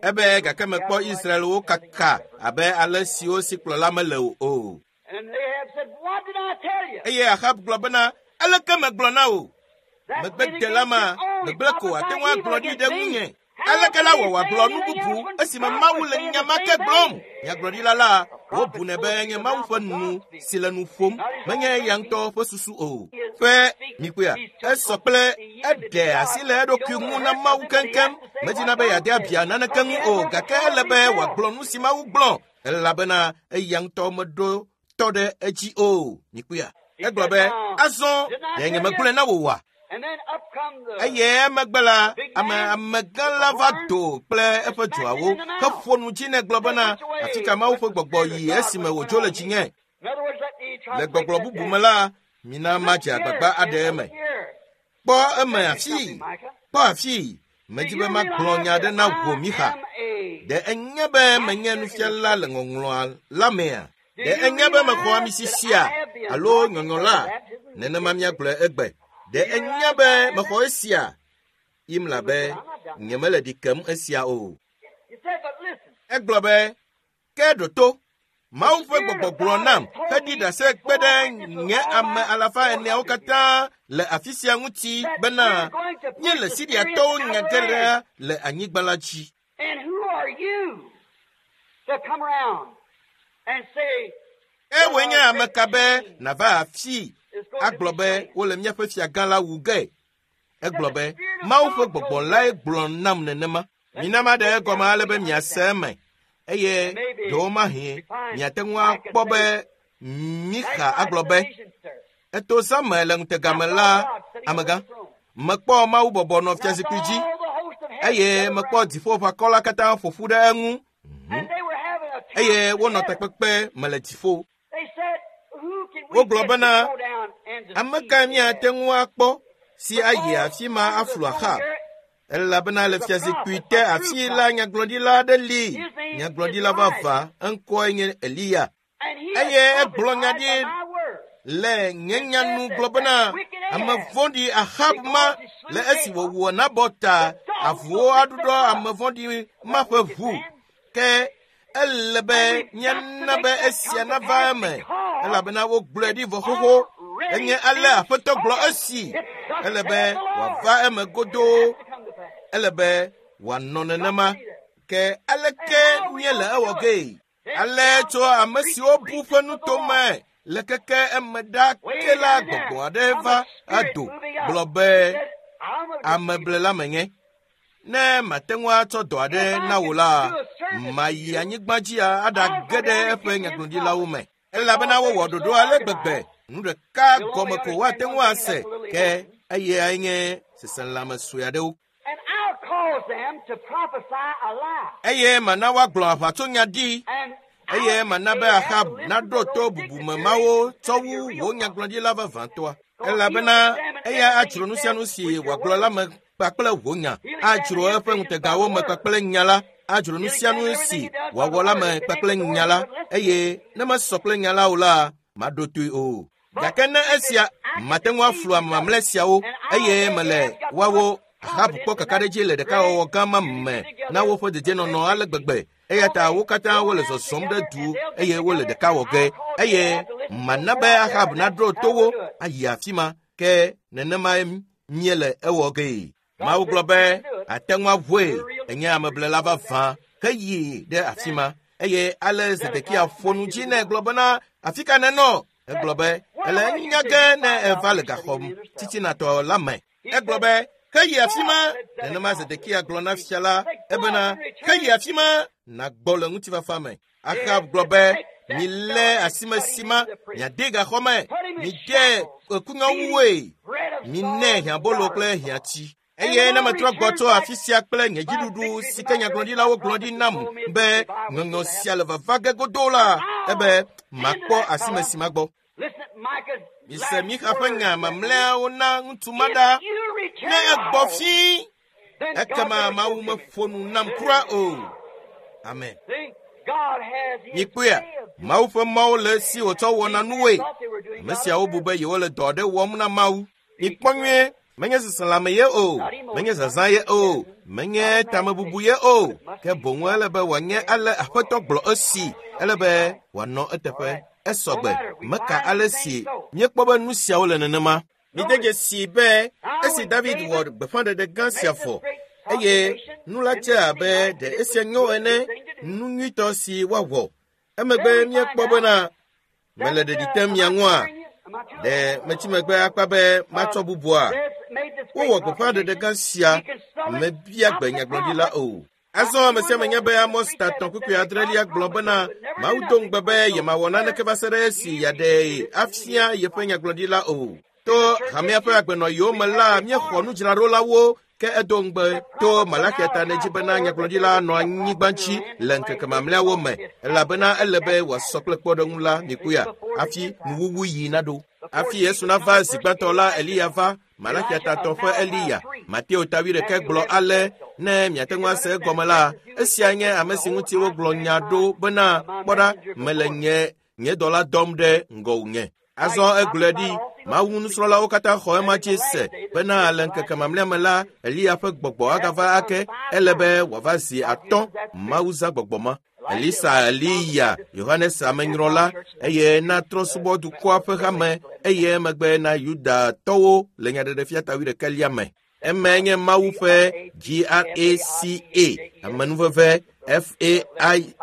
Ebe gake mekpɔ Israelwo kaka abe ale siwo si kplɔla mele o. And Ahab said, What did I tell you? Eye Ahab gblɔ bena, aleke megblɔ na wò? That Megbedela ma, gbegblẽ ko ate ŋu agblɔ ɖi ɖe ŋunye. Aleke la wɔ wòagblɔ nu bubu esime Mawu le nya ma ke gblɔm? Nyagblɔɖila la, wobunɛ be nye Mawu ƒe nu si le nu ƒom, menye eya ŋutɔ ƒe susu o. Ƒe mikpɔea, esɔ kple eɖe asi le eɖokui ŋu na Mawu keŋkeŋ. Medina be yeade abia naneke ŋu o, gake ele be wòagblɔ nu si Mawu gblɔ elabena eya ŋutɔ meɖo tɔ ɖe edzi o. Mikpɔea, egblɔ be, azɔ ɖe nye megblɔe na wò oa? And then up come the Eye emegbe la, ame amegã la va do kple eƒe dzoawo heƒo nu dzi nɛ gblɔ bena, afi ka Mawu ƒe gbɔgbɔ yi esime wòdzo le dzinye? In other words, let me try Le to break gbɔgblɔ that bubu down. me la, mina madze agbagba aɖe eme. Kpɔ eme afii, kpɔ afii. Medi be magblɔ nya aɖe na wò Mixa. Ɖe enye be menye nufiala le ŋɔŋlɔa la mea? Ɖe enye be mexɔ ami sisia alo nyɔnyɔ la? Nenema míagblɔe egbe. Ɖe enye be mexɔ esia? Imla be, nyemele ɖi kem esia o. He said, but listen, Egblɔ be, ke ɖo to. Mawu ƒe gbɔgbɔ gblɔ nam heɖi ɖase kpe ɖe nye ame alafa eneawo katã le afi sia ŋuti bena míele Siriatɔwo nya ge ɖa le anyigba la dzi. and who are you to come around and say, Ewɔe nye ame ka be nàva afii agblɔ be wole míaƒe fiagã la wu ge. Egblɔ be Mawu ƒe gbɔgbɔ lae gblɔ nam nenema. Mina maɖe egɔme ale be miase eme eye ɖewomahi miate ŋu akpɔ be Mixa agblɔ be eto zã me le ŋutega me la amegã mekpɔ Mawu bɔbɔ nɔ fiazikpui dzi eye mekpɔ dziƒoʋakɔ la katã ƒo ƒu ɖe eŋu eye wonɔ takpekpe me le dziƒo. Wogblɔ bena, ame kae míate ŋu akpɔ si ayi afi ma aflu Ahab? Elabena le fiazikpui te afi la nyagblɔɖila aɖe li, nyagblɔɖila vavã, eŋkɔe nye Eliya. Eye egblɔ nya ɖi le nye nya nu gblɔ bena ame vɔ̃ɖi Ahab ma le esi wòwɔ Nabɔt ta avuwo aɖuɖɔ ame vɔ̃ɖi ma ƒe ʋu. Ke ele be míana be esia nava eme elabena wogblɔe ɖi vɔ xoxo. Enye ale Aƒetɔ gblɔ esi. Ele be wòava eme godoo. Ele be wòanɔ nenema. Ke aleke míele ewɔ gee? Ale tso ame siwo bu ƒe nutome Le keke eme ɖa ke la gbɔgbɔ aɖe va ado gblɔ be ameblela menye. Ne mate ŋu atsɔ dɔ aɖe na wò la, mayi anyigba dzi aɖage ɖe eƒe nyagblɔɖilawo me. Elabena wowɔ ɖoɖo ale gbegbe, nu ɖeka gɔme ko woate ŋu ase, ke eyae nye seselãme sue aɖewo. Eye mana woagblɔ aʋatsonya ɖi, eye mana be Ahab naɖo to bubume mawo tsɔ wu wò nyagblɔɖila vavãtɔa. Elabena eya adzro nu sia nu si wòagblɔ la me kpakple wò nya, adzro eƒe ŋutegawo me kpakple nya la, adzro nu sia nu si wòawɔ la me kpakple nya la, eye ne mesɔ kple nya la o la, maɖo toe o. Gake ne esia mate ŋu aflu ame mamlɛ siawo, eye mele woawo Ahab kpɔ kakaɖedzi le ɖekawɔwɔ gã ma me na woƒe dedienɔnɔ ale gbegbe, eya ta wo katã wole zɔzɔm ɖe du eye wole ɖeka wɔ ge, eye mana be Ahab naɖo to wo ayi afi ma, ke nenemae míele ewɔ gee. Mawu gblɔ be ate ŋu aʋue, enye ameblela vavã, heyi ɖe afi ma. Eye ale Zedekia ƒo nu dzi nɛ gblɔ bena, afi ka nènɔ? Egblɔ be, ele enya ge ne eva le gaxɔ titinatɔ la me. Egblɔ be, heyi afi ma. Nenema Zedekia gblɔ na fia la ebena, heyi afi ma, nàgbɔ le ŋutifafa me. Ahab gblɔ be, milé asimesima, miade gaxɔ me, mide ekunyɔwuwoe, minɛ hiãbolo kple hiãtsi. Eye ne metrɔ gbɔ tso afi sia kple nye dziɖuɖu si ke nyagblɔɖilawo gblɔ ɖi nam be ŋɔŋɔ sia le vava ge godoo la, ebe makpɔ asimesima gbɔ. Mise Mixa ƒe nya mamlɛawo na ŋutsu ma ɖa. Ne egbɔ fii, ekema Mawu meƒo nu nam kura o. Amen. Mikpɔea, Mawu ƒe mɔwo le esi wòtsɔ wɔna nuwoe. Ame siawo bu be yewole dɔ aɖe wɔm na Mawu. Mikpɔ nyuie, menye seselãme ye o, menye zazã ye o, menye tamebubu ye o, ke boŋ ele be wòanye ale Aƒetɔ gblɔ esi, ele be wòanɔ eteƒe. Esɔgbe, meka ale si míekpɔ be nu siawo le nenema. Mide dzesi be esi David wɔ gbeƒãɖeɖe gã sia vɔ, eye nu la dze abe ɖe esia nyo ene, nu nyuitɔ si woawɔ. Emegbe míekpɔ bena mele ɖeɖi tem mia ŋua? Ɖe metsi megbe akpa be matsɔ bubua? Wowɔ gbeƒãɖeɖe gã sia, mebia gbe nyagblɔɖila o. Azɔ ame sia ame nya be Amos ta 3:6 gblɔ bena Mawu do ŋugbe be yemawɔ naneke va se ɖe esi yeaɖee afia yeƒe nyagblɔɖila o. To hamea ƒe agbenɔɣiwo me la, míexɔ nudzraɖolawo, ke edo ŋugbe to Malakia ta ne dzi bena nyagblɔɖila nɔ anyigba dzi le ŋkeke mamlɛawo me, elabena ele be wòasɔ kple kpɔɖeŋu la mikpɔea, hafi nuwuwu yi naɖo. Hafi Yesu nava zi gbãtɔ la, Eliya va, Malakia ta 3 ƒe Eliya. Mateo ta 8 gblɔ ale, ne miate ŋu ase egɔme la, esia nye ame si ŋuti wogblɔ nya ɖo bena, kpɔ ɖa, mele nye dɔla dɔm ɖe ŋgɔwò nye. Azɔ egblɔe ɖi, Mawu nusrɔ̃lawo katã xɔ ema dzi se bena le ŋkeke mamlɛa me la, Eliya ƒe gbɔgbɔ agava ake, ele be wòava zi 5. Mawu zã gbɔgbɔ ma. Elisa, Eliya, Yohanes amenyrɔla, eye na trɔ̃subɔdukɔa ƒe hame, eye emegbe na Yudatɔwo le nyaɖeɖefia ta 21 me. Emae nye Mawu ƒe GRACA, amenuveve FAITH,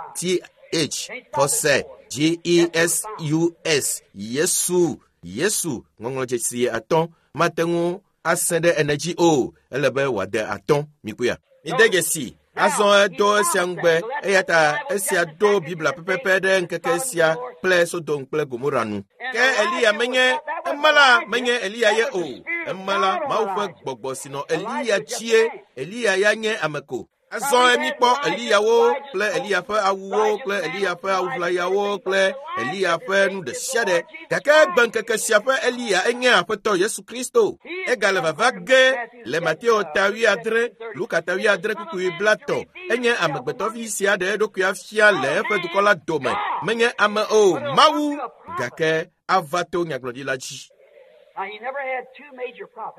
xɔse JESUS, Yesu, Yesu, ŋɔŋlɔdzesi 5, mate ŋu ase ɖe ene dzi o, ele be wòade 5. Mikpɔea? Mide dzesi. Azɔ edo esia ŋugbe, eya ta esia do Biblia pɛpɛpɛ ɖe ŋkeke sia kple Sodom kple Gomora nu. Ke Eliya menye, ema la menye Eliya ye o. Ema la Mawu ƒe gbɔgbɔ si nɔ Eliya dzie. Eliya ya nye ame ko. Azɔ míkpɔ Eliyawo kple Eliya ƒe awuwo kple Eliya ƒe awuʋlayawo kple Eliya ƒe nu ɖe sia ɖe. Gake egbe ŋkeke sia ƒe Eliya enye Aƒetɔ Yesu Kristo. Egale vava ge le Mateo ta 8, Luka ta 8:30. Enye amegbetɔvi sia ɖe eɖokui afia le eƒe dukɔ la dome. Menye ame o, Mawu, gake ava to nyagblɔɖila dzi.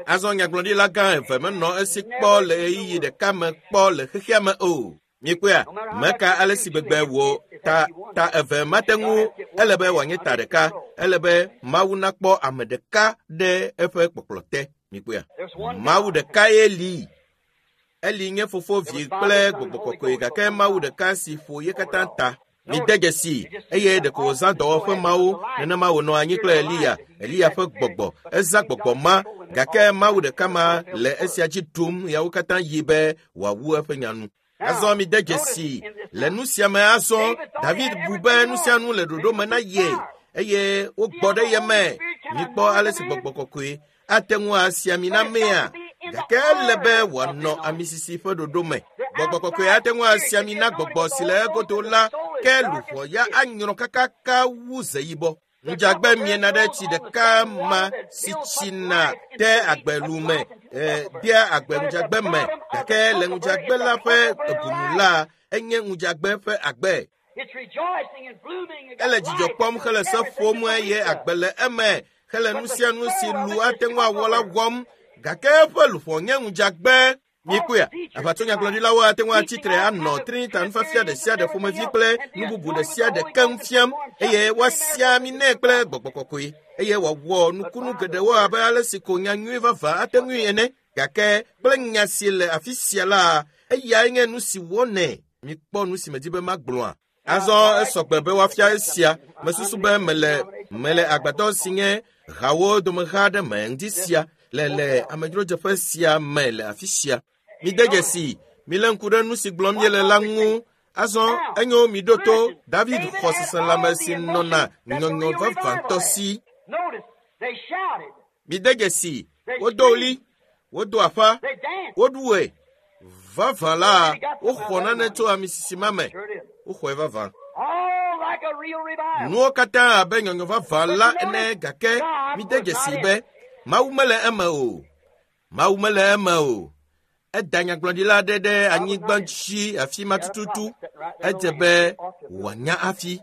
Azɔ nyagblɔɖila gã eve menɔ esi kpɔ le ɣeyiɣi ɖeka me kpɔ le xexea me o. Mikpɔea, meka ale si gbegbe wò ta eve mate ŋu, ele be wòanye ta ɖeka, ele be Mawu nakpɔ ame ɖeka ɖe eƒe kpɔkplɔ te. Mikpɔea, Mawu ɖeka ye li. Eli nye fofo, vi kple gbɔgbɔ kɔkɔe, gake Mawu ɖeka si ƒo ye katã ta. Mide dzesi eye ɖeko wòzã dɔwɔƒe mawo nenema wònɔ anyi kple Eliya, Eliya ƒe gbɔgbɔ. Ezã gbɔgbɔ ma gake Mawu ɖeka ma le esia dzi ɖum yawo katã yi be wòawu eƒe nya nu. Azɔ mide dzesi le nu sia me azɔ David bu be nu sia nu le ɖoɖo me na ye eye wogbɔ ɖe ye me. Mikpɔ ale si gbɔgbɔ kɔkɔe ate ŋu asi ami na mea gake ele be wòanɔ amisisi ƒe ɖoɖo me. Gbɔgbɔ kɔkɔe ate ŋu asi ami na gbɔgbɔ si le egodo la ke luʋɔ ya anyrɔ kakaka wu ze yibɔ. Ŋudzagbe miena ɖe tsi ɖeka ma si tsina de agbelu me dea agbe ŋudzagbe me gake le ŋudzagbe la ƒe ebunu la enye ŋudzagbe ƒe agbe. Ele dzidzɔ kpɔm hele se ƒom eye agbe le eme hele nu sia nu si lu ate ŋu awɔ la wɔm gake eƒe luʋɔ nye ŋudzagbe. Mikpɔea, aʋatsonyagblɔɖilawo ate ŋu atsitre anɔ Trinita nufiafia ɖe sia ɖe ƒomevi kple nu bubu ɖe sia ɖe keŋ fiam eye woasia ami nɛ kple gbɔgbɔ kɔkɔe eye wòawɔ nukunu geɖewo abe ale si ko nya nyui vavã ate ŋui ene gake kple nya si le afi sia la eyae nye nu si wɔnɛ. Mikpɔ nu si medi be magblɔa. Azɔ esɔgbe be woafia esia. Mesusu be mele agbadɔ si nye hawo domeha aɖe me ŋdi sia le amedzrodzeƒe sia me le afi sia. Mide dzesi, milé ŋku ɖe nu si gblɔm míele la ŋu. Azɔ enyo miɖo to David xɔ seselãme si nɔna nyɔnyɔ vavãtɔ si. Mide dzesi, wodo ɣli, wodo aƒa, woɖu ɣe. Vavã la, woxɔ nane tso amisisi ma me. Woxɔe vavã. Nuwo katã abe nyɔnyɔ vavã la ene gake mide dzesi be Mawu mele eme o. Mawu mele eme o. Eda nyagblɔɖila aɖe ɖe anyigba dzi afi ma tututu. Edze be wòanya hafi.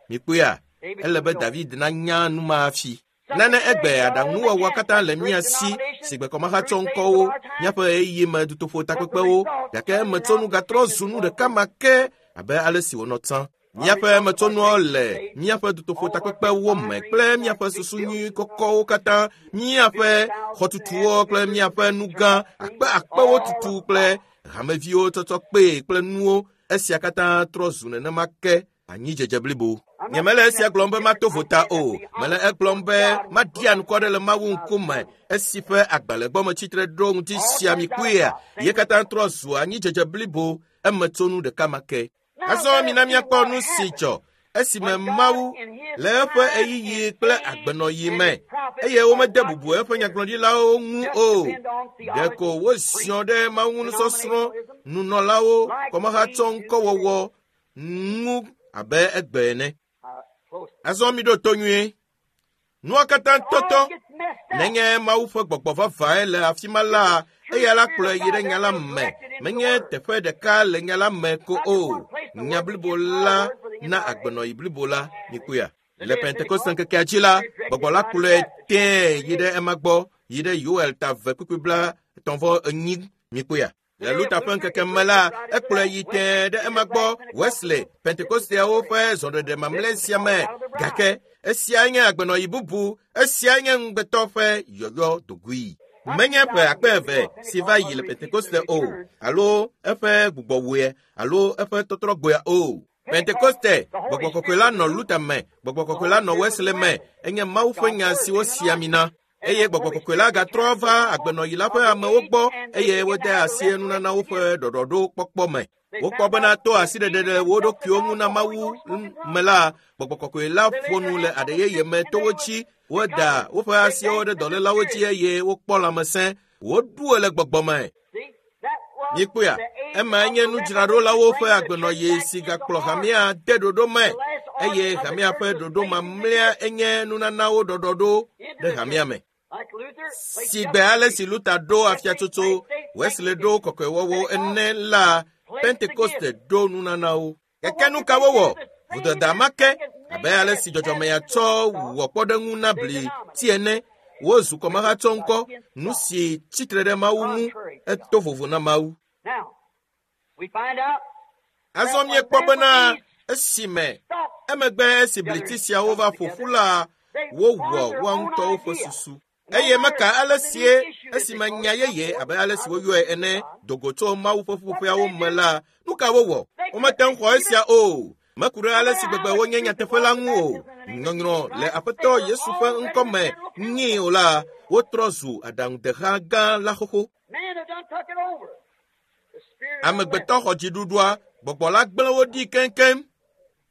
Mikpɔea, ele be David nanya nu ma hafi. Nane egbe aɖaŋuwɔwɔ katã le mía si si gbekɔmahatsɔ ŋkɔwo, míaƒe ɣeyiɣi me dutoƒo takpekpewo, gake emetsonu gatrɔ zu nu ɖeka ma ke abe ale si wònɔ tsã. Míaƒe emetsonuawo le míaƒe dutoƒo takpekpewo me kple míaƒe susu nyui kɔkɔwo katã, míaƒe xɔtutuwo kple míaƒe nu gã akpe akpewo tutu kple hameviwo tsɔtsɔ kpee kple nuwo. Esia katã trɔ zu nenema ke anyidzedze blibo. Nyemele esia gblɔm be mato vota o. Mele egblɔm be maɖia ŋkɔ ɖe le Mawu ŋkume esi ƒe agbalẽ gbɔ metsitre ɖo ŋuti sia mi kpuia. Ye katã trɔ zu anyidzedze blibo emetsonu ɖeka ma ke. Azɔ mina míakpɔ nu si dzɔ esime Mawu le eƒe ɣeyiɣi kple agbenɔɣi me eye womede bubu eƒe nyagblɔɖilawo ŋu o. Ɖeko woziɔ ɖe Mawu nusɔsrɔ̃, nunɔlawo, kɔmahatsɔ ŋkɔwɔwɔ ŋu abe egbe ene. Azɔ miɖo to nyuie. Nua katã tɔtɔ. Nenye Mawu ƒe gbɔgbɔ vavãe le afi ma la, eya la kplɔe yi ɖe nya la me. Menye teƒe ɖeka le nya la me ko o. Nya blibo la na agbenɔɣi blibo la. Mikpɔea? Le Pentekoste ŋkekea dzi la, gbɔgbɔ la kplɔe tẽe yi ɖe ema gbɔ, yi ɖe Yoel ta 2:34. Mikpɔea? Le Luther ƒe ŋkeke me la, ekplɔe yi tẽe ɖe ema gbɔ Wesley, Pentekosteawo ƒe zɔɖeɖe mamlɛ sia me. Gake esia nye agbenɔɣi bubu, esia nye ŋugbetɔ ƒe yɔyɔ dogoe. Menye ƒe akpe eve si va yi le Pentekoste o, alo eƒe gbugbɔwɔe, alo eƒe tɔtrɔgbɔea o. Pentekoste, gbɔgbɔ kɔkɔe la nɔ Luther me, gbɔgbɔ kɔkɔe la nɔ Wesley me, enye Mawu ƒe nya si wosi ami na. Eye gbɔgbɔ kɔkɔe la gatrɔ va agbenɔɣi la ƒe amewo gbɔ eye wode asi nunanawo ƒe ɖɔɖɔɖo kpɔkpɔ me. Wokpɔ bena to asiɖeɖe ɖe wo ɖokuiwo ŋu na Mawu me la, gbɔgbɔ kɔkɔe la ƒo nu le aɖe yeye me to wo dzi. Woda woƒe asiwo ɖe dɔlélawo dzi eye wokpɔ lãmesẽ. Woɖu le gbɔgbɔ me. Mikpɔea, emae nye nudzraɖolawo ƒe agbenɔɣi si gakplɔ hamea de ɖoɖo me eye hamea ƒe ɖoɖo mamlɛa enye nunanawo ɖɔɖɔɖo ɖe hamea me. Si gbe ale si Luther ɖo afiatsotso, Wesley ɖo kɔkɔewɔwɔ ene la, Pentekoste ɖo nunanawo. Gake nu ka wowɔ? Vodada ma ke abe ale si dzɔdzɔmea tsɔ wɔ kpɔɖeŋu na bli ti ene. Wozu kɔmahatsɔ ŋkɔ, nu si tsitre ɖe Mawu ŋu, eto vovo na Mawu. Azɔ míekpɔ bena esime emegbe esi bliti siawo va ƒo ƒu la, wowɔ woa ŋutɔwo ƒe susu. Eye meka ale sie esime nya yeye abe ale si woyɔe ene do go tso Mawu ƒe ƒuƒoƒeawo me la, nu ka wowɔ? Womete ŋu xɔ esia o. Meku ɖe ale si gbegbe wonye nyateƒe la ŋu o. Nyɔnyrɔ le Aƒetɔ Yesu ƒe ŋkɔme nyii o la, wotrɔ zu aɖaŋudeha gã la xoxo. Amegbetɔ xɔ dziɖuɖua, gbɔgbɔ la gblẽ wo ɖi keŋkeŋ.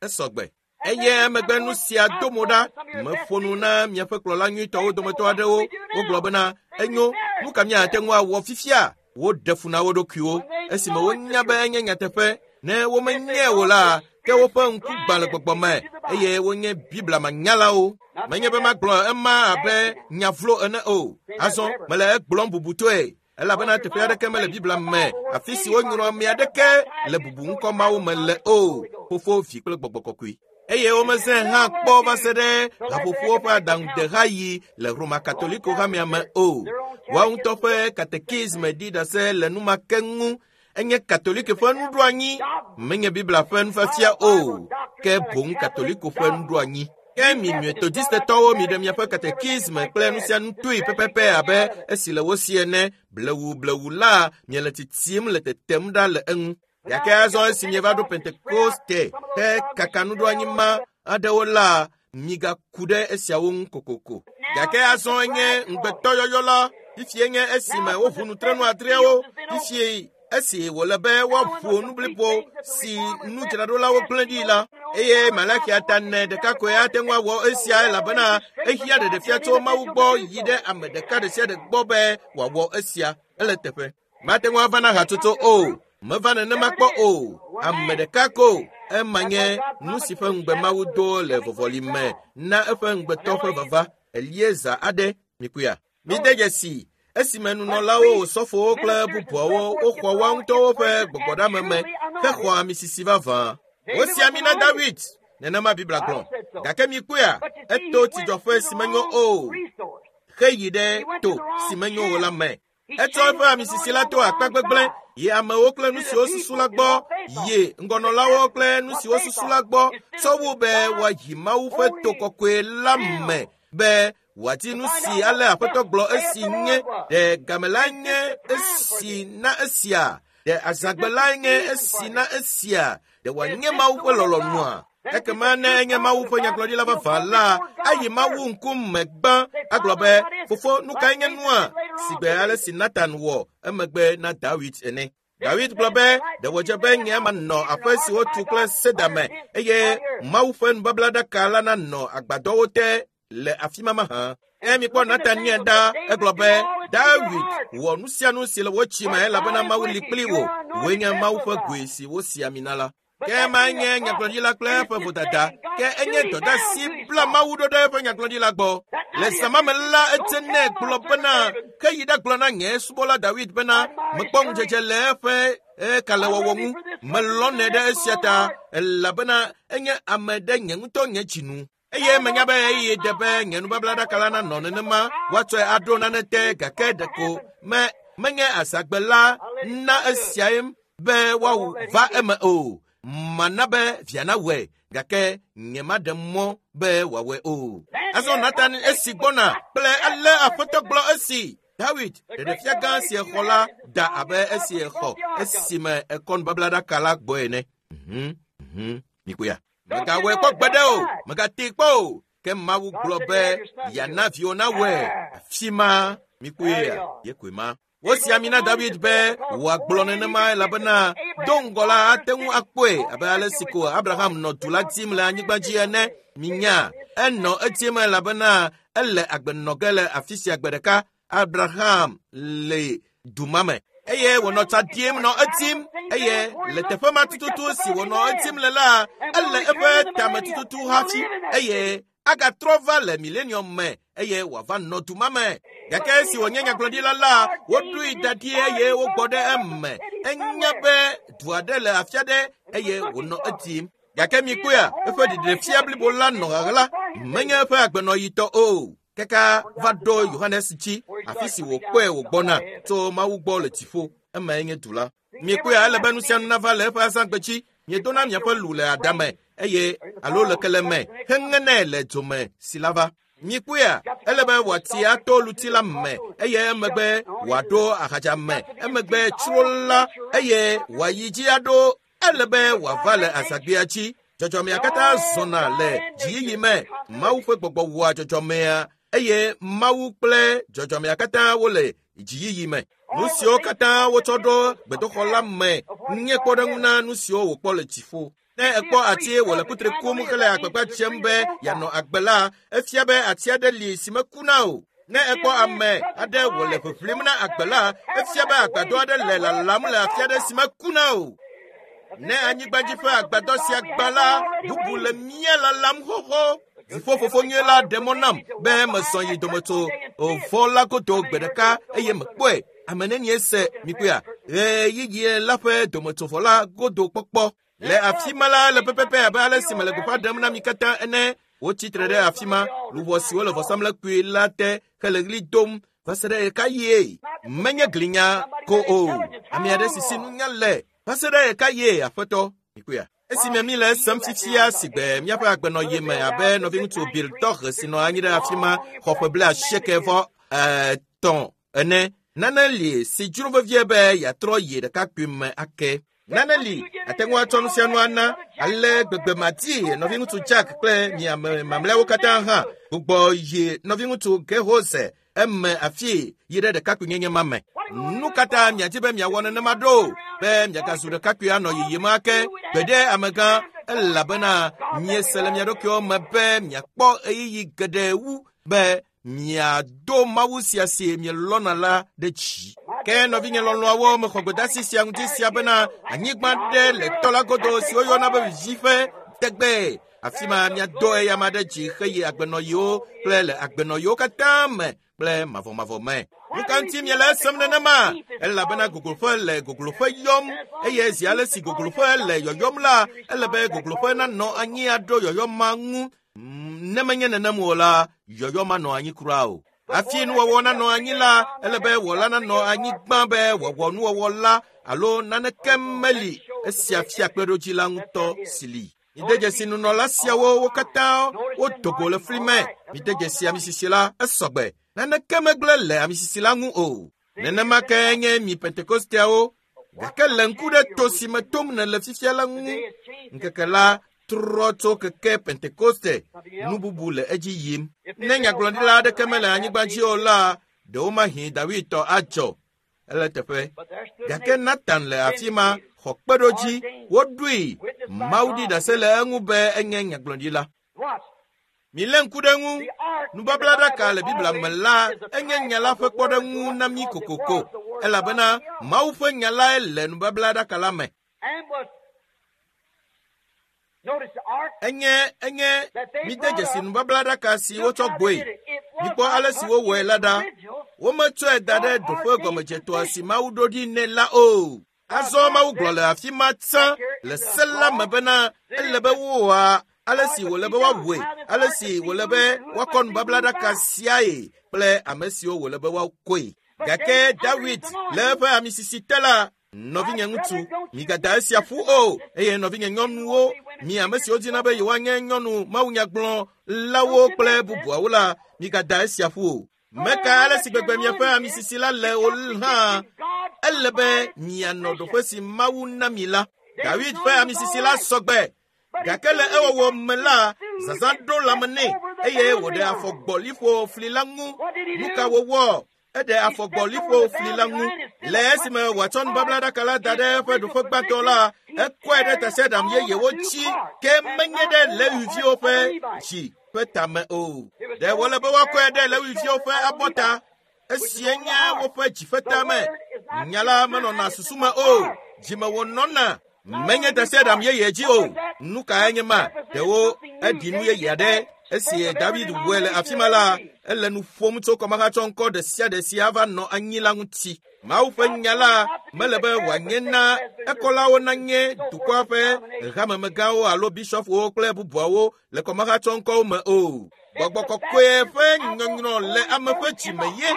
Esɔgbe. Eye emegbe nu sia do mo ɖa. Meƒo nu na miaƒe kplɔla nyuitɔwo dometɔ aɖewo. Wogblɔ bena, enyo, nu ka míate ŋu awɔ fifia? Woɖe fu na wo ɖokuiwo esime wonya be enye nyateƒe. Ne womenyae o la, ke woƒe ŋku gbã le gbɔgbɔ me eye wonye Biblia manyalawo. Menye be magblɔ ema abe nya vlo ene o. Azɔ mele egblɔm bubutɔe elabena teƒe aɖeke mele Biblia me afi si wonyrɔ ame aɖeke le bubu ŋkɔ mawo me le o. Fofo, Vi kple Gbɔgbɔ Kɔkɔe. Eye womezãe hã kpɔ va se ɖe haƒoƒowo ƒe aɖaŋudeha yi le Roma Katoliko hamea me o. Woawo ŋutɔ ƒe katekisme ɖi ɖase le nu ma ke ŋu. Enye Katoliki ƒe nuɖoanyi, menye Biblia ƒe nufiafia o, ke boŋ Katoliko ƒe nuɖoanyi. Ke mi Metodistetɔwo miɖe miaƒe katekisme kple nu sia nu toe pɛpɛpɛ abe esi le wo si ene. Blewu blewu la, miele tsitsim le tetem ɖa le eŋu. Gake azɔ esi mieva ɖo Pentekoste he kaka nuɖoanyi ma aɖewo la, migaku ɖe esiawo ŋu kokoko. Gake azɔ enye ŋugbetɔyɔyɔ la. Fifie nye esime woʋu nutrenu adreawo. Fifie esi wòle be woaƒo nu blibo si nudzraɖolawo gblẽ ɖi la. Eye Malakia ta ne ɖeka koe ate ŋu awɔ esia elabena ehiã ɖeɖefia tso Mawu gbɔ yi ɖe ame ɖeka ɖe sia ɖe gbɔ be wòawɔ esia. Ele teƒe. Mate ŋu ava na hatsotso o. Meva nenema kpɔ o. Ame ɖeka ko. Ema nye nu si ƒe ŋugbe Mawu do le vɔvɔli me na eƒe ŋugbetɔ ƒe vava. Elieza aɖe, mikuya. Mide dzesi esime nunɔlawo, osɔfowo kple bubuawo woxɔ woa ŋutɔwo ƒe gbɔgbɔɖame me hexɔ amisisi vavã. Wosi ami na Dawid, nenema Biblia gblɔ. Gake mikpɔea, eto tsidzɔƒe si menyo o heyi ɖe to si menyo o la me. Etsɔ eƒe amisisi la to akpa gbegblẽ yi amewo kple nu siwo susu la gbɔ, yi ŋgɔnɔlawo kple nu siwo susu la gbɔ, tsɔ wu be woayi Mawu ƒe to kɔkɔe la me be wòadi nu si ale Aƒetɔ gblɔ esi nye ɖe game la nye esi na esia, ɖe azãgbe la nye esi na esia, ɖe wòanye Mawu ƒe lɔlɔ̃nua? Ekema ne enye Mawu ƒe nyagblɔɖila vavã la, ayi Mawu ŋkume gbã agblɔ be, Fofo, nu kae nye nua? Sigbe ale si Natan wɔ emegbe na Dawid ene. Dawid gblɔ be, ɖe wòdze be nye manɔ aƒe si wotu kple seda me eye Mawu ƒe nubablaɖaka la nanɔ agbadɔwo te le afi ma mahã. Ke mikpɔ Natan nye ɖa, egblɔ be, Dawid wɔ nu sia nu si le wò tsi me elabena Mawu li kpli wò. Wòe nye Mawu ƒe goe si wosi ami na la. Ke ema nye nyagblɔɖila kple eƒe vodada. Ke enye dɔdeasi bla Mawu ɖo ɖe eƒe nyagblɔɖila gbɔ. Le zã ma me la, edze nɛ gblɔ bena, ke yi ɖagblɔ na nye subɔla Dawid bena, mekpɔ ŋudzedze le eƒe kalẽwɔwɔ ŋu. Melɔ̃nɛ ɖe esia ta elabena enye ame ɖe nye ŋutɔ nye dzi nu. Eye menya be ɣeyiɣi de be nye nubablaɖaka la nanɔ nenema, woatsɔe aɖo nane te gake ɖeko me menye azãgbe la na esiae be woava eme o. Mana be via nawɔe gake nyemaɖe mɔ be wòawɔe o. Azɔ Natan esi gbɔna kple ale Aƒetɔ gblɔ esi. Dawid ɖeɖefia gã si exɔ la da abe esi exɔ esime ekɔ nubablaɖaka la gbɔe ene. Mikpɔea. Megawɔe kpɔ gbeɖe o, megatee kpɔ o. Ke Mawu gblɔ be yeana viwò nawɔe. Afi ma mikpɔea, ye koe ma. Wosi ami na Dawid be wòagblɔ nenema elabena do ŋgɔ la ate ŋu akpɔe abe ale si ko Abraham nɔ du la dim le anyigba dzi ene. Minya, enɔ edim elabena ele agbe nɔ ge le afi sia gbe ɖeka. Abraham le du ma me eye wònɔ tsa ɖim nɔ edim eye le teƒe ma tututu si wònɔ edim le la, ele eƒe tame tututu hafi eye agatrɔ va le milenium me eye wòava nɔ du ma me. Gake esi wònye nyagblɔɖila la, woɖoe da ɖi eye wogbɔ ɖe eme. Enya be du aɖe le afi aɖe eye wònɔ edim. Gake mikpɔea, eƒe ɖeɖefia blibo la nɔ ɣaɣla, menye eƒe agbenɔɣitɔ o. Kaka va ɖo Yohanes dzi, afi si wòkpɔe wògbɔna tso Mawu gbɔ le dziƒo. Emae nye du la. Mikpɔea, ele be nu sia nu nava le eƒe azãgbe dzi. Miedona miaƒe lu le adame eye alo le kele me heŋenɛ le dzome si la va. Mikpɔea, ele be wòati ato luti la me eye emegbe wòaɖo ahadza me, emegbe tsro la eye wòayi dzi aɖo. Ele be wòava le azãgbea dzi. Dzɔdzɔmea katã zɔna le dziyiyi me. Mawu ƒe gbɔgbɔ wɔa dzɔdzɔmea eye Mawu kple dzɔdzɔmea katã wole dziyiyi me. Nu siwo katã wotsɔ ɖo gbedoxɔ la me nye kpɔɖeŋu na nu siwo wòkpɔ le dziƒo. Ne ekpɔ ati wòle kutri kum hele agbagba dzem be yeanɔ agbe la, efia be ati aɖe li si mekuna o. Ne ekpɔ ame aɖe wòle ʋiʋlim na agbe la, efia be agbadɔ aɖe le lalam le afi aɖe si mekuna o. Ne anyigbadzi ƒe agbadɔ sia gbã la, bubu le mía lalam xoxo. Dziƒofofo nyui la ɖe mɔ nam be mesɔ yi dometso vɔ la godo gbe ɖeka eye mekpɔe. Ame nenie se mikpɔea? Ɣeyiɣi la ƒe dometsovɔ la godo kpɔkpɔ. Le afi ma la le pɛpɛpɛ abe ale si mele gbeƒã ɖem na mi katã ene. Wotsi tre ɖe afi ma, luʋɔ siwo le vɔsamlekpui la te hele ɣli dom va se ɖe ɣekaɣie? Menye glinya ko o. Ame aɖe si si nunya le va se ɖe ɣekaɣie, Aƒetɔ? Mikpɔea? Esime mi le esem fifia si gbe míaƒe agbenɔɣi me abe nɔviŋutsu Bill Tɔx si nɔ anyi ɖe afi ma xɔ ƒe 93 ene, nane li si dzro vevie be yeatrɔ yi ɖekakpui me ake. Nane li ate ŋu atsɔ nu sia nu ana ale gbegbe madi nɔviŋutsu Jack kple mi ame mamlɛawo katã hã gbugbɔ yi nɔviŋutsu Gehose eme afi yi ɖe ɖekakpuinyenye ma me. Nu katã miadi be miawɔ nenema ɖo be miagazu ɖekakpui anɔ yiyim ake gbeɖe amegã elabena miese le mia ɖokuiwo me be miakpɔ ɣeyiɣi geɖe wu be miado Mawu sia si mielɔ̃na la ɖe dzi. Ke nɔvinye lɔlɔ̃awo mexɔ gbedeasi sia ŋuti sia bena anyigba ɖe le tɔ la godo si woyɔna be viviƒe tegbe. Afi ma miado eyama ɖe dzi heyi agbenɔɣiwo kple le agbenɔɣiwo katã me kple mavɔmavɔ me. Nu ka ŋuti miele esem nenema? Elabena gogloƒe le gogloƒe yɔm eye zi ale si gogloƒe le yɔyɔm la, ele be gogloƒe nanɔ anyi aɖo yɔyɔ ma ŋu. Ne menye nenem o la, yɔyɔ manɔ anyi kura o. Hafi nuwɔwɔ nanɔ anyi la, ele be wɔla nanɔ anyi gbã be wòawɔ nuwɔwɔ la alo naneke meli esia fia kpeɖodzi la ŋutɔ si li. Mide dzesi nunɔla siawo wo katã wodo go le fli me. Mide dzesi amisisi la esɔgbe. Naneke megblẽ le amisisi la ŋu o. Nenema ke nye mi Pentekosteawo. Gake le ŋku ɖe to si me tom nèle fifia la ŋu. Ŋkeke la trɔ tso keke Pentekoste nu bubu le edzi yim. Ne nyagblɔɖila aɖeke mele anyigba dzi o la, ɖewomahi Dawid tɔ adzɔ. Ele teƒe. Gake Nathan le afi ma xɔ kpeɖodzi. Woɖoe. Mawu ɖi ɖase le eŋu be enye nyagblɔɖila. Milé ŋku ɖe eŋu. Nubablaɖaka le Biblia me la enye nya la ƒe kpɔɖeŋu na mí kokoko elabena Mawu ƒe nya lae le nubablaɖaka la me. Enye enye mide dzesi nubablaɖaka si wotsɔ gbɔe. Mikpɔ ale si wowɔe la ɖa. Wometsɔe da ɖe ɖoƒe gɔmedzetɔa si Mawu ɖo ɖi nɛ la o. Azɔ Mawu gblɔ le afi ma tsã le se la me bena ele be woa ale si wòle be woawɔe, ale si wòle be woakɔ nubablaɖaka siae kple ame siwo wòle be woakɔe. Gake Dawid le eƒe amisisi te la, nɔvinye ŋutsu, migada esia ƒu o, eye nɔvinye nyɔnuwo, mi ame siwo dina be yewoanye nyɔnu mawunyagblɔlawo kple bubuawo la, migada esia ƒu o. Meka ale si gbegbe miaƒe amisisi la le o hã, ele be mianɔ ɖoƒe si Mawu na mi la. Dawid ƒe amisisi la sɔgbe. Gake le ewɔwɔ me la, zazã ɖo lãme nɛ eye wòɖe afɔ gbɔ liƒo fli la ŋu. Nu ka wòwɔ? Eɖe afɔ gbɔ liƒo fli la ŋu. Le esime wòatsɔ nubablaɖaka la da ɖe eƒe ɖoƒe gbãtɔ la, ekɔe ɖe tasiaɖam yeyewo dzi ke menye ɖe Lewiviwo ƒe dzi ƒe tame o. Ɖe wòle be woakɔe ɖe Lewiviwo ƒe abɔta esie nye woƒe dzi ƒe tame. Nya la menɔna susu me o, dzime wònɔna. Menye tasiaɖam yeye dzi o. Nu kae nye ma? Ɖewo eɖi nu yeye aɖe. Esi David wɔe le afi ma la, ele nu ƒom tso kɔmahatsɔŋkɔ ɖe sia ɖe si ava nɔ anyi la ŋuti. Mawu ƒe nya la mele be wòanye na ekɔlawo nanye dukɔa ƒe hamemegãwo alo bishɔpwo kple bubuawo le kɔmahatsɔŋkɔwo me o. Gbɔgbɔ kɔkɔe ƒe nyɔnyrɔ le ame ƒe dzime ye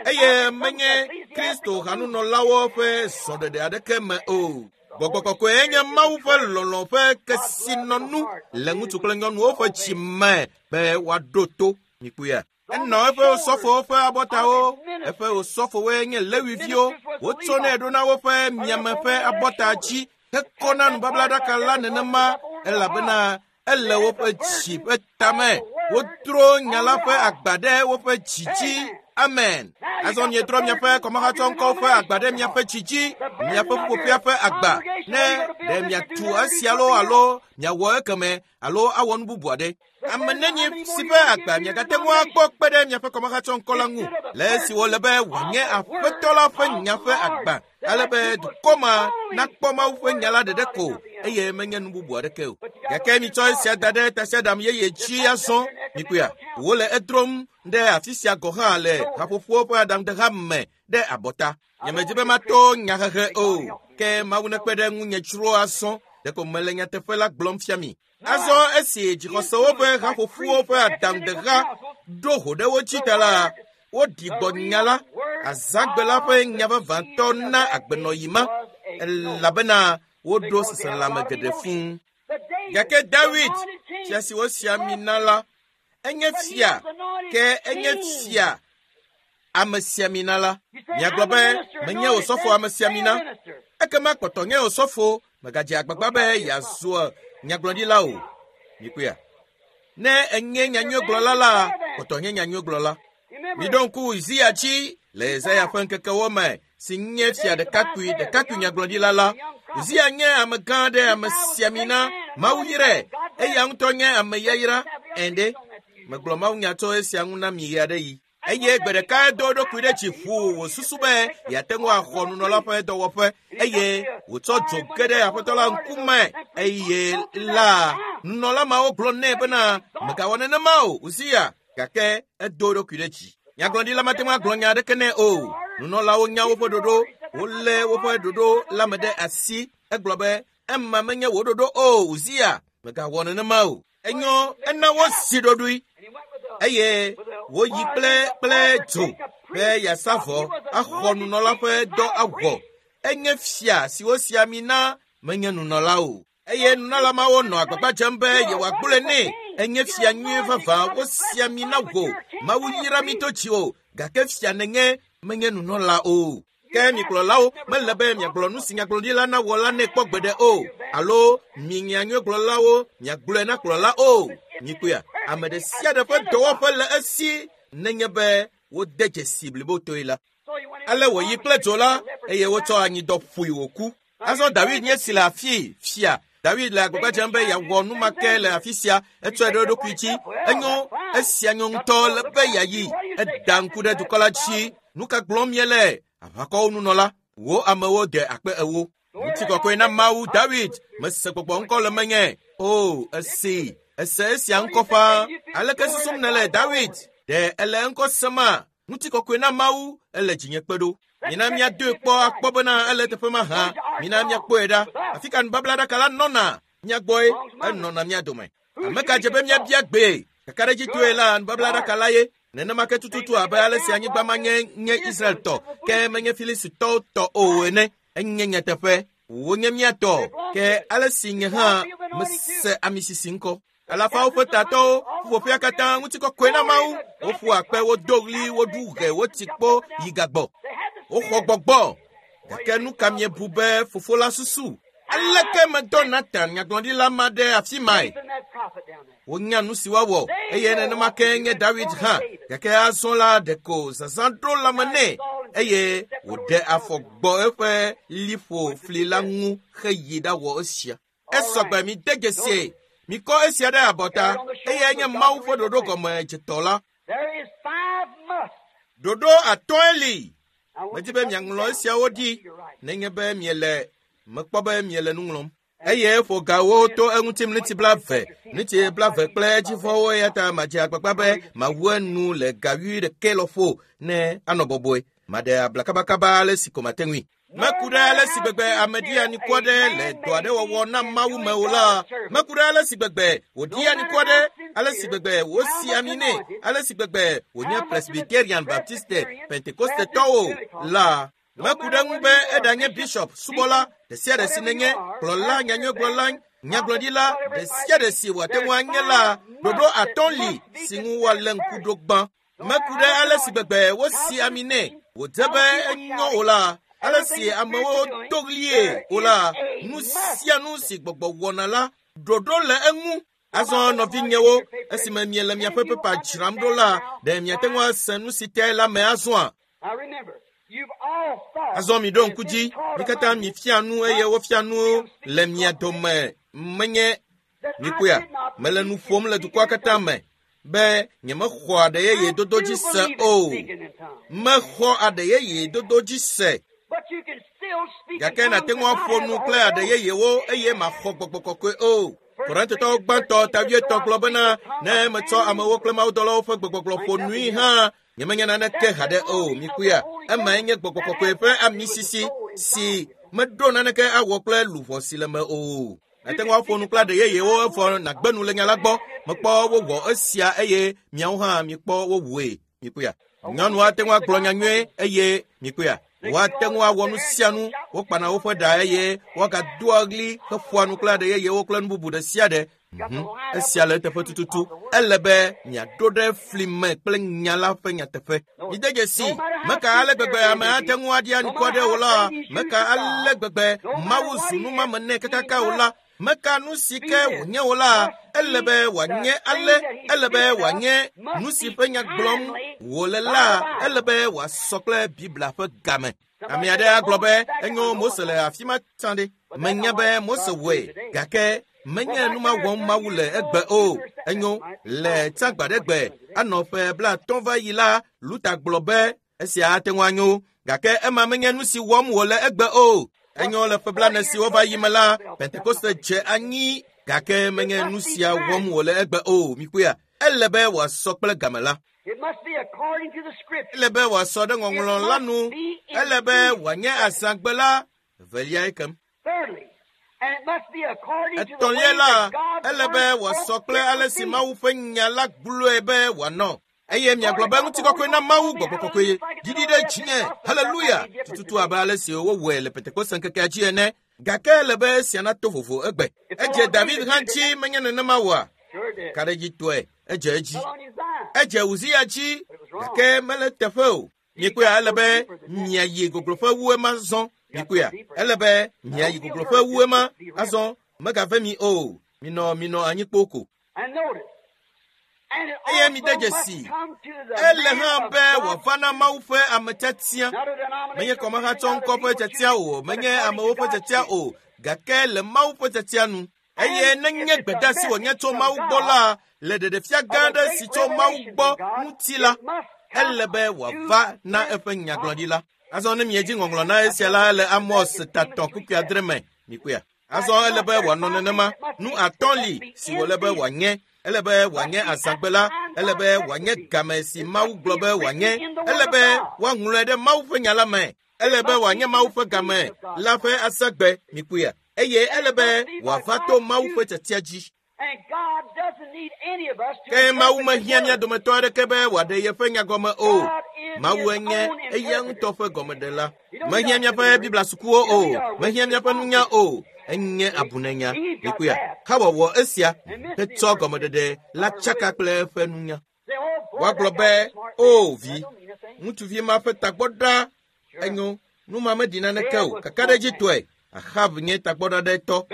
eye menye Kristo hanunɔlawo ƒe zɔɖeɖe aɖeke me o. Gbɔgbɔ kɔkɔe nye Mawu ƒe lɔlɔ̃ ƒe kesinɔnu le ŋutsu kple nyɔnuwo ƒe dzi me be woaɖo to. Mikpɔea? Enɔ eƒe osɔfowo ƒe abɔtawo. Eƒe osɔfowoe nye Lewiviwo. Wotsɔnɛ ɖona woƒe miame ƒe abɔta dzi hekɔna nubablaɖaka la nenema. Elabena ele woƒe dzi ƒe tame. Wodro nya la ƒe agba ɖe woƒe dzi dzi. Amen. Azɔ mietrɔ miaƒe kɔmahatsɔŋkɔwo ƒe agba ɖe miaƒe dzi dzi, miaƒe ƒuƒoƒea ƒe agba, ne ɖe miatu esia loo alo miawɔ ekeme alo awɔ nu bubu aɖe. Ame nenyi si ƒe agba miagate ŋu akpɔ kpe ɖe miaƒe kɔmahatsɔŋkɔ la ŋu le esi wòle be wòanye Aƒetɔ la ƒe nya ƒe agba, ale be dukɔ ma nakpɔ Mawu ƒe nya la ɖeɖe ko eye menye nu bubu aɖeke o. Gake mitsɔ esia da ɖe tasiaɖam yeye dzi azɔ. Mikpɔea, wole edrom ɖe afi sia gɔ̃ hã le haƒoƒowo ƒe aɖaŋudeha me ɖe abɔta. Nyemedi be mato nyahehe o, ke Mawu nekpe ɖe ŋunye dzro azɔ. Ɖeko mele nyateƒe la gblɔm fia mi. Azɔ esi dzixɔsewo ƒe haƒoƒowo ƒe aɖaŋudeha ɖo ho ɖe wo dzi ta la, woɖi gbɔ nya la, azãgbe la ƒe nya vavãtɔ na agbenɔɣi ma, elabena woɖo seselelãme geɖe fũu. Gake David, fia si wosi ami na la, enye fia, ke enye fia amesiamina la. Miagblɔ be, menye osɔfo amesiamina. Ekema kpɔtɔ nye osɔfo, megadze agbagba be yeazu nyagblɔɖila o. Mikpɔea? Ne enye nyanyuigblɔla la, kpɔtɔ nye nyanyuigblɔla. Miɖo ŋku Uzia dzi le Yesaya ƒe ŋkekewo me, si nye fia ɖekakpui nyagblɔɖila la. Uzia nye amegã aɖe, amesiamina, Mawu yrae, eya ŋutɔ nye ame yayra. Ende, megblɔ mawunya tso esia ŋu na mi ɣe aɖe yi. Eye gbe ɖeka edo eɖokui ɖe dzi ʋuu wòsusu be yeate ŋu axɔ nunɔla ƒe dɔwɔƒe, eye wòtsɔ dzo ge ɖe Aƒetɔ la ŋkume. Eye la, nunɔla mawo gblɔ nɛ bena, megawɔ nenema o, Uzia. Gake edo eɖokui ɖe dzi. Nyagblɔɖila mate ŋu agblɔ nya aɖeke nɛ o. Nunɔlawo nya woƒe ɖoɖo, wolé woƒe ɖoɖo la me ɖe asi. Egblɔ be, ema menye wò ɖoɖo o, Uzia, megawɔ nenema o. Enyo, ena wosi ɖoɖoe eye woyi kple dzo be yeasa vɔ axɔ nunɔla ƒe dɔ awɔ. Enye fia si wosi ami na, menye nunɔla o. Eye nunɔla mawo nɔ agbagba dzem be yewoagblɔe nɛ. Enye fia nyui vavã, wosi ami na wò. Mawu yra mi to dziwò, gake fia nènye, menye nunɔla o. Ke mi kplɔlawo mele be miagblɔ nu si nyagblɔɖila nawɔ la nɛ kpɔ gbeɖe o, alo mi nyanyuigblɔlawo miagblɔe na kplɔla o. Mikpɔea, ame ɖe sia ɖe ƒe dɔwɔƒe le esi nenye be wode dzesi blibotoe la. Ale wòyi kple dzo la, eye wotsɔ anyidɔ ƒoe wòku. Azɔ David nye si le afii fia. David le agbagba dzem be yeawɔ nu ma ke le afi sia. Etsɔe ɖe eɖokui dzi. Enyo, esia nyo ŋutɔ le be yeayi. Eda ŋku ɖe dukɔ la dzi. Nu ka gblɔm miele? Aʋakɔwo nunɔla, wò amewo de akpe ewo. Ŋutikɔkɔe na Mawu. David, mese gbɔgbɔ ŋkɔ le menye. O, esi, ese esia ŋkɔ ƒãa. Aleke susum nèle, David? Ɖe ele ŋkɔ sema? Ŋutikɔkɔe na Mawu, ele dzinye kpe ɖo. Mina míadoe kpɔ akpɔ bena ele teƒe ma hã. Mina míakpɔe ɖa. Afi ka nubablaɖaka la nɔna? Mía gbɔe, enɔna mía dome. Ame ka dze be míabia gbee? Kakaɖedzitɔe la, nubablaɖaka la ye. Nenema ke tututu abe ale si anyigba ma nye nye Israel tɔ, ke menye Filistitɔwo tɔ o ene. Enye nyateƒe, wonye mía tɔ, ke ale si nye hã mese ami sisi ŋkɔ. Alafawo ƒe tatɔwo, ƒuƒoƒea katã ŋutikɔkɔe na Mawu. Woƒu akpe, wodo ɣli, woɖu ɣe, wotsi kpo yi gagbɔ. Woxɔ gbɔgbɔ. Gake nu ka miebu be fofo la susu? Aleke medɔ Natan nyagblɔɖila ma ɖe afi mae? Wonya nu si woawɔ, eye nenema ke nye David hã. Gake azɔ la ɖeko zazã ɖo lãme nɛ, eye wòɖe afɔ gbɔ eƒe liƒo fli la ŋu heyi ɖawɔ esia. Esɔgbe mi de dzesie. Mikɔ esia ɖe abɔta, eye nye Mawu ƒe ɖoɖo gɔme dzetɔ la. Ɖoɖo atɔ̃e li. Medi be miaŋlɔ esiawo ɖi nenye be miele mekpɔ be miele nu ŋlɔm. Eye ƒo gawo to eŋuti mliti 20, mliti 20 kple edzivɔwo, eya ta madze agbagba be mawu enu le ga 11 lɔƒo ne anɔ bɔbɔe. Maɖe abla kabakaba ale si ko mate ŋui. Meku ɖe ale si gbegbe ame ɖi anikua ɖe le dɔ aɖe wɔwɔ na Mawu me o la, meku ɖe ale si gbegbe wòɖi anikua ɖe, ale si gbegbe wòsi ami nɛ, ale si gbegbe wònye Presbyterian, Baptiste, Pentecostetɔwo la. Meku ɖe ŋu be eɖanye bishop, subɔla, ɖe sia ɖe si nenye, kplɔla, nyanyuigblɔla, nyagblɔɖila, ɖe sia ɖe si wòate ŋu anye la, ɖoɖo atɔ̃ li si ŋu woalé ŋku ɖo gbã. Meku ɖe ale si gbegbe wosi ami nɛ, wòdze be enyo o la, ale si amewo do ɣlie o la, nu sia nu si gbɔgbɔ wɔna la, Ɖoɖo le eŋu. Azɔ nɔvinyewo, esime miele miaƒe pepa dzram ɖo la, ɖe miate ŋu ase nu si tae la me azɔa? Azɔ miɖo ŋku dzi, mi katã mifia nu eye wofia nu le mia dome. Menye mikpɔea, mele nu ƒom le dukɔa katã me be nyemexɔ aɖe yeye dodo dzi se o. Mexɔ aɖe yeye dodo dzi se. Gake nàte ŋu aƒo nu kple aɖe yeyewo eye màxɔ gbɔgbɔ kɔkɔe o. Korintotɔwo gbãtɔ ta wuietɔ̃ gblɔ bena ne metsɔ amewo kple mawudɔlawo ƒe gbegbɔgblɔ ƒo nui hã, nyemenya naneke haɖe o. Mikpɔea, emae nye gbɔgbɔ kɔkɔe ƒe amisisi si meɖo naneke awɔ kple luʋɔ si le me o. Nàte ŋu aƒo nu kple aɖe yeyewo evɔ nàgbe nu le nya la gbɔ. Mekpɔ wowɔ esia eye miawo hã mikpɔ wowɔe. Mikpɔea, nyɔnu ate ŋu agblɔ nya nyuie eye mikpɔea, woate ŋu awɔ nu sia nu. Wokpana woƒe ɖa eye woagadoa ɣli heƒoa nu kple aɖe yeyewo kple nu bubu ɖe sia ɖe. Esia le eteƒe tututu. Ele be miaɖo ɖe fli me kple nya la ƒe nyateƒe. Mide dzesi, meka ale gbegbe ame ate ŋu aɖia ŋku aɖe o la, meka ale gbegbe Mawu zu numame nɛ kakaka o la, meka nu si ke wònye o la, ele be wòanye ale, ele be wòanye nu si ƒe nya gblɔm wòle la, ele be wòasɔ kple Biblia ƒe game. Ame aɖe agblɔ be enyo Mose le afi ma tsã ɖe. Menya be Mose wɔe, gake menye nu ma wɔm Mawu le egbe o. Enyo le tsã gbaɖegbe anɔ ƒe 50 va yi la, Luther gblɔ be esia ate ŋu anyo, gake ema menye nu si wɔm wòle egbe o. Enyo le ƒe 40 siwo va yi me la, Pentekoste dze anyi, gake menye nu sia wɔm wòle egbe o. Mikpɔea, ele be wòasɔ kple game la. Ele be wòasɔ ɖe ŋɔŋlɔ la nu. Ele be wòanye azãgbe la eveliae kem. Etɔ̃lia la, ele be wòasɔ kple ale si Mawu ƒe nya la gblɔe be wòanɔ. Eye miagblɔ be ŋutikɔkɔe na Mawu gbɔgbɔ kɔkɔe ɖiɖi ɖe dzinye. Haleluya! Tututu abe ale si wowɔe le Pentekoste ŋkekea dzi ene. Gake ele be esia nato vovo egbe. Edze David hã dzi menye nenema oa? Kaɖedzitɔe, edze edzi. Edze Uzia dzi, gake mele teƒe o. Mikpɔea, ele be miayi gogloƒe wu ema zɔ. Mikpɔea, ele be miayi gogloƒe wu ema azɔ. Megave mi o. Minɔ anyi kpoo ko. Eye mide dzesi, ele hã be wòava na Mawu ƒe ame tiatia. Menye kɔmehatsɔ ŋkɔ ƒe tiatia o, menye amewo ƒe tiatia o, gake le Mawu ƒe tiatia nu. Eye nenye gbedeasi wònye tso Mawu gbɔ la, le ɖeɖefia gã aɖe si tso Mawu gbɔ ŋuti la, ele be wòava na eƒe nyagblɔɖila. Azɔ ne miedzi ŋɔŋlɔ na esia la, ele Amos ta 3 kpukpui 8 me. Mikpɔea? Azɔ ele be wòanɔ nenema. Nu atɔ̃ li si wòle be wòanye. Ele be wòanye azãgbe la, ele be wòanye game si Mawu gblɔ be wòanye, ele be woaŋlɔe ɖe Mawu ƒe nya la me, ele be wòanye Mawu ƒe game la ƒe azãgbe. Mikpɔea? Eye ele be wòava to Mawu ƒe tiatia dzi. Ke Mawu mehiã mía dometɔ aɖeke be wòaɖe yeƒe nya gɔme o. Mawu enye eya ŋutɔ ƒe gɔmeɖela. Mehiã míaƒe Biblia sukuwo o, mehiã míaƒe nunya o. Enye abunenya. Mikpɔea, xawɔwɔ esia hetsɔ gɔmeɖeɖe la tsaka kple eƒe nunya. Woagblɔ be, o vi, ŋutsuvi ma ƒe tagbɔ ɖa enyo, nu ma meɖi naneke o. Kakaɖedzitɔe, Ahab nye tagbɔɖaɖɛtɔ,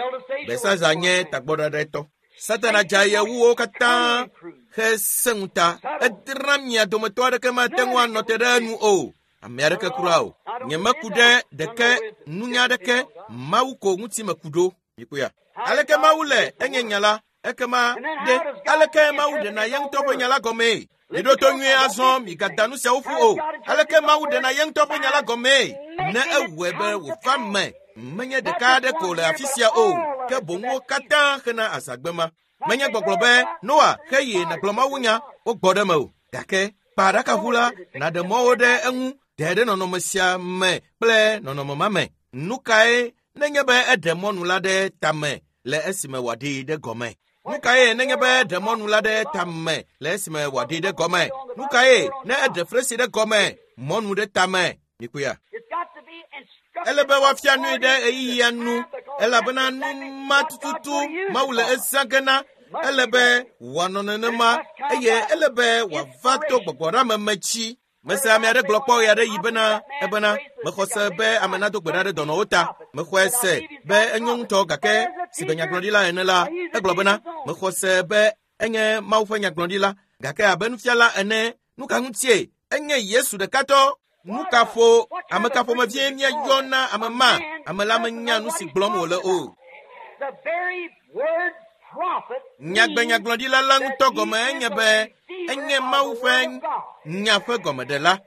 Belsazar nye tagbɔɖaɖɛtɔ. Satana dze aye wu wo katã hesẽ ŋuta. Edra mia dometɔ aɖeke mate ŋu anɔ te ɖe enu o. Ame aɖeke kura o. Nyemeku ɖe ɖeke nunya aɖeke Mawu ko ŋuti meku ɖo. Mikpɔea? Aleke Mawu le enye nya la? Ekema ɖe aleke Mawu ɖena ye ŋutɔ ƒe nya la gɔmee? Miɖo to nyuie azɔ, migada nu siawo ƒu o. Aleke Mawu ɖena ye ŋutɔ ƒe nya la gɔmee? Ne ewɔe be wòva me, menye ɖeka aɖe ko le afi sia o, ke boŋ wo katã hena azãgbe ma. Menye gbɔgblɔ be Noa xeye nàgblɔ Mawu nya wogbɔ ɖe me o, gake kpa aɖakaʋu la nàɖe mɔwo ɖe eŋu ɖe ɖe nɔnɔme sia me kple nɔnɔme ma me. Nu kae nenye be eɖe mɔnu la ɖe tame le esime wòaɖee ɖe gɔme? Nu kae nenye be eɖe mɔnu la ɖe tame le esime wòaɖee ɖe gɔme? Nu kae ne eɖe fresi ɖe gɔme, mɔnu ɖe tame? Mikpɔea? Ele be woafia nui ɖe ɣeyiɣia nu, elabena nu ma tututu Mawu le ezã ge na. Ele be wòanɔ nenema eye ele be wòava to gbɔgbɔɖeameme dzi. Mese ame aɖe gblɔ kpɔ ɣe aɖe yi bena ebena mexɔ se be ame nado gbe ɖa ɖe dɔnɔwo ta. Mexɔe se be enyo ŋutɔ gake si be nyagblɔɖila ene la, egblɔ bena mexɔ se be enye Mawu ƒe nyagblɔɖila gake abe nufiala ene nu ka ŋutie enye Yesu ɖekatɔ. Nu ka ƒo ame ka ƒomevie míayɔ na ame ma? Ame la menya nu si gblɔm wòle o. The very word prophet Nyagbe nyagblɔɖila la ŋutɔ gɔme enye be enye Mawu ƒe nya ƒe gɔmeɖela.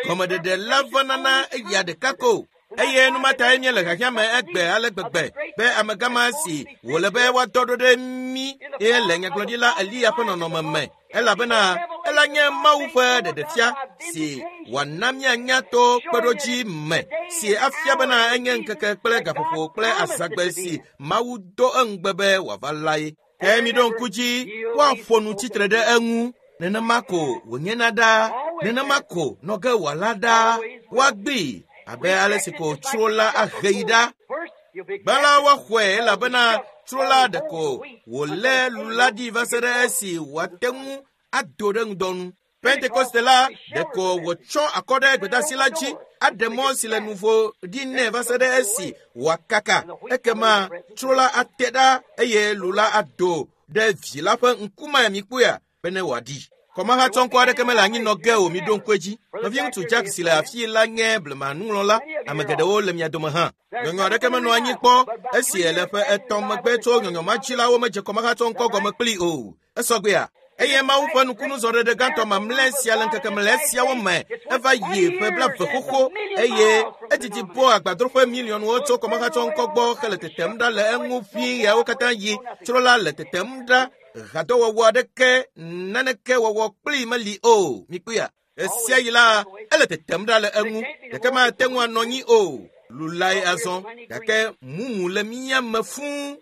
Gɔmeɖeɖe la vana na eya ɖeka ko. Eye nu ma tae míele xexea me egbe ale gbegbe be amegã si wòle be woadɔ ɖo ɖe mí eye le nyagblɔɖila Eliya ƒe nɔnɔme me elabena ela nye Mawu ƒe ɖeɖefia si wòana míanya to kpeɖodzi me si afia bena enye ŋkeke kple gaƒoƒo kple azãgbe si Mawu do eŋugbe be wòava lae. Ke miɖo ŋku dzi woaƒo nu tsitre ɖe eŋu. Nenema ko wònyena ɖaa, nenema ko nɔ ge wòala ɖaa. Woagbee abe ale si ko tsro la ahe yi ɖa. First, you'll be Gbã la woaxɔe elabena tsro la ɖeko wòlé lu la ɖi va se ɖe esi wòate ŋu ado ɖe ŋdɔ nu. Pentekoste la ɖeko wòtsɔ akɔ ɖe gbedeasi la dzi aɖe mɔ si le nuvo ɖi nɛ va se ɖe esi wòakaka. Ekema tsro la ate ɖa eye lu la ado ɖe vi la ƒe ŋkume mikpɔea bene wòaɖi. Kɔmahatsɔŋkɔ aɖeke mele anyi nɔ ge o miɖo ŋku edzi. Nɔviŋutsu Jack si le afii la nye blema nuŋlɔla. Ame geɖewo le mia dome hã. Nyɔnyɔ aɖeke menɔ anyi kpɔ esi le ƒe etɔ̃ megbe tso nyɔnyɔ ma dzi la womedze kɔmahatsɔŋkɔ gɔme kplii o. Esɔgbea. Eye Mawu ƒe nukunuzɔɖeɖe gãtɔ mamlɛ sia le ŋkeke mlɛ siawo me eva yi ƒe blaeve xoxo eye edidi bɔ agbadroƒe miliɔnwo tso kɔmahatsɔŋkɔ gbɔ hele tetem ɖa le eŋu ʋĩi ɣeawo katã yi. Tsro la le tetem ɖa hadɔwɔwɔ aɖeke naneke wɔwɔ kplii meli o. Mikpɔea? Esia yi la ele tetem ɖa le eŋu gake mate ŋu anɔ anyi o. Lulae azɔ gake mumu le mía me fũu.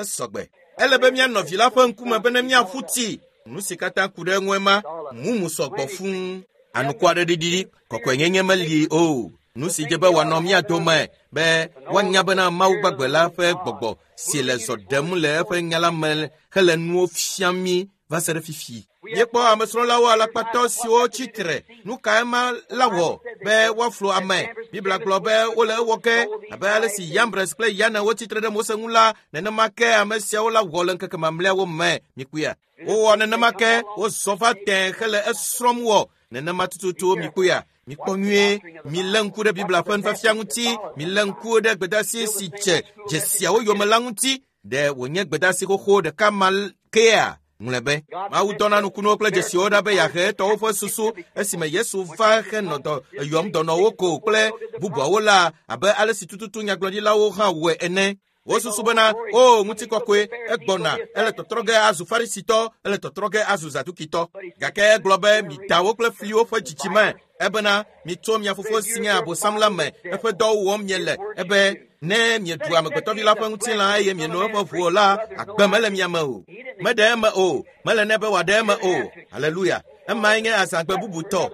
Esɔgbe. Ele be míanɔ vi la ƒe ŋkume bene míaƒu tsi. Nu si katã ku ɖe eŋue ma, mumu sɔgbɔ fũu. Anukwareɖiɖi kɔkɔenyenye meli o. Nu si dze be wòanɔ mía dome be woanya bena Mawu gbagbe la ƒe gbɔgbɔ si le zɔ ɖem le eƒe nya la me hele nuwo fiam mí va se ɖe fifi. Míekpɔ amesrɔ̃lawo alakpatɔ siwo tsi tre. Nu kae ma la wɔ be woaflu ame? Biblia gblɔ be wole ewɔ ge abe ale si Yambres kple Yane wotsi tre ɖe Mose ŋu la, nenema ke ame siawo la wɔ le ŋkeke mamlɛawo me. Mikpɔea? Wowɔ nenema ke wozɔ va tẽ hele esrɔ̃m wɔ. Nenema tututu mikpɔea? Mikpɔ nyuie, milé ŋku ɖe Biblia ƒe nufiafia ŋuti, milé ŋku ɖe gbedeasi si dze dzesiawo yome la ŋuti. Ɖe wònye gbedeasi xoxo ɖeka ma kea? Ŋlɔe be Mawu dɔna nukunuwo kple dzesiwo ɖa be yeahe etɔwo ƒe susu esime Yesu va henɔ dɔ eyɔm dɔnɔwo ko kple bubuawo la abe ale si tututu nyagblɔɖilawo hã wɔe ene. Wosusu bena o ŋutikɔkɔe egbɔna ele tɔtrɔ ge azu farisitɔ ele tɔtrɔ ge azu zadukitɔ gake egblɔ be mida wo kple fliwo ƒe dzidzime ebena mitso mia fofo si nye abosam la me eƒe dɔwo wɔm miele ebe ne mieɖu amegbetɔvi la ƒe ŋutilã eye mieno eƒe ʋu o la agbe mele mia me o. Meɖe eme o, mele nɛ be wòaɖe eme o. Aleluya. Emae nye azãgbe bubutɔ.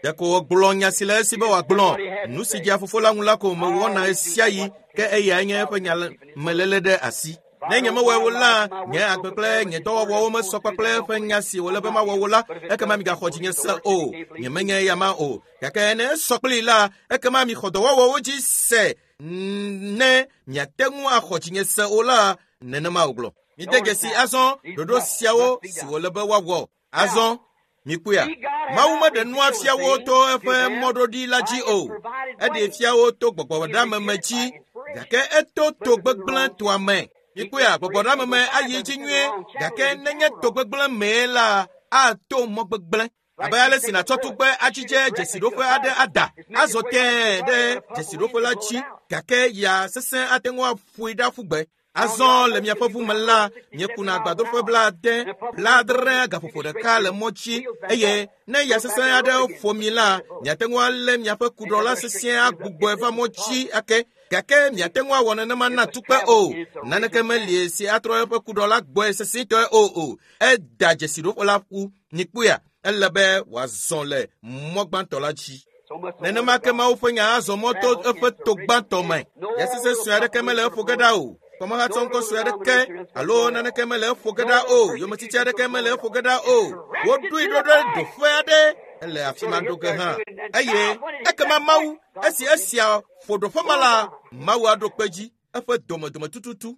Ɖeko wògblɔ nya si le esi be wòagblɔ. Nu si dzea fofo la ŋu la ko mewɔna ɣesiaɣi ke eyae nye eƒe nya meléle ɖe asi. Ne nyemewɔe o la, nye agbe kple nye dɔwɔwɔwo mesɔ kpakple eƒe nya si wòle be mawɔ o la, ekema migaxɔ dzinye se o. Nyemenye eya ma o. Gake ne esɔ kplii la, ekema mixɔ dɔwɔwɔwo dzi se. Ne miate ŋu axɔ dzinye se o la, nenema wògblɔ. Mide dzesi azɔ ɖoɖo siawo si wòle be woawɔ. Azɔ mikpɔea, Mawu meɖe nua fia wo to eƒe mɔɖoɖi la dzi o. Eɖee fia wo to gbɔgbɔɖameme dzi gake eto to gbegblẽ toa me. Mikpɔea, gbɔgbɔɖameme ayi edzi nyuie gake nenye to gbegblẽ mee la, ato mɔ gbegblẽ. Abe ale si nàtsɔ tugbe adzidze dzesiɖoƒe aɖe ada, azɔ tẽe ɖe dzesiɖoƒe la dzi gake ya sesẽ ate ŋu aƒoe ɖe aƒu gbe. Azɔ le miaƒe ʋu me la, miekuna agbadroƒe 70, 70 gaƒoƒo ɖeka le mɔ dzi eye ne ya sesẽ aɖe ƒo mi la, miate ŋu alé miaƒe kuɖɔ la sesĩe agbugbɔe va mɔ dzi ake. Gake miate ŋu awɔ nenema na tukpe o. Naneke meli si atrɔ eƒe kuɖɔ la gbɔe sesĩtɔe o. Eda dzesiɖoƒe la ƒu. Mikpɔea, ele be wòazɔ le mɔ gbãtɔ la dzi. Nenema ke Mawu ƒe nya azɔ mɔ to eƒe to gbãtɔ me. Ya sesẽ sue aɖeke mele eƒo ge ɖa o. Kɔmahatsɔŋkɔ sue aɖeke alo naneke mele eƒo ge ɖa o. Yometiti aɖeke mele eƒo ge ɖa o. Woɖoe ɖo ɖe ɖoƒe aɖe. Ele afi ma ɖo ge hã. Eye ekema Mawu, esi esia ƒo ɖoƒe ma la, Mawu aɖo kpe dzi eƒe domedome tututu.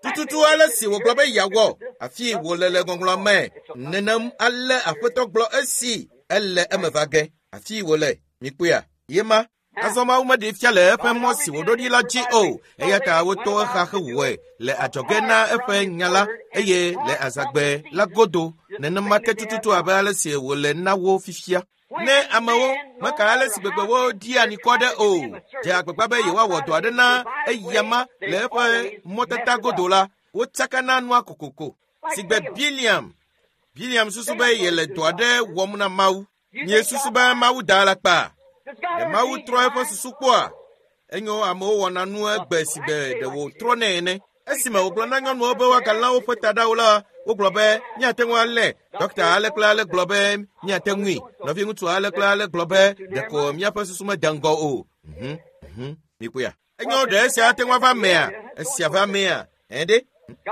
Tututu ale si wògblɔ be yeawɔ afi wòle le ŋɔŋlɔa me. Nenem ale Aƒetɔ gblɔ esi ele eme va ge. Afi wòle, mikpɔea, ye ma. Azɔ Mawu meɖee fia le eƒe mɔ si wòɖo ɖi la dzi o, eya ta woto exa hewɔe le adzɔge na eƒe nya la eye le azãgbe la godo nenema ke tututu abe ale si wòle na wo fifia. Ne amewo meka ale si gbegbe woɖia anikɔ ɖe o, dze agbagba be yewoawɔ dɔ aɖe na eyama le eƒe mɔtata godo la, wotsakana nua kokoko. Sigbe Biliam. Biliam susu be yele dɔ aɖe wɔm na Mawu. Miesusu be Mawu da alakpa? Ɖe Mawu trɔ eƒe susu kpɔa? Enyo amewo wɔna nu egbe si gbe ɖe wòtrɔ nɛ ene. Esime wògblɔ na nyɔnuwo be woagalã woƒe taɖawo la, wogblɔ be míate ŋu alé. Ɖɔkta ale kple ale gblɔ be míate ŋui. Nɔviŋutsu ale kple ale gblɔ be ɖeko míaƒe susu mede ŋgɔ o. Mikpɔea? Enyo ɖe esia ate ŋu ava mea? Esia va mea? Ɛ ɖe?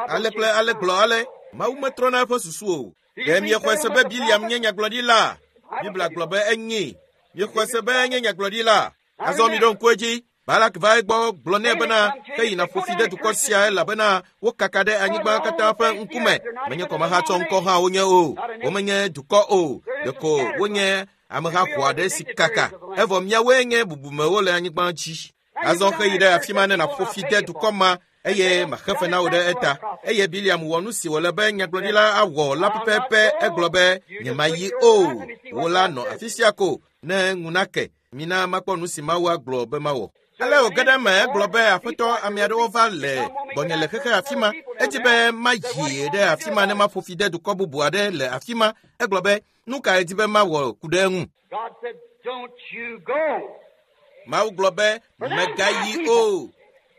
Ale kple ale gblɔ ale. Mawu metrɔna eƒe susu o. Ɖe miexɔe se be Biliam nye nyagblɔɖila? Biblia gblɔ be enyi. Miexɔe se be enye nyagblɔɖila? Azɔ mi ɖo ŋku edzi. Balak va egbɔ gblɔ nɛ bena ke yina ƒo fi ɖe dukɔ sia elabena wokaka ɖe anyigba katã ƒe ŋkume. Menye kɔmehatsɔ ŋkɔ hã wonye o. Womenye dukɔ o. Ɖeko wonye ameha ƒo aɖe si kaka. Evɔ miawoe nye bubumewo le anyigba dzi. Azɔ xe yi ɖe afi ma ne nàƒo fi de dukɔ ma eye maxe fe na wò ɖe eta. Eye Biliam wɔ nu si wòle be nyagblɔɖila awɔ la pɛpɛpɛ. Egblɔ be nyemayi o. Wò la nɔ afi sia ko ne ŋu nake. Mina makpɔ nu si Mawu agblɔ be mawɔ. Ale wòge ɖe eme egblɔ be aƒetɔ ame aɖewo va le gbɔnye le xexe afi ma. Edzi be mayi ɖe afi ma ne maƒo fi de dukɔ bubu aɖe le afi ma. Egblɔ be nu kae di be mawɔ ku ɖe eŋu. God said, Don't you go. Mawu gblɔ be mègayi o,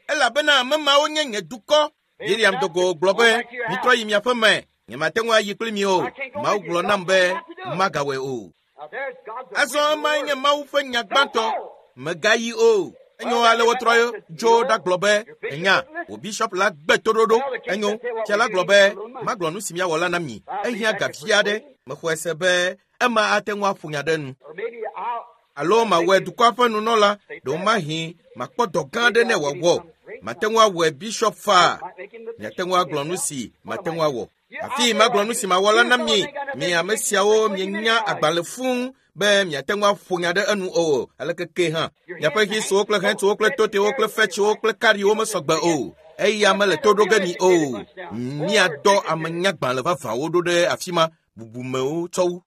elabena ame mawo nye nye dukɔ. Biliam do go gblɔ be mitrɔ yi miaƒe me. Nyemate ŋu ayi kpli mi o. Mawu gblɔ nam be magawɔe o. Now there's God's Azɔ emae nye Mawu ƒe nya gbãtɔ. Mègayi o. Enyo ale wotrɔ dzo ɖagblɔ be enya wò bishop la gbe toɖoɖo. Enyo fia la gblɔ be magblɔ nu si miawɔ la na mi. Ehiã ga vi aɖe. Mexɔe se be ema ate ŋu aƒo nya ɖe nu. Or maybe I'll Alo mawɔe dukɔa ƒe nunɔla ɖewomahi makpɔ dɔ gã aɖe ne wòawɔ. Mate ŋu awɔe bishop faa. might make him the Miate ŋu agblɔ nu si mate ŋu awɔ. Afi magblɔ nu si mawɔ la na mi. Mi ame siawo mienya agbalẽ fũu be miate ŋu aƒo nya ɖe enu o aleke ke hã. Miaƒe hisuwo kple hɛntuwo kple totewo kple fetsiwo kple kariwo mesɔgbe o. Eya mele to ɖo ge mi o. Miadɔ ame nyagbalẽ vavãwo ɖo ɖe afi ma bubumewo tsɔ wu.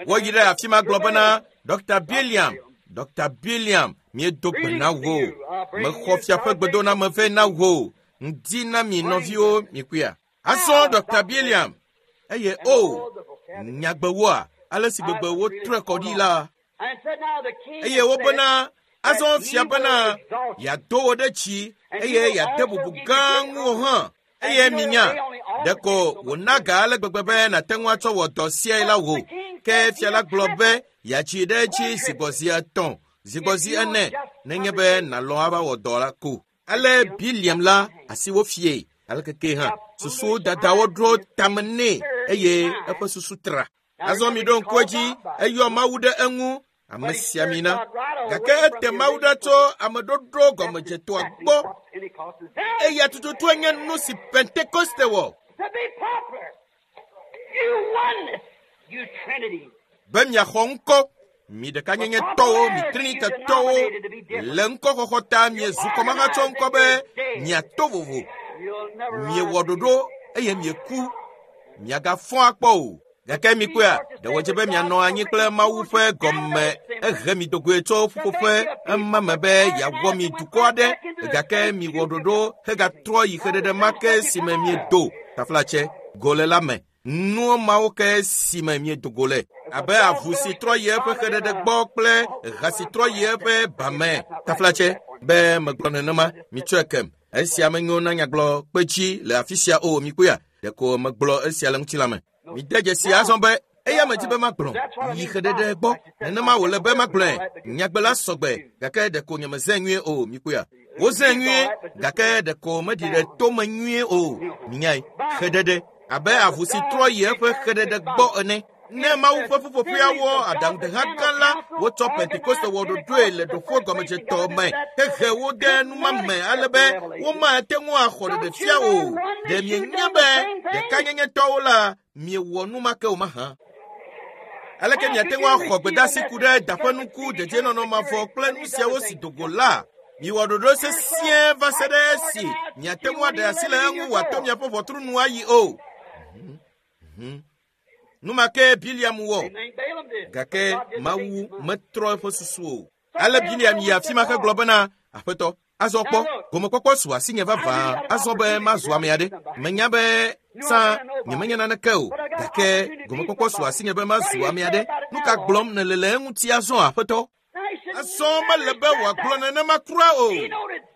Woyi ɖe afi ma gblɔ bena Dr. Biliam, Dr. Biliam, miedo gbe na wò. Mexɔ fiaƒe gbedoname vɛ na wò. Ŋdi na mi nɔviwo mikuia. Azɔ Dr. Biliam, eye o, nyagbewoa, ale si gbegbe wotrɔe kɔ ɖi la. And said, Now the king Eye wobena, azɔ fia bena, yeado wò ɖe dzi eye yeade bubu gã ŋuwò hã. Eye minya, ɖeko wòna ga ale gbegbe be nàte ŋu atsɔ wɔ dɔ siae la wò. Ke fia la gblɔ be yeatsi ɖe edzi zigbɔzi etɔ̃, zigbɔzi ene, nenye be nàlɔ̃ ava wɔ dɔ la ko. Ale Biliam la asi wofie aleke ke hã susu dadawo ɖo tame nɛ eye eƒe susu tra. Azɔ mi ɖo ŋku edzi eyɔ Mawu ɖe eŋu ame sia mi na. Gake ete Mawu ɖa tso ameɖoɖo gɔmedzetoa gbɔ. Eya tututue nye nu si Pentekoste wɔ. To be popular. You won you Trinity. Be miaxɔ ŋkɔ mi ɖekanyenyetɔwo, mi Trinitetɔwo le ŋkɔxɔxɔ ta miezu kɔmahatsɔ ŋkɔ be miato vovo. You'll never Miewɔ ɖoɖo eye mieku. Miagafɔ akpɔ o. Gake mikpɔea, ɖe wòdze be mianɔ anyi kple Mawu ƒe gɔme ehe mi dogoe tso ƒuƒoƒe ema me be yeawɔ mi dukɔ aɖe gake miwɔ ɖoɖo hegatrɔ yi xeɖeɖe ma ke si me miedo taflatse go le la me. Nuwo mawo ke si me miedo go le abe avu si trɔ yi eƒe xeɖeɖe gbɔ kple ha si trɔ yi eƒe ba me taflatse be megblɔ nenema mitsɔe kem. Esia menyo na nyagblɔ kpetsi le afi sia o mikpɔea ɖeko megblɔ esia le ŋutilã me. Mide dzesi azɔ be eya medzi be magblɔ yi xeɖeɖe gbɔ nenema wòle be magblɔe nyagbe la sɔgbe gake ɖeko nyemezẽ nyuie o mikpɔea. Wozẽ nyuie gake ɖeko meɖi ɖe tome nyuie o minyae xeɖeɖe abe avu si trɔ yi eƒe xeɖeɖe gbɔ ene. Ne Mawu ƒe ƒuƒoƒea wɔ aɖaŋudeha gã la, wotsɔ Pentekoste wɔ ɖoɖoe le ɖoƒe gɔmedzetɔ me hehe wo de numa me ale be womate ŋu axɔ ɖeɖefia o. Ɖe mienya be ɖekanyenyetɔwo la miewɔ nu ma ke o mahã? Aleke miate ŋu axɔ gbedeasi ku ɖe daƒenuku, dedienɔnɔ mavɔ kple nu siawo si do go la? Miwɔ ɖoɖo sesĩe va se ɖe esi miate ŋu aɖe asi le eŋu wòato miaƒe ʋɔtru nu ayi o. Nu ma ke Biliam wɔ, gake Mawu metrɔ eƒe susu o. Ale Biliam yi afi ma hegblɔ bena, Aƒetɔ, azɔ kpɔ, gomekpɔkpɔ su asinye vavã azɔ be mazu ame aɖe. Menya be tsã nyemenya naneke o, gake gomekpɔkpɔ su asinye be mazu ame aɖe. Nu ka gblɔm nèle le eŋuti azɔ, Aƒetɔ? Azɔ mele be wòagblɔ nenema kura o.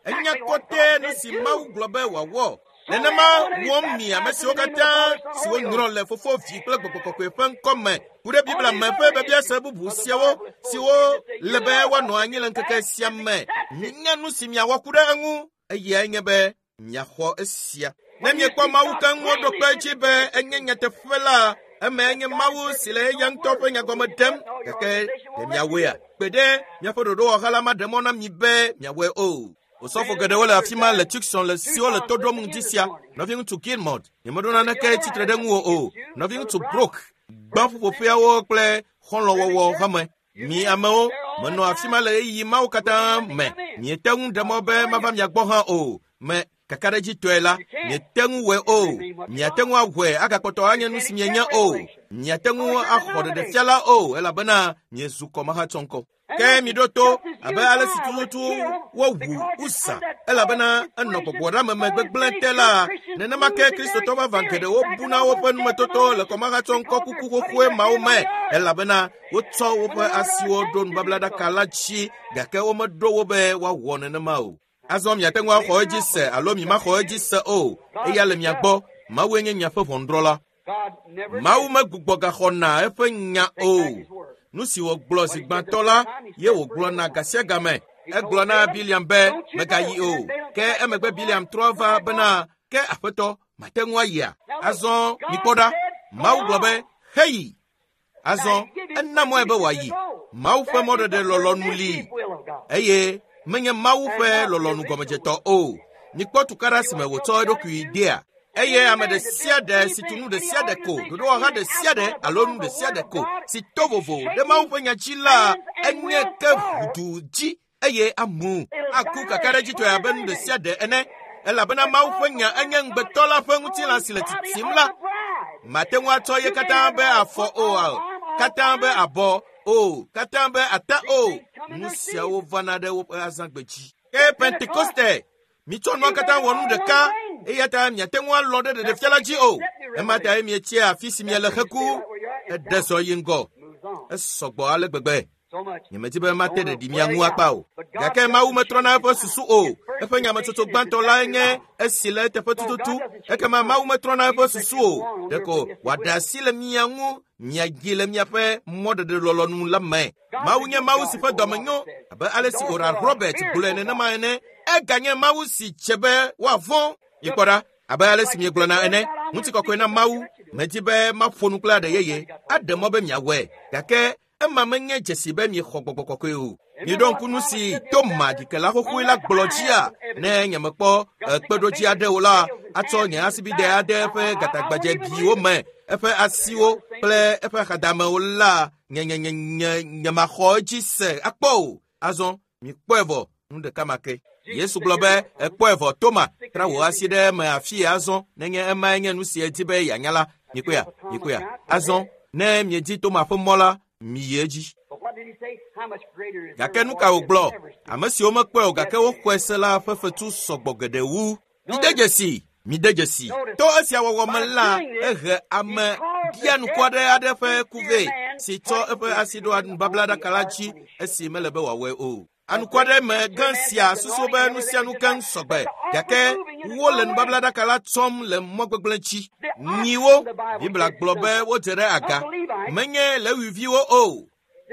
Enya kɔtɛ nu si Mawu gblɔ be wòawɔ. Nenema wɔm mi ame siwo katã siwo nyrɔ le Fofo, Vi kple Gbɔgbɔ Kɔkɔe ƒe ŋkɔ me ku ɖe Biblia me ƒe biabiase bubu siawo siwo le be woanɔ anyi le ŋkeke sia me. Minya nu si miawɔ ku ɖe eŋu, eyae nye be miaxɔ esia. Ne miekpɔ Mawu keŋ woɖo kpe edzi be enye nyateƒe la, emae nye Mawu si le eya ŋutɔ ƒe nya gɔme ɖem. Gake ɖe miawɔea? Kpe ɖe miaƒe ɖoɖowɔha la maɖe mɔ na mi be miawɔe o. Osɔfo geɖewo le afi ma le Tucson le siwo le to ɖom ŋdi sia. Nɔviŋutsu Gilmore, nyemeɖo naneke tsitre ɖe ŋuwò o. Nɔviŋutsu Brook, gbã ƒuƒoƒeawo kple xɔlɔ̃wɔwɔ hame. Mi amewo, menɔ afi ma le ɣeyiɣi mawo katã me. Miete ŋu ɖe mɔ be mava mia gbɔ hã o. Me kakaɖedzitɔe la, miete ŋu wɔe o. Miate ŋu awɔe agakpɔtɔ anye nu si mienye o. Miate ŋu axɔ ɖeɖefia la o, elabena miezu kɔmahatsɔŋkɔ. Ke miɖo to abe ale si tututu wowu Uza, elabena enɔ gbɔgbɔɖeameme gbegblẽ te la, nenema ke Kristotɔ vavã geɖewo buna woƒe numetoto le kɔmahatsɔŋkɔ kuku xoxoe mawo me, elabena wotsɔ woƒe asiwo ɖo nubablaɖaka la dzi, gake womeɖo wo be woawɔ nenema o. Azɔ miate ŋu axɔ edzi se alo mimaxɔ edzi se o, eya le mia gbɔ. Mawue nye miaƒe ʋɔnudrɔ̃la. Mawu megbugbɔ gaxɔna eƒe nya o. Nu si wògblɔ zi gbãtɔ la ye wògblɔna gasiagame. Egblɔ na Biliam be megayi o. Ke emegbe Biliam trɔ va bena, ke aƒetɔ, mate ŋu ayia? Azɔ mikpɔ ɖa. Mawu gblɔ be, heyi. Azɔ ena mɔe be wòayi. Mawu ƒe mɔɖeɖe lɔlɔ̃nu li eye menye Mawu ƒe lɔlɔ̃nu gɔmedzetɔ o. Mikpɔ tukaɖa si me wòtsɔ eɖokui dea. Eye ame ɖe sia ɖe si tu nu ɖe sia ɖe ko, ɖoɖowɔha ɖe sia ɖe alo nu ɖe sia ɖe ko si to vovo ɖe Mawu ƒe nya dzi la, enye ke ʋudu dzi eye amu aku kakaɖedzitɔe abe nu ɖe sia ɖe ene. Elabena Mawu ƒe nya enye ŋugbetɔ la ƒe ŋutilã si le titim la. Mate ŋu atsɔ ye katã be afɔ o, katã be abɔ o, katã be ata o. Nu siawo vana ɖe woƒe azãgbe dzi. Ke Pentekoste, mitsɔ nua katã wɔ nu ɖeka, eya ta miate ŋu alɔ ɖe ɖeɖefia la dzi o. Ema tae mietsia afi si miele heku, eɖe zɔ yi ŋgɔ. Esɔgbɔ ale gbegbe. Nyemedi be mate ɖeɖi mia ŋu akpa o. Gake Mawu metrɔna eƒe susu o. Eƒe nyametsotso gbãtɔ lae nye esi le eteƒe tututu. Ekema Mawu metrɔna eƒe susu o. Ɖeko wòaɖe asi le mia ŋu miayi le miaƒe mɔɖeɖe lɔlɔ̃nu la me. Mawu nye Mawu si ƒe dɔme nyo abe ale si Oral Robert gblɔe nenema ene. Eganye Mawu si dze be woavɔ̃. Mikpɔ ɖa, abe ale si miegblɔna ene, ŋutikɔkɔe na Mawu. Medi be maƒo nu kple aɖe yeye, aɖe mɔ be miawɔe, gake ema menye dzesi be miexɔ gbɔgbɔ kɔkɔe o. Miɖo ŋku nu si Toma ɖikela xoxoe la gblɔ dzia, ne nyemekpɔ kpeɖodzi aɖe o la, atsɔ nye asibide aɖe eƒe gatagbadzɛbiwo me, eƒe asiwo kple eƒe axadamewo la, nyemaxɔ edzi se akpɔ o. Azɔ mikpɔe vɔ, nu ɖeka ma ke. Yesu gblɔ be, ekpɔe vɔ, Toma, tra wò asi ɖe eme afii azɔ, nenye emae nye nu si edi be yeanya la. Mikpɔea, mikpɔea. Azɔ, ne miedi Toma ƒe mɔ la, miyi edzi. Gake nu ka wògblɔ? Ame siwo mekpɔe o gake woxɔe se la ƒe fetu sɔgbɔ geɖe wu. Mide dzesi, mide dzesi. To esia wɔwɔ me la, ehe ame ɖianuku aɖe ƒe ku vɛ si tsɔ eƒe asi ɖo nubablaɖaka la dzi esi mele be wòawɔe o. Anuku aɖe me gã sia susu be nu sia nu keŋ sɔgbe, gake wole nubablaɖaka la tsɔm le mɔ gbegblẽ dzi. Nyiwo, Biblia gblɔ be wodze ɖe aga, menye Lewiviwo o.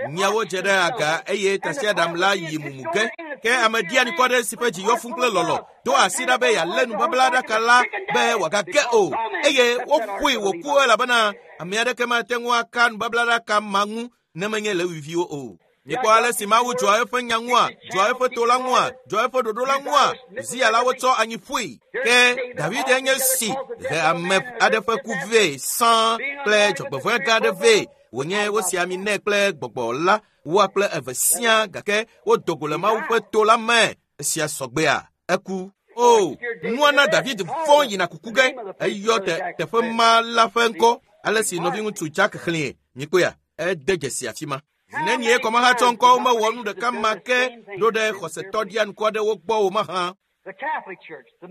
Miawo dze ɖe aga eye tasiaɖam la yi mumu ge. Ke ame ɖianikɔ aɖe si ƒe dzi yɔ fũu kple lɔlɔ̃ do asi ɖa be yealé nubablaɖaka la be wòagage o eye woƒoe wòku elabena ame aɖeke mate ŋu aka nubablaɖaka ma ŋu ne menye Lewiviwo o. Mikpɔ ale si Mawu dzɔa eƒe nya ŋua, dzɔa eƒe to la ŋua, dzɔa eƒe ɖoɖo la ŋua. Zia la wotsɔ anyi ƒoe. Ke David enye si he ame aɖe ƒe ku vɛ sãa kple dzɔgbevɔ̃e gã aɖe vɛ. Wònye wosi ami nɛ kple gbɔgbɔ la woa kple eve siaa gake wodo go le Mawu ƒe to la me. Esia sɔgbea eku. O, nua na David vɔ̃ yina kuku ge. Eyɔ teƒe ma la ƒe ŋkɔ ale si nɔviŋutsu Jack xlẽe. Mikpɔea? Ede dzesi afi ma. Zinenie kɔmahatsɔ ŋkɔwo mewɔ nu ɖeka ma ke ɖo ɖe xɔsetɔ ɖianuku aɖewo gbɔ o mahã.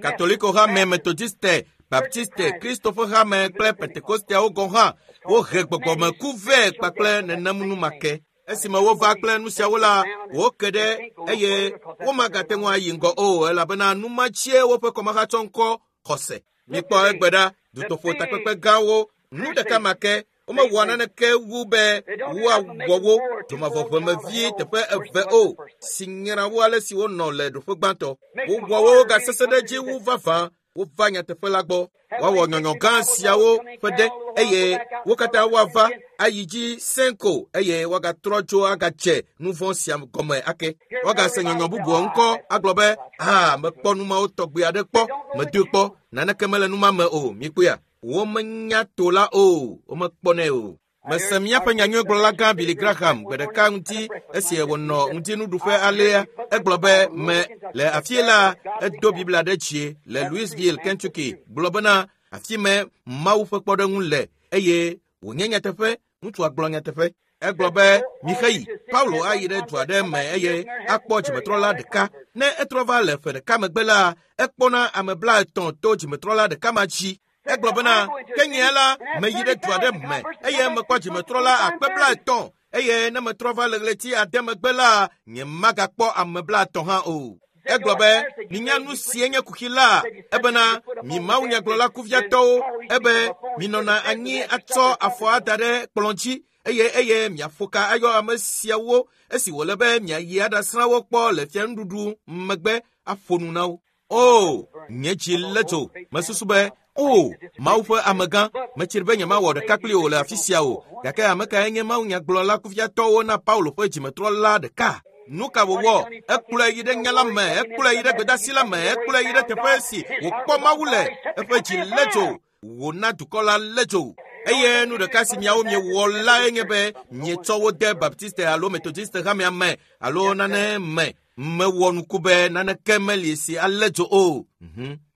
Katoliko hame, Metodiste, Baptiste, Kristo ƒe hame kple Pentekosteawo gɔ̃ hã wohe gbɔgbɔmeku vɛ kpakple nenem nu ma ke. Esime wova kple nu siawo la, woke ɖe eye womagate ŋu ayi ŋgɔ o elabena nu ma dzie woƒe kɔmahatsɔ ŋkɔ xɔse. Mikpɔ egbe ɖa, dutoƒo takpekpe gãwo, nu ɖeka ma ke womewɔa naneke wu be woawɔ wo dzomavɔʋemevie teƒe eve o si nyra wo ale si wonɔ le ɖoƒe gbãtɔ. Wowɔ wo gasesẽ ɖe edzi wu vavã wova nyateƒe la gbɔ. Woawɔ nyɔnyɔ gã siawo ƒe ɖe eye wo katã woava ayi dzi sẽko eye woagatrɔ tso agadze nu vɔ̃ sia gɔme ake. Woagase nyɔnyɔ bubuwo ŋkɔ agblɔ be, "Ah, mekpɔ nu mawo tɔgbi aɖe kpɔ, medoe kpɔ, naneke mele nu ma me o." Mikpɔea? Womenya to la o, womekpɔnɛ o. Mese míaƒe nyanyuigblɔla gã Billy Graham gbe ɖeka ŋuti esi wònɔ ŋutinuɖuƒe alea. Egblɔ be me le afie la, edo Biblia ɖe dzi le Louisville, Kentucky, gblɔ bena afi me Mawu ƒe kpɔɖeŋu le eye wònye nyateƒe. Ŋutsua gblɔ nyateƒe. Egblɔ be mixeyi Paulo ayi ɖe du aɖe me eye akpɔ dzimetrɔla ɖeka. Ne etrɔ va le ƒe ɖeka megbe la, ekpɔna ame 30 to dzimetrɔla ɖeka ma dzi. Egblɔ bena, ke nye la, meyi ɖe du aɖe me eye mekpɔ dzimetrɔla akpe 30 eye ne metrɔ va le ɣleti 9 megbe la, nye magakpɔ ame 30 hã o. Egblɔ be, minya nu sie nye kuxi la, ebena mi mawunyagblɔla kuviatɔwo, ebe minɔna anyi atsɔ afɔ ada ɖe kplɔ̃ dzi eye miaƒo ka ayɔ ame siawo esi wòle be miayi aɖasrã wo kpɔ le fianuɖuɖu megbe aƒo nu na wo. O, nye dzi lé dzo. Mesusu be, o, Mawu ƒe amegã, metsri be nyemawɔ ɖeka kpli wò le afi sia o. Gake ame kae nye mawunyagblɔla kuviatɔwo na Paulo ƒe dzimetrɔla ɖeka? Nu ka wòwɔ? Ekplɔe yi ɖe nya la me, ekplɔe yi ɖe gbedasi la me, ekplɔe yi ɖe teƒe si wòkpɔ Mawu le. Eƒe dzi lé dzo. Wòna dukɔ la lé dzo. Eye nu ɖeka si miawo miewɔ lae nye be mietsɔ wo de Baptiste alo Methodiste hamea me alo nane me. Mewɔ nuku be naneke meli si alé dzo o.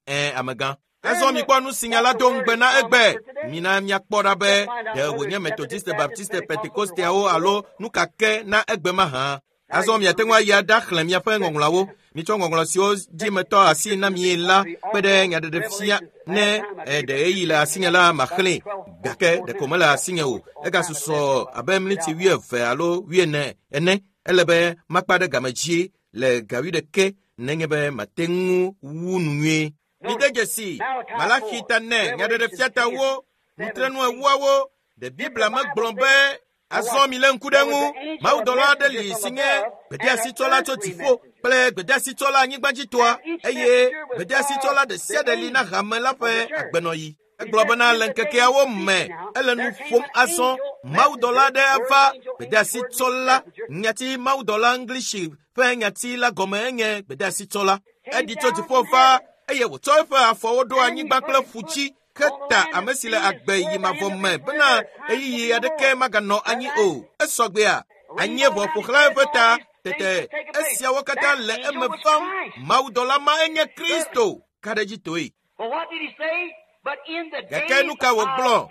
Amegã. Azɔ mikpɔ nu si nya la do ŋugbe na egbe. Mina miakpɔ ɖa be ɖe wònye Methodiste, Baptiste, Pentekosteawo alo nu ka ke na egbe mahã. Azɔ miate ŋu ayi aɖaxlẽ miaƒe ŋɔŋlɔawo. Mitsɔ ŋɔŋlɔ siwo dzi metɔ asi na mi la kpe ɖe nyaɖeɖefia ne ɖe ɣeyiɣi le asinye la maxlẽe. Gake ɖeko mele asinye o. Egasusɔ abe miniti 20 alo 40 ene. Ele be makpa ɖe game dzi le ga 11 nenye be mate ŋu wu nu nyuie. Mide dzesi Malaxi ta 4 nyaɖeɖefiatawo nutrenu 4wo. Ɖe Biblia megblɔ be azɔ mi lé ŋku ɖe ŋu. Mawudɔla aɖe li si nye gbedeasitsɔla tso dziƒo kple gbedeasitsɔla anyigbadzitɔa eye gbedeasitsɔla ɖe sia ɖe li na hame la ƒe agbenɔɣi. Egblɔ bena le ŋkekeawo me ele nu ƒom azɔ mawudɔla aɖe ava gbedeasitsɔla. Nyati mawudɔla English ƒe nyati la gɔme enye gbedeasitsɔla. Eɖi tso dziƒo va eye wòtsɔ eƒe afɔwo ɖo anyigba kple ƒu dzi ke ta ame si le agbe yi mavɔ me bena ɣeyiɣi aɖeke maganɔ anyi o. Esɔgbea anyieʋɔ ƒo xlã eƒe ta tete esiawo katã le eme vam. Mawudɔla ma enye Kristo. Ka ɖe edzi toe. Gake nu ka wògblɔ?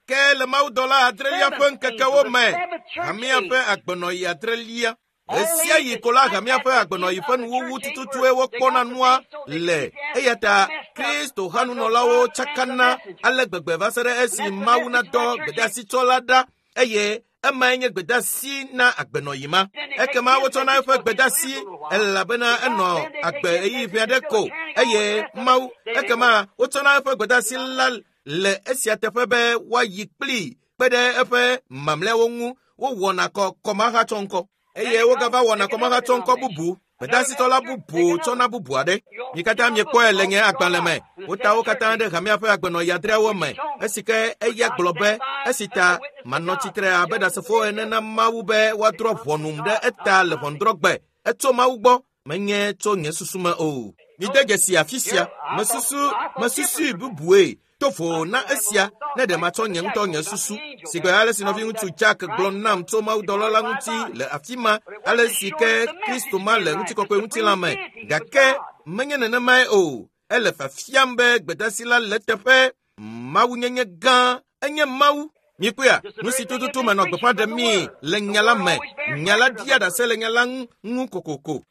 Ke le mawudɔla 8lia ƒe ŋkekewo me, hamea ƒe agbenɔɣi 8lia. Ɣesia ɣi ko la hamea ƒe agbenɔɣi ƒe nuwuwu tututue wokpɔna nua le. Eya ta Kristo hanunɔlawo tsakana ale gbegbe va se ɖe esi Mawu nadɔ gbedeasitsɔla ɖa eye emae nye gbedasi na agbenɔɣi ma. Ekema wotsɔna eƒe gbedasi elabena enɔ agbe ɣeyiɣi ʋɛ aɖe ko eye Mawu ekema wotsɔna eƒe gbedasi la le esia teƒe be woayi kplii kpe ɖe eƒe mamlɛawo ŋu. Wowɔna kɔ kɔmahatsɔŋkɔ eye wogava wɔna kɔmahatsɔŋkɔ bubu. Gbedasitɔla bubu tsɔna bubu aɖe. Mi katã miekpɔe le nye agbalẽ me. Wota wo katã ɖe hamea ƒe agbenɔɣi adreawo me. Esi ke eya gblɔ be esi ta manɔ tsitre abe ɖasefo ene na Mawu be woadrɔ̃ ʋɔnum ɖe eta le ʋɔnudrɔ̃gbe. Etso Mawu gbɔ, menye tso nye susu me o. Mide dzesi afi sia. Mesusu mesusui bubue to vo na esia ne ɖe matsɔ nye ŋutɔ nye susu. Si gbe ale si nɔviŋutsu Jack gblɔ nam tso mawudɔla la ŋuti le afi ma, ale si ke Kristo ma le ŋutikɔkɔe ŋutilã me. Gake menye nenemae o. Ele fiafiam be gbedasi la le teƒe. Mawunyenye gã enye Mawu. Mikpɔea, nu si tututu menɔ gbeƒã ɖem mi le nya la me. Nya la ɖia ɖase le nya la ŋu kokoko.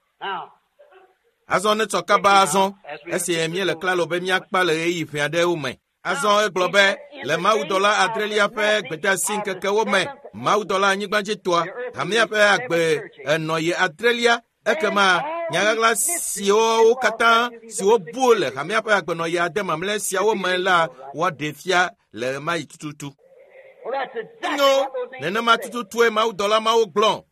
Azɔ netsɔ kaba azɔ esi míele klalo be míakpa le ɣeyiɣi ƒe aɖewo me. Azɔ egblɔ be le mawudɔla adrelia ƒe gbedeasi ŋkekewo me, mawudɔla anyigbadzitɔa, hamea ƒe agbe enɔ yi adrelia, ekema nyaɣaɣla siwo katã siwo bu le hamea ƒe agbenɔɣi ade mamlɛ siawo me la woaɖe fia le ɣemaɣi tututu. Enyo, nenema tututue mawudɔla mawo gblɔ.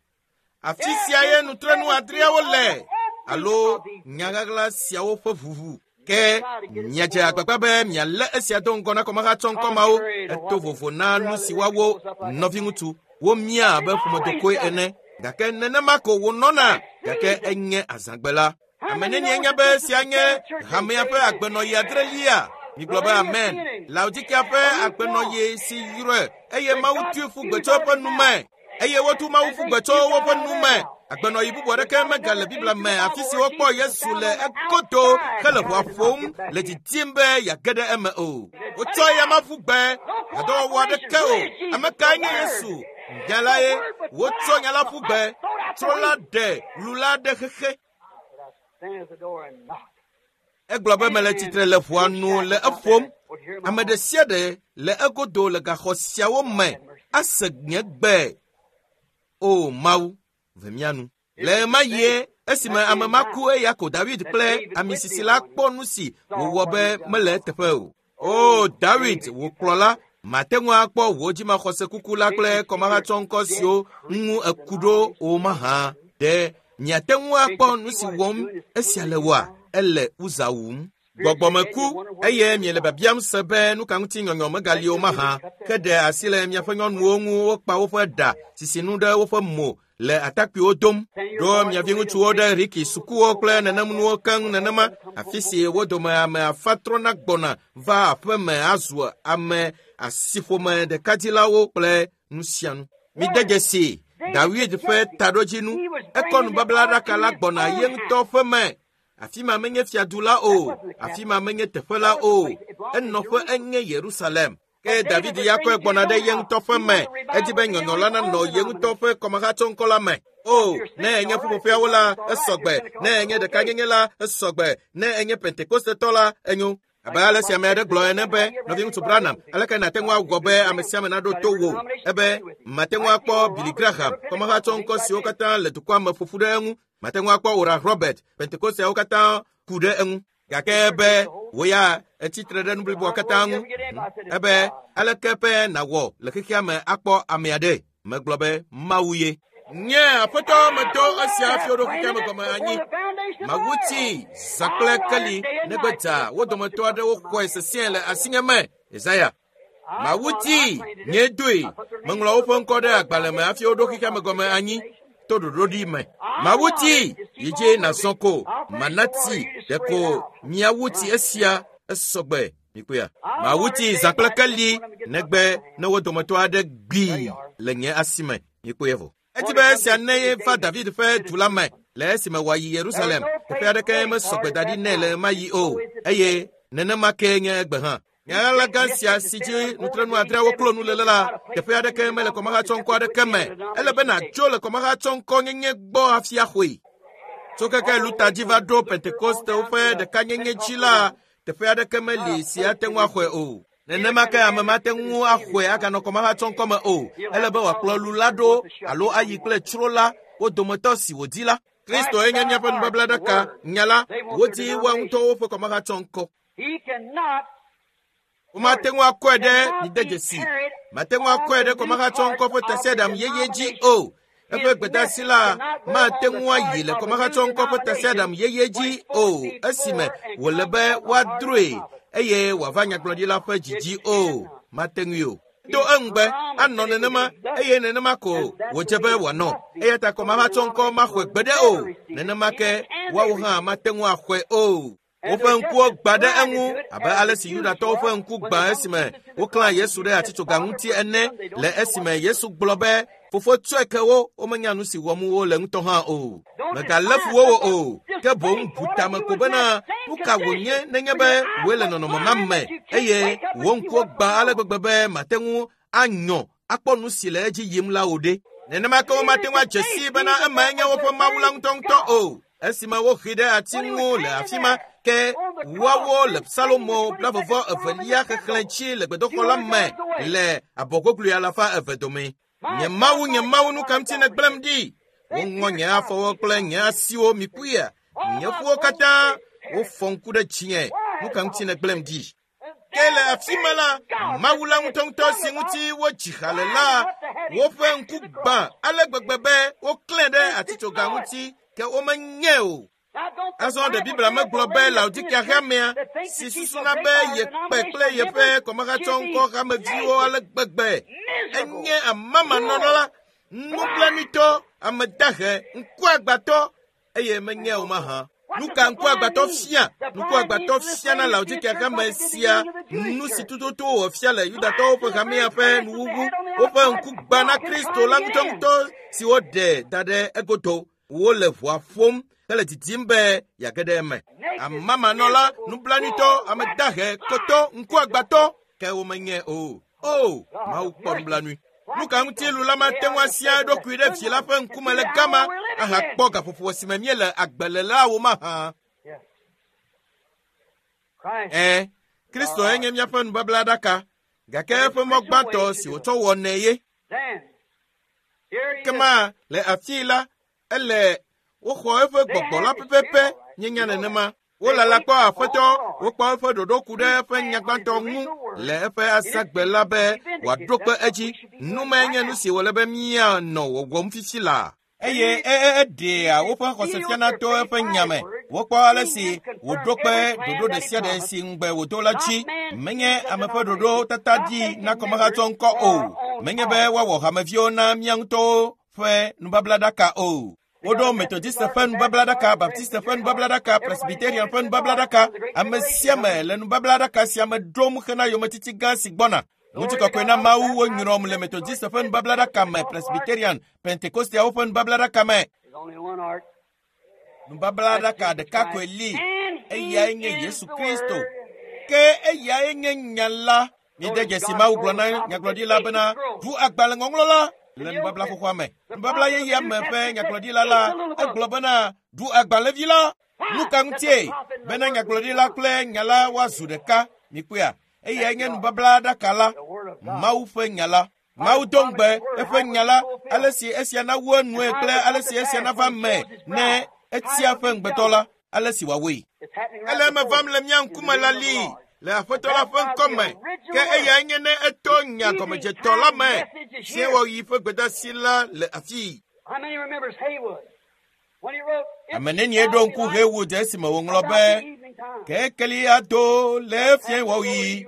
Afi sia ye nutrenu adreawo le alo nyaɣaɣla siawo ƒe ʋuʋu. Ke miadze agbagba be mialé esia do ŋgɔ na kɔmahatsɔŋkɔ mawo. Eto vovo na nu si woawo nɔviŋutsu womia abe ƒomedokoe ene. Gake nenema ko wònɔna gake enye azãgbe la. Ame nenie nya be esia nye hamea ƒe agbenɔɣi adrelia? Migblɔ be amen. Laodikea ƒe agbenɔɣi si yrɔe eye Mawu tui ƒu gbe tso eƒe nu me. Eye wotu Mawu ƒu gbe tso woƒe nu me. Agbenɔɣi bubu aɖeke megale Biblia me afi si wokpɔ Yesu le egodo hele ʋɔa ƒom le didim be yeage ɖe eme o. Wotsɔ eya ƒu gbe hadɔwɔwɔ aɖeke o. Ame kae nye Yesu? Nya la ye. Wotsɔ nya la ƒu gbe. Trɔ la ɖe lu la ɖe xexe. Egblɔ be mele tsitre le ʋɔa nu le eƒom. Ame ɖe sia ɖe le egodo le gaxɔ siawo me ase nye gbe. O Mawu, ve mía nu. Le ɣemaɣie esime ame ma ku eya ko David kple amisisi sisi la kpɔ nu si wòwɔ be mele eteƒe o. O David, wò kplɔla, mate ŋu akpɔ wò dzimaxɔse kuku la kple kɔmahatsɔŋkɔ siwo ŋu eku ɖo o mahã. Ɖe miate ŋu akpɔ nu si wɔm esia le woa? Ele Uza wum. Gbɔgbɔmeku eye miele biabiam se be nu ka ŋuti nyɔnyɔ megali o mahã. Ke ɖe asi le miaƒe nyɔnuwo ŋu wokpa woƒe ɖa sisinu ɖe woƒe mo le atakpuiwo dom. Ɖo mia viŋutsuwo ɖe Riki sukuwo kple nenemnuwo keŋ nenema afi si wo dome ame afa trɔna gbɔna va aƒe me azu ame asiƒome ɖekadzilawo kple nu sia nu. Mide dzesi Dawid ƒe taɖodzinu. Ekɔ nubablaɖaka la gbɔna ye ŋutɔ ƒe me. Afi ma menye fiadu la o, afi ma menye teƒe la o. Enɔƒe enye Yerusalem. Ke David ya kɔe gbɔna ɖe ye ŋutɔ ƒe me. Edi be nyɔnyɔ la nanɔ ye ŋutɔ ƒe kɔmahatsɔŋkɔ la me. O, ne enye ƒuƒoƒeawo la, esɔgbe. Ne enye ɖekanyenye la, esɔgbe. Ne enye Pentekostetɔ la, enyo. Abe ale si ame aɖe gblɔ ene be, nɔviŋutsu Branham, aleke nàte ŋu awɔ be ame sia ame naɖo to wò? Ebe, mate ŋu akpɔ Billy Graham, kɔmahatsɔŋkɔ siwo katã le dukɔa me ƒoƒu ɖe eŋu. Mate ŋu akpɔ Oral Robert, Pentekosteawo katã ku ɖe eŋu. Gake be wò ya etsitre ɖe nu bliboa katã ŋu. Ebe aleke ƒe nàwɔ le xexea me akpɔ ame aɖe? Megblɔ be Mawu ye. Nye aƒetɔ medo esia fiaɖo xexea me gɔme anyi. Mawu tsi zã kple keli negbe dza wo dometɔ aɖewo xɔe sesĩe le asinye me. Yesaya. Mawu tsi nye doe. Meŋlɔ woƒe ŋkɔ ɖe agbalẽ me hafi woɖo xexea me gɔme anyi to ɖoɖoɖi me. Mawu tsi yi dzi nàzɔ ko mana tsi ɖeko miawu tsi esia esɔgbe. Mikpɔea? Mawu tsi zã kple keli negbe ne wo dometɔ aɖe gbii le nye asi me. Mikpɔe vɔ. Edi be esia ne va David ƒe du la me le esime wòayi Yerusalem. Teƒe aɖeke mesɔ gbe da ɖi nɛ le ɣemaɣi o eye nenema kee nye egbe hã. Nyaɣaɣla gã sia si dzi nutrenu adreawo klo nu le la, teƒe aɖeke mele kɔmahatsɔŋkɔ aɖeke me. Ele be nàtso le kɔmahatsɔŋkɔ nyenye gbɔ hafi axɔe. Tso keke Luta dzi va ɖo Pentekostewo ƒe ɖekanyenye dzi la, teƒe aɖeke meli si ate ŋu axɔe o. Nenema ke ame mate ŋu axɔe aganɔ kɔmahatsɔŋkɔ me o. Ele be wòakplɔ lu la ɖo alo ayi kple tsro la, wo dometɔ si wòdi la. Kristo ye nye míaƒe nubablaɖaka, nya la, wodi woa ŋutɔwo ƒe kɔmahatsɔŋkɔ. He cannot. Womate ŋu akɔe ɖe mide dzesi. Mate ŋu akɔe ɖe kɔmahatsɔŋkɔ ƒe tasiaɖam yeye dzi o. Eƒe gbedeasi la mate ŋu ayi le kɔmahatsɔŋkɔ ƒe tasiaɖam yeye dzi o esime wòle be woadroe eye wòava nyagblɔɖila ƒe dzidzi o. Mate ŋui o. To eŋugbe anɔ nenema eye nenema ko wòdze be wòanɔ. Eya ta kɔmahatsɔŋkɔ maxɔe gbeɖe o. Nenema ke woawo hã mate ŋu axɔe o. Woƒe ŋkuwo gbã ɖe eŋu abe ale si Yudatɔwo ƒe ŋku gbã esime woklã Yesu ɖe atitsoga ŋuti ene le esime Yesu gblɔ be, “Fofo tsɔe ke wo, womenya nu si wɔm wole ŋutɔ hã o.” Mègalé fu wo o, ke boŋ bu tame ko bena nu ka wònye nenye be wòe le nɔnɔme ma me eye wò ŋkuwo gbã ale gbegbe be màte ŋu anyɔ akpɔ nu si le edzi yim la o ɖe. Nenema ke womate ŋu adze sii bena emae nye woƒe Mawu la ŋutɔŋutɔ o. Esime woxee ɖe ati ŋu le afi ma, ke woawo le Psalomo 22 xexlẽ dzi le gbedoxɔ la me le abɔgoglui 200 dome. Nye Mawu, nye Mawu, nu ka ŋuti nègblẽm ɖi? Woŋɔ nye afɔwo kple nye asiwo mikpuia, nye ƒuwo katã wofɔ ŋku ɖe dzinye. Nu ka ŋuti nègblẽm ɖi? Ke le afi ma la, Mawu la ŋutɔŋutɔ si ŋuti wodzi ha le la, woƒe ŋku gbã ale gbegbe be woklãe ɖe atitsoga ŋuti ke womenyae o. Azɔ ɖe Biblia megblɔ be Laodikea hamea si susuna be yekpe kple yeƒe kɔmahatsɔŋkɔ hameviwo ale gbegbe enye amamanɔla, nublanuitɔ, ame dahe, ŋkuagbãtɔ eye menye o mahã. Nu ka ŋkuagbãtɔ fia? Ŋkuagbãtɔ fia na Laodikea hame sia nu si tututu wòwɔ fia le Yudatɔwo ƒe hamea ƒe nuwuwu. Woƒe ŋku gbã na Kristo la ŋutɔŋutɔ si woɖe da ɖe egodo. Wole ʋɔa ƒom hele didim be yeage ɖe eme. Amamanɔla, nublanuitɔ, ame dahe, kotɔ, ŋkuagbãtɔ, ke womenye o. O, Mawu kpɔ nublanui. Nu ka ŋuti lu la mate ŋu asia eɖokui ɖe vi la ƒe ŋkume le gama ahakpɔ gaƒoƒo si me míele agbe le la wo mahã? Ẽ, Kristoe nye míaƒe nubablaɖaka, gake eƒe mɔ gbãtɔ si wòtsɔ wɔnɛ ye. Kema le afii la, ele woxɔ eƒe gbɔgbɔ la pɛpɛpɛ míenya nenema. Wolala kpɔ Aƒetɔ, wokpɔ eƒe ɖoɖo ku ɖe eƒe nyagbãtɔ ŋu le eƒe azãgbe la be wòaɖo kpe edzi. Nu mae nye nu si wòle be míanɔ wɔwɔm fifi laa. Eye eɖea woƒe xɔse fiana to eƒe nya me. Wokpɔ ale si wòɖo kpe ɖoɖo ɖe sia ɖe si ŋugbe wòdo la dzi. Menye ame ƒe ɖoɖo tata ɖi na kɔmahatsɔ ŋkɔ o. Menye be woawɔ hameviwo na mía ŋutɔwo ƒe nubablaɖaka o. Woɖo Methodiste ƒe nubablaɖaka, Baptiste ƒe nubablaɖaka, Presbyterian ƒe nubablaɖaka. Ame sia ame le nubablaɖaka sia me ɖom hena yometiti gã si gbɔna. Ŋutikɔkɔe na Mawu wonyrɔm le Methodiste ƒe nubablaɖaka me, Presbyterian, Pentekosteawo ƒe nubablaɖaka me. Nubablaɖaka ɖeka koe li, eyae nye Yesu Kristo. Ke eyae nye nya la. Mide dzesi Mawu gblɔ na nyagblɔɖila bena, “Ʋu agbalẽ ŋɔŋlɔ la le nubabla xoxoa me.” Nubabla yeyea me ƒe nyagblɔɖila la, egblɔ bena, “Ɖu agbalẽvi la.” Nu ka ŋutie? Bena nyagblɔɖila kple nya la woazu ɖeka. Mikpɔea? Eyae nye nubablaɖaka la, Mawu ƒe nya la. Mawu do ŋugbe eƒe nya la, ale si esia nawu enue kple ale si esia nava me ne etia eƒe ŋugbetɔ la, ale si wòawɔe. Ele eme vam le mía ŋkume la li le Aƒetɔ la ƒe ŋkɔme, ke eyae nye ne eto nya gɔmedzetɔ la me fiẽwɔɣi ƒe gbedeasi la le afii. Ame nenie ɖo ŋku Haywood esime wòŋlɔ be, “Kekeli ado le fiẽwɔɣi,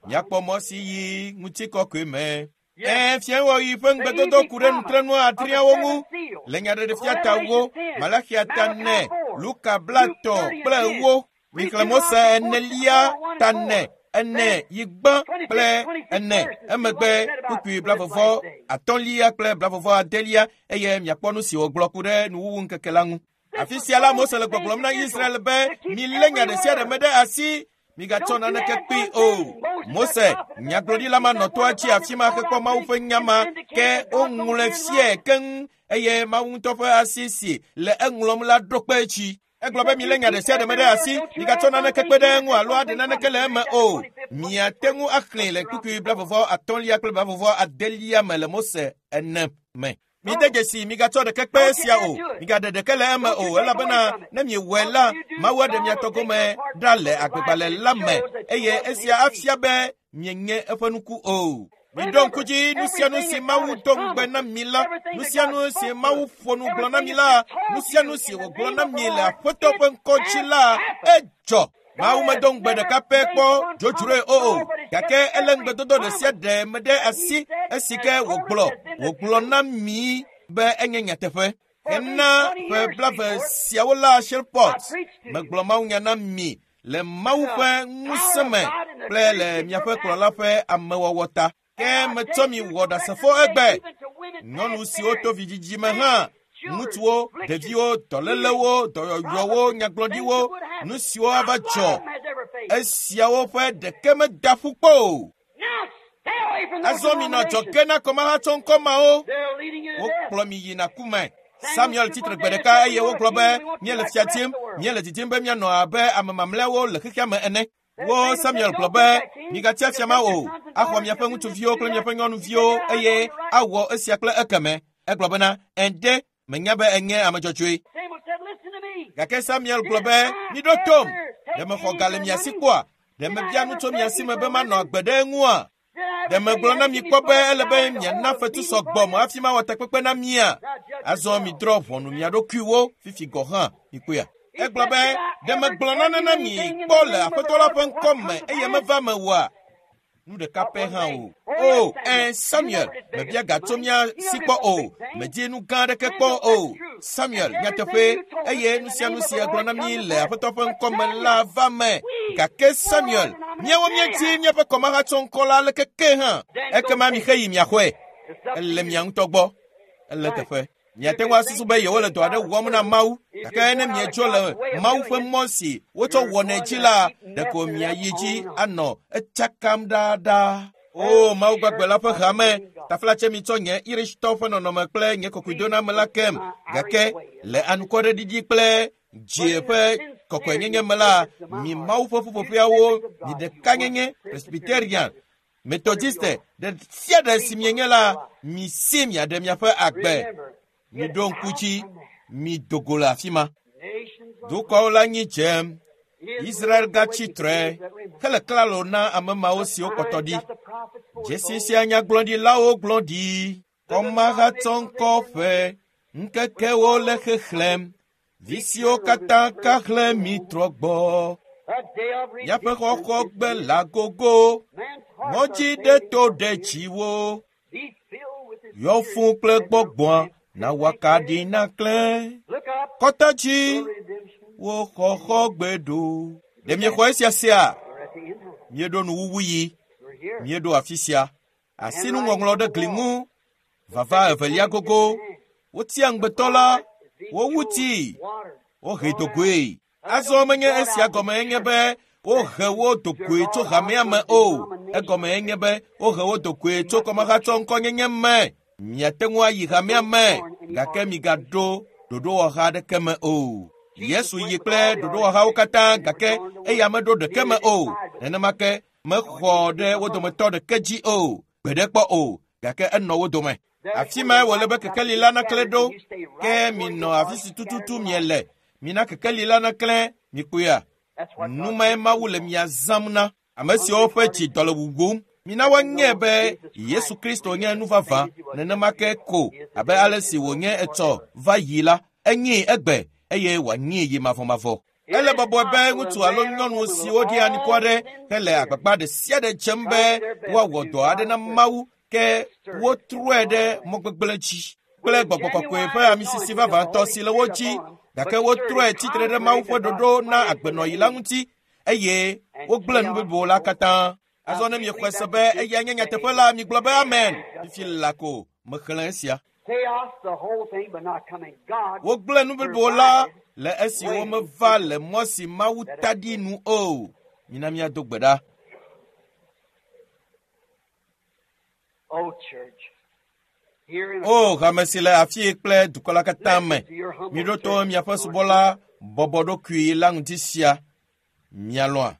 míakpɔ mɔ si yi ŋutikɔkɔe me.” Ẽ, fiẽwɔɣi ƒe ŋugbedodo ku ɖe nutrenu adreawo ŋu le Nyaɖeɖefia ta 4, Malaxia ta 4, Luka 34. Mixlẽ Mose 4 ta 4, 4 yi gbã kple 4, emegbe kpukpui 33 kple 36 eye miakpɔ nu si wògblɔ ku ɖe nuwuwu ŋkeke la ŋu. Afi sia la, Mose le gbɔgblɔm na Israel be, “Milé nya ɖe sia ɖe me ɖe asi, migatsɔ naneke kpee o.” Mose, nyagblɔɖila ma nɔ toa dzi afi ma hekpɔ Mawu ƒe nya ma, ke woŋlɔe fiae keŋ eye Mawu ŋutɔ ƒe asi si le eŋlɔm la ɖo kpe edzi. Egblɔ be milé nya ɖe sia ɖe me ɖe asi, migatsɔ naneke kpe ɖe eŋu alo aɖe naneke le eme o. Miate ŋu axlẽe le kpukpui 33 kple 36 me le Mose 4 me. Mide dzesi, migatsɔ ɖeke kpe esia o, migaɖe ɖeke le eme o, elabena ne miewɔe la, Mawu aɖe mia tɔ gome ɖa le agbegbalẽ la me, eye esia afia be mienye eƒe nuku o. Miɖo ŋku dzi nu sia nu si Mawu do ŋugbe na mi la, nu sia nu si Mawu ƒo nu gblɔ na mi la, nu sia nu si wògblɔ na mi le Aƒetɔ ƒe ŋkɔ dzi la, edzɔ. Mawu medo ŋugbe ɖeka pɛ kpɔ dzodzroe o, gake elé ŋugbedodo ɖe sia ɖe me ɖe asi esi ke wògblɔ na mi be enye nyateƒe. Hena ƒe 20 siawo la Shreveport, megblɔ mawunya na mi le Mawu ƒe ŋusẽ me kple le miaƒe kplɔla ƒe amewɔwɔ ta. Ke metsɔ mi wɔ ɖasefo egbe. Nyɔnu siwo to vidzidzi me hã, ŋutsuwo, ɖeviwo, dɔlélewo, dɔyɔyɔwo, nyagblɔɖiwo, nu siwo ava dzɔ, esiawo ƒe ɖeke meda ƒu kpɔ o. Azɔ minɔ adzɔge na kɔmahatsɔŋkɔ mawo. Wokplɔ mi yina ku me. Samuel tsitre gbe ɖeka eye wogblɔ be míele fia dim, míele didim be míanɔ abe ame mamlɛawo le xexea me ene. Wo Samuel gblɔ be migatia fia ma o, axɔ miaƒe ŋutsuviwo kple miaƒe nyɔnuviwo eye awɔ esia kple ekeme. Egblɔ bena ende menya be enye ame dzɔdzɔe. Gake Samuel gblɔ be miɖo tom, ɖe mexɔ ga le mia si kpɔa? Ɖe mebia nu tso mia si me be manɔ agbe ɖe eŋua? Ɖe megblɔ na mi kpɔ be ele be miana fetu sɔgbɔ me hafi mawɔ takpekpe na mia? Azɔ midrɔ̃ ʋɔnu mia ɖokuiwo fifi gɔ̃ hã mikpɔea. Egblɔ be ɖe megblɔ nane na mi kpɔ le Aƒetɔ la ƒe ŋkɔ me eye meva me oa? Nu ɖeka pɛ hã o. O, Samuel, mebia ga tso mía si kpɔ o. Medi nu gã aɖeke kpɔ o. Samuel, nyateƒe, eye nu sia nu si egblɔ na mi le Aƒetɔ ƒe ŋkɔ me la va me. Gake Samuel, míawo míedi míaƒe kɔmahatsɔŋkɔ la aleke ke hã. Ekema mixeyi miaxɔe. Ele mia ŋutɔ gbɔ. Ele teƒe. Miate ŋu asusu be yewole dɔ aɖe wɔm na Mawu, gake ne miedzo le Mawu ƒe mɔ si wotsɔ wɔnɛ dzi la, ɖeko miayi dzi anɔ etsakam ɖaaɖaa. O Mawu gbagbe la ƒe hame, taflatse mitsɔ nye Irishtɔ ƒe nɔnɔme kple nye kɔkɔedoname la kem, gake le anukwareɖiɖi kple dzi ƒe kɔkɔenyenye me la, mi Mawu ƒe ƒuƒoƒeawo, mi ɖekanyenye, Presbyterian, Methodiste, ɖe sia ɖe si mienye la, mi si miaɖe miaƒe agbe. Miɖo ŋku dzi, mi do go le afi ma. Dukɔwo le anyi dzem. Israel gatsi tre hele klalo na ame mawo siwo kpɔtɔ ɖi. Dzesi sia nyagblɔɖilawo gblɔ ɖi. Kɔmahatsɔŋkɔ ƒe ŋkekewo le xexlẽm. Vi siwo katã ka xlẽ mi trɔ gbɔ. Miaƒe xɔxɔ gbe la gogo. Ŋɔdzi ɖe to ɖe dziwo. Yɔ fũ kple gbɔgbɔa na wòakaɖi naklẽ. Kɔta dzi wo xɔxɔ gbe ɖo. Ɖe miexɔ esia sea? Míeɖo nuwuwu yi. Míeɖo afi sia. Asinuŋɔŋlɔ ɖe gli ŋu. Vava evelia gogo. Wotia ŋugbetɔ la, wowu tii, wohe dogoe. Azɔ menye esia gɔme enye be wohe wo dogoe tso hamea me o. Egɔme enye be wohe wo dogoe tso kɔmahatsɔŋkɔnyenye me. Miate ŋu ayi hamea me, gake migaɖo ɖoɖowɔha aɖeke me o. Yesu yi kple ɖoɖowɔhawo katã, gake eya meɖo ɖeke me o. Nenema ke mexɔ ɖe wo dometɔ ɖeke dzi o, gbeɖe kpɔ o, gake enɔ wo dome. Afi mae wòle be kekeli la naklẽ ɖo, ke minɔ afi si tututu miele. Mina kekeli la naklẽ, mikpɔea? Nu mae Mawu le mia zãm na. Ame siwo ƒe dzi dɔ le wuwum, mina woanye be Yesu Kristo nye nu vavã, nenema ke ko abe ale si wònye etsɔ va yi la, enyee egbe eye wòanyee yi mavɔmavɔ. Ele bɔbɔe be ŋutsu alo nyɔnu siwo ɖi anukware hele agbagba ɖe sia ɖe dzem be woawɔ dɔ aɖe na Mawu, ke wotrɔe ɖe mɔ gbegblẽ dzi kple gbɔgbɔ kɔkɔe ƒe amisisi vavãtɔ si le wo dzi, gake wotrɔe tsitre ɖe Mawu ƒe ɖoɖo na agbenɔɣi la ŋuti eye wogblẽ nu blibo la katã. Azɔ ne miexɔe se be eya nye nyateƒe la, migblɔ be amen. Fifi la ko mexlẽ esia. Wogblẽ nu blibo la le esi womeva le mɔ si Mawu ta ɖi nu o. Mina míado gbe ɖa. O hame si le afii kple dukɔ la katã me, miɖo to miaƒe subɔla bɔbɔ ɖokui la ŋuti sia. Mialɔ̃a?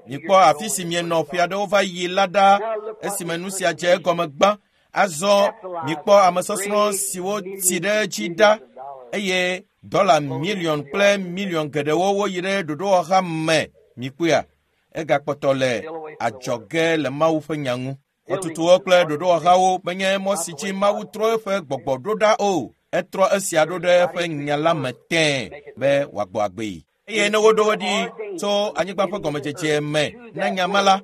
Mikpɔ afi si mienɔ ƒe aɖewo va yi la ɖa esime nu sia dze egɔme gbã. Azɔ mikpɔ ame sɔsrɔ̃ siwo tsi ɖe edzi ɖa eye dɔla miliɔn kple miliɔn geɖewo woyi ɖe ɖoɖowɔha me. Mikpɔea? Egakpɔtɔ le adzɔge le Mawu ƒe nya ŋu. Xɔtutuwo kple ɖoɖowɔhawo menye mɔ si dzi Mawu trɔ eƒe gbɔgbɔ ɖo ɖa o. Etrɔ esia ɖo ɖe eƒe nya la me tẽe be wòagbɔ agbee. Eye ne woɖo wo ɖi tso anyigba ƒe gɔmedzedze me na nya ma la,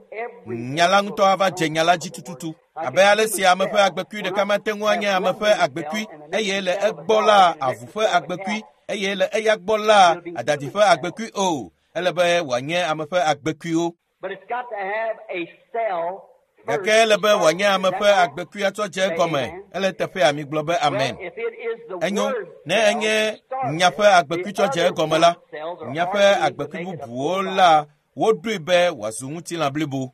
nya la ŋutɔ ava dze nya la dzi tututu. Abe ale si ame ƒe agbekui ɖeka mate ŋu anye ame ƒe agbekui, eye le egbɔ la avu ƒe agbekui, eye le eya gbɔ la adadi ƒe agbekui o. Ele be wòanye ame ƒe agbekuiwo. Gake ele be wòanye ame ƒe agbekui atsɔ dze egɔme. Ele teƒea migblɔ be amen. Enyo, ne enye nya ƒe agbekui tsɔ dze egɔme la, nya ƒe agbekui bubuwo la woɖoe be wòazu ŋutilã blibo.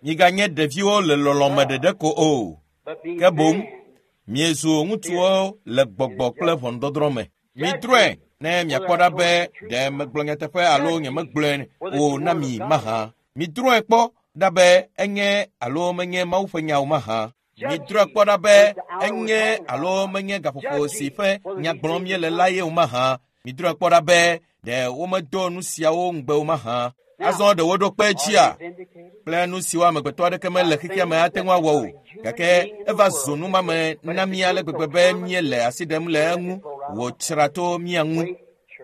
Miganye ɖeviwo le lɔlɔ̃me ɖeɖe ko o, ke boŋ miezu ŋutsuwo le gbɔgbɔ kple ʋɔnudɔdrɔ̃ me. Midrɔ̃e ne miakpɔ ɖa be ɖe megblɔ nyateƒe alo nyemegblɔe o na mi mahã. Midrɔ̃e kpɔ ɖa be enye alo menye Mawu ƒe nya o mahã. Midrɔ̃e kpɔ ɖa be enye alo menye gaƒoƒo si ƒe nya gblɔm míele la ye o mahã. Midrɔ̃e kpɔ ɖa be ɖe womedo nu siawo ŋugbe o mahã. Azɔ ɖe woɖo kpe dzia kple nu siwo amegbetɔ aɖeke mele xexea me ate ŋu awɔ o. Gake eva zu numame na mí ale gbegbe be míele asi ɖem le eŋu wòtsra to mía ŋu.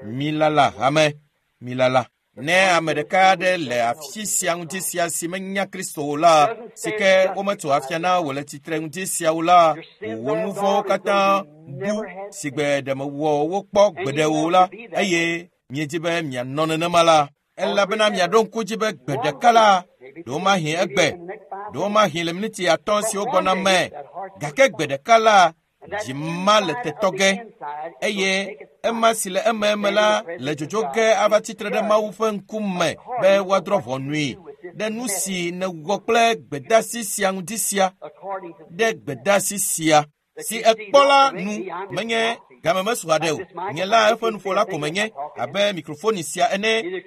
Milala hame, milala. Ne ame ɖeka aɖe le afi sia ŋuti sia si menya Kristo o la, si ke wometso afia na wò le tsitre ŋuti sia o la, wò nu vɔ̃wo katã bu si gbe ɖe mewɔ wo kpɔ gbeɖe o la, eye miedi be mianɔ nenema la, elabena miaɖo ŋku dzi be gbe ɖeka la, ɖewomahi egbe, ɖewomahi le miniti 5 siwo gbɔna me, gake gbe ɖeka la, dzi ma le tetɔ ge, eye ema si le ememe la le dzodzo ge ava tsitre ɖe Mawu ƒe ŋkume be woadrɔ̃ ʋɔnui ɖe nu si nèwɔ kple gbedeasi sia ŋuti sia, ɖe gbedeasi sia si ekpɔ la nu menye game mesu haɖe o. Nye la eƒe nuƒola ko menye abe mikrofoni sia ene.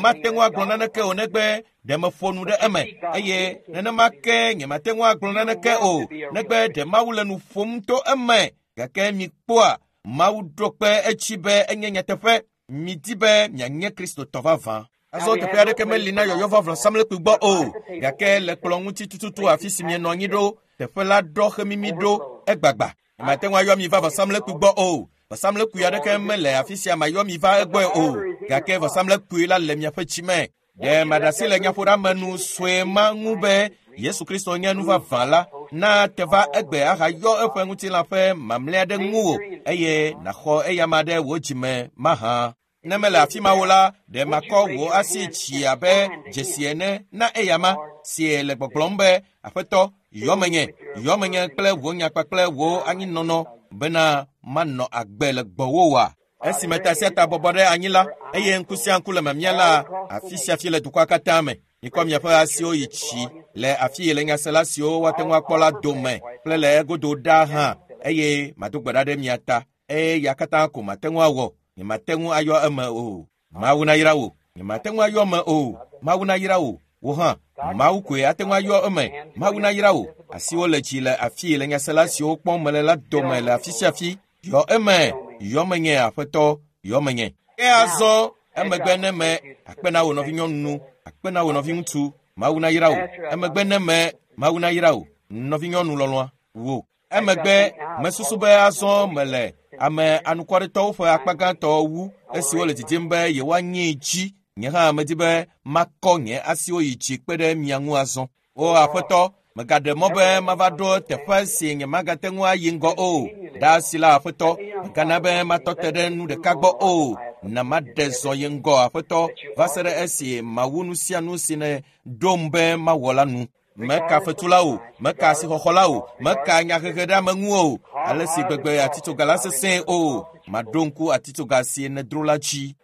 Mate ŋu agblɔ naneke o negbe ɖe meƒo nu ɖe eme, eye nenema ke nyemate ŋu agblɔ naneke o negbe ɖe Mawu le nu ƒom to eme. Gake mikpɔa Mawu ɖo kpe edzi be enye nyateƒe. Midi be mianye Kristotɔ vavã. Azɔ teƒe aɖeke meli na yɔyɔ va vɔsamlekpui gbɔ o, gake le kplɔ̃ ŋuti tututu afi si mienɔ anyi ɖo, teƒe la ɖɔ xemimi ɖo egbagba. Nyemate ŋu ayɔ mi va vɔsamlekpui gbɔ o. Vɔsamlekpui aɖeke mele afi sia mayɔ mi va egbɔe o, gake vɔsamlekpui la le miaƒe dzi me. Ɖe maɖe asi le nyaƒoɖeamenu sue ma ŋu be Yesu Kristo nye nu vavã la, na te va egbe ahayɔ eƒe ŋutilã ƒe mamlɛa ɖe ŋuwò eye nàxɔ eyama ɖe wò dzime mahã. Ne mele afi ma o la, ɖe makɔ wò asi dzi abe dzesi ene na eyama si le gbɔgblɔm be, Aƒetɔ, yɔ menye, yɔ menye kple wò nya kpakple wò anyinɔnɔ bena manɔ agbe le gbɔwò oa? Esime ta sia ta bɔbɔ ɖe anyi la, eye ŋku sia ŋku le mamia la, afi sia fi le dukɔa katã me. Mikɔ miaƒe asiwo yi tsi le afi yi le nyasela siwo woate ŋu akpɔ la dome kple le egodo ɖaa hã, eye mado gbe ɖa ɖe mia ta. Eye ya katã ko mate ŋu awɔ. Nyemate ŋu ayɔ eme o. Mawu nayra wò. Nyemate ŋu ayɔ eme o. Mawu nayra wò. Wò hã, Mawu koe ate ŋu ayɔ eme. Mawu nayra wò. Asiwo le dzi le afi le nyasela siwo kpɔm mele la dome le afi sia afi. Yɔ eme, yɔ menye Aƒetɔ, yɔ menye. Ke azɔ emegbe ne me akpe na wò nɔvinyɔnu, akpe na wò nɔviŋutsu, Mawu nayra wò. Emegbe ne me, Mawu nayra wò, nɔvinyɔnu lɔlɔ̃a, wò. Emegbe mesusu be azɔ mele ame anukwaretɔwo ƒe akpa gãtɔ wu esiwo le didim be yewoanyee dzi. Nye hã medi be makɔ nye asiwo yi dzi kpe ɖe mia ŋu azɔ. O Aƒetɔ, megaɖe mɔ be mava ɖo teƒe si nyemagate ŋu ayi ŋgɔ o. Ɖe asi la Aƒetɔ, megana be matɔ te ɖe nu ɖeka gbɔ o. Na maɖe zɔ yi ŋgɔ Aƒetɔ va se ɖe esi mawu nu sia nu si ne ɖom be mawɔ la nu. Meka fetula o, meka asixɔxɔ la o, meka nyahehe ɖe ame ŋu o, ale si gbegbe atitsoga la sesẽe o. Maɖo ŋku atitsoga si nèdro la dzi.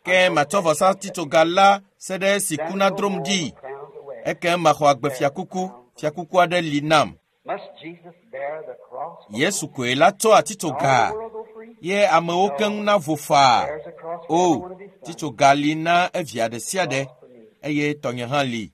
Ke matsɔ vɔsa atitsoga la se ɖe esi ku nadrom ɖi. Ekem maxɔ agbe fiakuku, fiakuku aɖe li nam. Yesu koe la tsɔ atitsoga ye amewo keŋ na vo faa. O, titsoga li na evia ɖe sia ɖe, eye tɔnye hã li.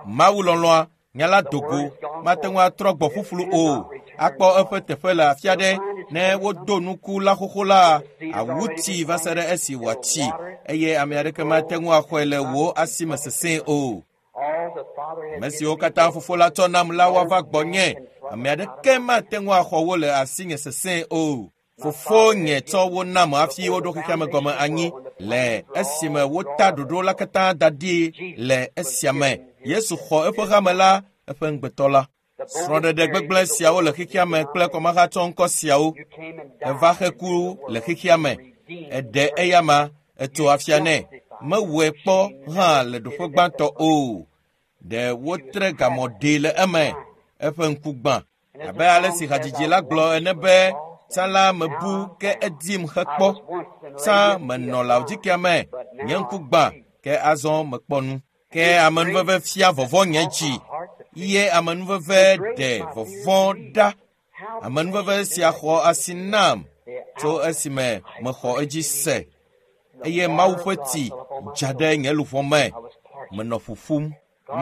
Mawu lɔlɔ̃a, nya la dogo, mate ŋu atrɔ gbɔ ƒuƒlu o. Akpɔ eƒe teƒe le afi aɖe. Ne wodo nuku la xoxo la, awu tsi va se ɖe esi wòatsi eye ame aɖeke mate ŋu axɔe le wò asime sesẽ o. Ame siwo katã fofo la tsɔ nam la woava gbɔnye. Ame aɖeke mate ŋu axɔ wo le asinye sesẽ o. Fofonye tsɔ wo nam hafi woɖo xexea me gɔme anyi le esime wota ɖoɖo la katã da ɖi le esia me. Yesu xɔ eƒe hame la, eƒe ŋugbetɔ la. Srɔ̃ɖeɖe gbegblẽ siawo le xexea me kple kɔmahatsɔŋkɔ siawo eva xe ku le xexea me. Eɖe eyama etso afia nɛ. Mewɔe kpɔ hã le ɖoƒe gbãtɔ o. Ɖe wotre gamɔ ɖee le eme. Eƒe ŋku gbã. Abe ale si hadzidzi la gblɔ ene be, tsã la mebu ke edim hekpɔ. Tsã menɔ Laodikea me, nye ŋku gbã, ke azɔ mekpɔ nu. Ke amenuveve fia vɔvɔ̃ nye dzi. Ye amenuveve ɖe vɔvɔ̃ ɖa. Amenuveve sia xɔ asi nam tso esime mexɔ edzi se. Eye Mawu ƒe tsi dza ɖe nye luʋɔ me. Menɔ ƒuƒum.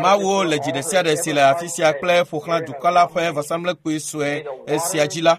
Mawu le dzi ɖe sia ɖe si le afi sia kple ƒo xlã dukɔ la ƒe vɔsamlekpui sue esia dzi la,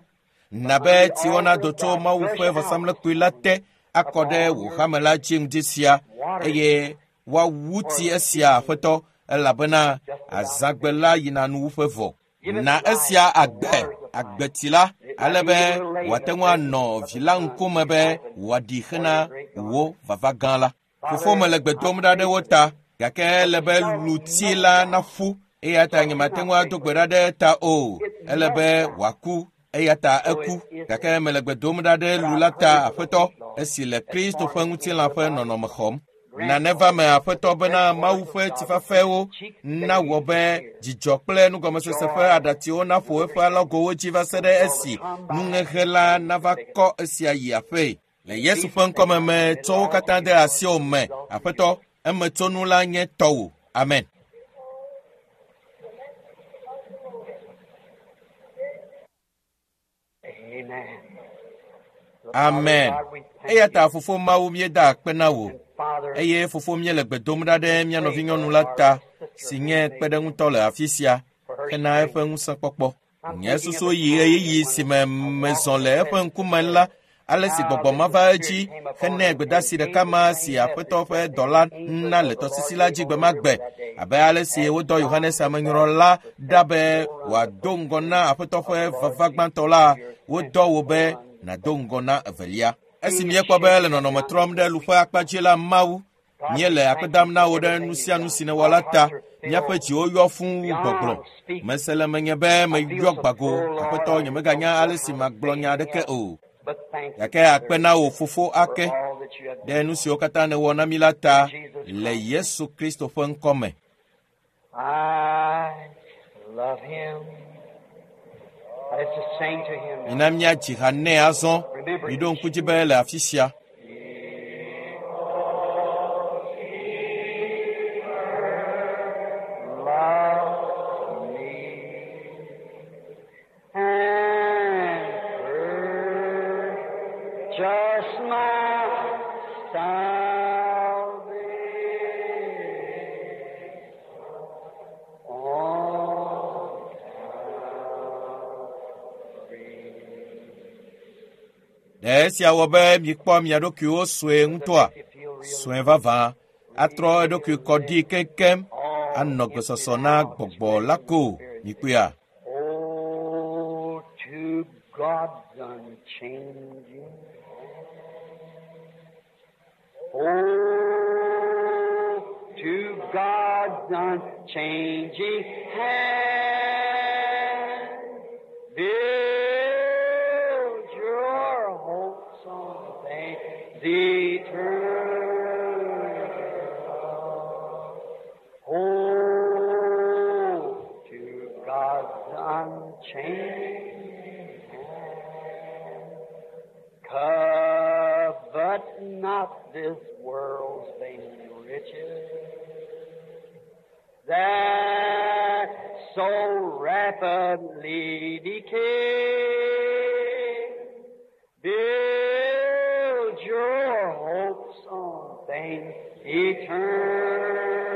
na be tsiwo nado tso Mawu ƒe vɔsamlekpui la te akɔ ɖe wò hame la dzi ŋdi sia eye woawu tsi esia aƒetɔ elabena azãgbe la yina nuwuƒe vɔ. Na esia agbe, agbetsi la, ale be wòate ŋu anɔ vi la ŋkume be wòaɖi hena wò vava gã la. Fofo mele gbe dom ɖa ɖe wo ta, gake ele be lutsi la naƒu eya ta nyemate ŋu ado gbe ɖa ɖe eta o. Ele be wòaku eya ta eku gake mele gbe dom ɖa ɖe lu la ta aƒetɔ esi le Kristo ƒe ŋutilã ƒe nɔnɔme xɔm. Nane va me aƒetɔ bena Mawu ƒe tsifafɛwo nawɔ be dzidzɔ kple nugɔmesese ƒe aɖatsiwo naƒo eƒe alɔgowo dzi va se ɖe esi nuŋeŋe la nava kɔ esia yi aƒee. Le Yesu ƒe ŋkɔme me tsɔ wo katã de asiwò me aƒetɔ emetsonu la nye tɔwò. Amen. Amen. Amen. Eya ta fofo Mawu míeda akpe na wò eye fofo míele gbe dom ɖa ɖe mía nɔvinyɔnu la ta si nye kpeɖeŋutɔ le afi sia hena eƒe ŋusẽkpɔkpɔ. Nye susu yi ɣeyiɣi si me mezɔ le eƒe ŋkume la, ale si gbɔgbɔ ma va edzi henɛ gbedasi ɖeka ma si aƒetɔ ƒe dɔla na le tɔsisi la dzi gbe ma gbe abe ale si wodɔ Yohanes Amenyrɔla ɖa be wòado ŋgɔ na aƒetɔ ƒe vava gbãtɔ la, wodɔ wò be nàdo ŋgɔ na evelia. Esi míekpɔ be le nɔnɔme trɔm ɖe lu ƒe akpa dzi la Mawu, míele akpe dam na wò ɖe nu sia nu si nèwɔ la ta. Míaƒe dziwo yɔ fũu wu gbɔgblɔ. Mese le menye be meyɔ gbago, aƒetɔ nyemeganya ale si magblɔ nya aɖeke o. Gake akpe na wò fofo ake ɖe nu siwo katã nèwɔ na mí la ta le Yesu Kristo ƒe ŋkɔ me. I love him. Let's just sing to him now. Mina míadzi ha nɛ azɔ. Miɖo ŋku dzi be le afi sia. Love me and purchase my salvation on Calvary. Ɖe esia wɔ be mikpɔ mia ɖokuiwo sue ŋutɔa? Sue vavã atrɔ eɖokui kɔ ɖi keŋkeŋ anɔ gbesɔsɔ na gbɔgbɔ la ko. Mikpɔea? Oh, to God's unchanging. Oh, to God's unchanging hand. Build your hopes on things eternal. Oh, to God's unchanging hand. Covet not this world's vain riches that so rapidly decay. Build your hopes on things eternal.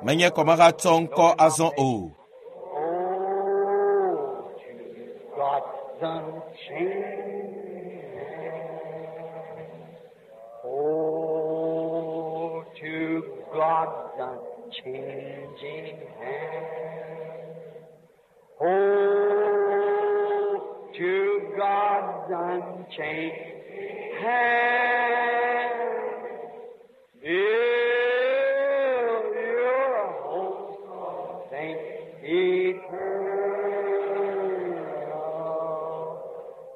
Menye kɔmahatsɔ ŋkɔ azɔ o. Oh, to God's God's unchanging hand. Oh, to God's unchanging hand. Oh, to God's unchanging hand. Build your hopes on things eternal.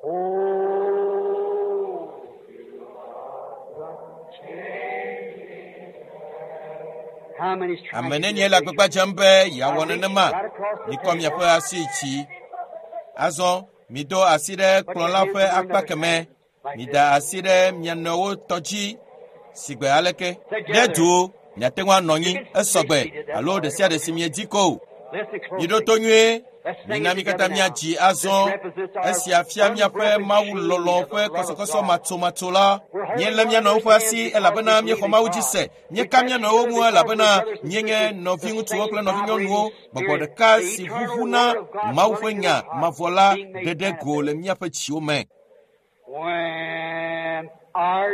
Oh, to God's unchanging hand. How many's trying Ame to do nenie that? le Raise your agbagba dzem be yeawɔ nenema? Mikɔ miaƒe asi dzi. Azɔ mido asi ɖe kplɔ̃ la ƒe akpa kemɛ. Mida asi ɖe mia nɔewo tɔ dzi sigbe aleke. Ɖe du miate ŋu anɔ anyi esɔgbe alo ɖe sia ɖe si miedi ko o. Listen Miɖo closely. to nyuie. Let's sing Mina it mí together katã now. míadzi This azɔ. represents our Esia fia míaƒe unbroken chain mawulɔlɔ̃ of the ƒe love of kɔsɔkɔsɔ God. matsomatso la. We're holding Míelé one mía nɔewo another's ƒe hands asi because elabena we believe míexɔ in Mawu dzi God. se. We Míeka touch mía each nɔewo other ŋu because we're elabena brothers and míenye sisters, the nɔviŋutsuwo same kple nɔvinyɔnuwo. vibrating Gbɔgbɔ spirit, ɖeka the si eternal ʋuʋuna word of God Mawu ƒe running through nya our hearts, mavɔ la being made ɖe ɖe go le manifest. míaƒe dziwo me. When our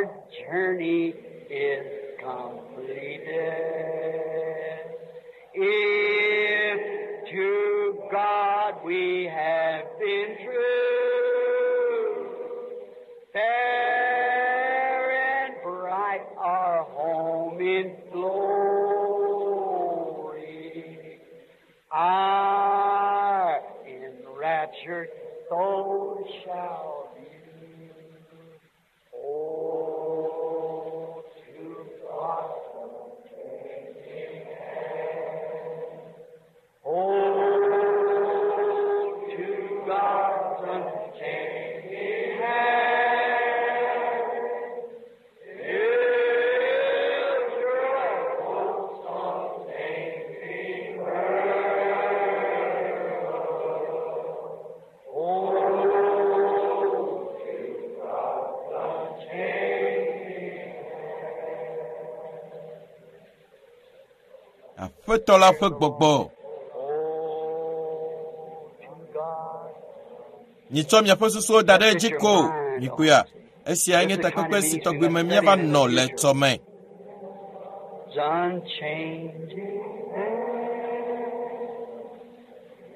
journey is completed, if to God we have been true, fair and bright our home in glory, our enraptured soul shall view. Oh, to God. Oh, to God's unchanging hand. Build your hopes on things eternal. Oh, to God's unchanging Aƒetɔ la ƒe gbɔgbɔ. Oh, to God. Mitsɔ miaƒe susuwo da ɖe edzi ko. Mikpɔea, esiae nye takpekpe si tɔgbi me míava nɔ le tɔme. It's unchanging hand.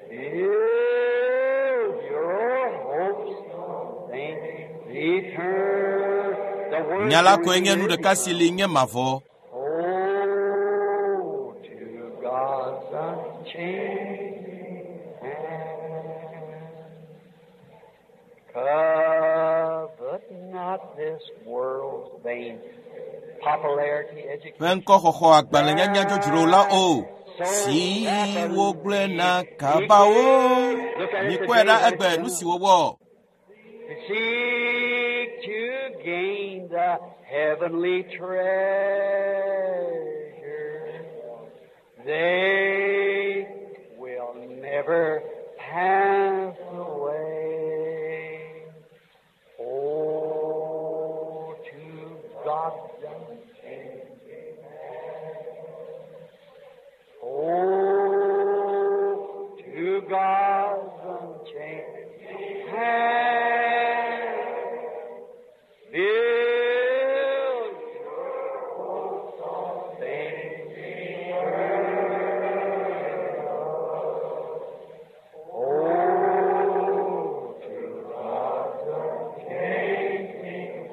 Build your hopes on things eternal. The word Nya la koe nye nu ɖeka si li nye mavɔ. Oh, to God's unchanging hand. Covet not this world's vain popularity, Ƒe education. ŋkɔxɔxɔ agbalẽnyanya dzodzro la o. Si wogblɔna kaba o. Mikpɔe ɖa egbe nu si wowɔ. Seek to gain the heavenly treasure. They will never pass away. Oh, to God's unchanging hand. Oh, to God's unchanging hand. Build your hopes on things eternal. Oh, to God's unchanging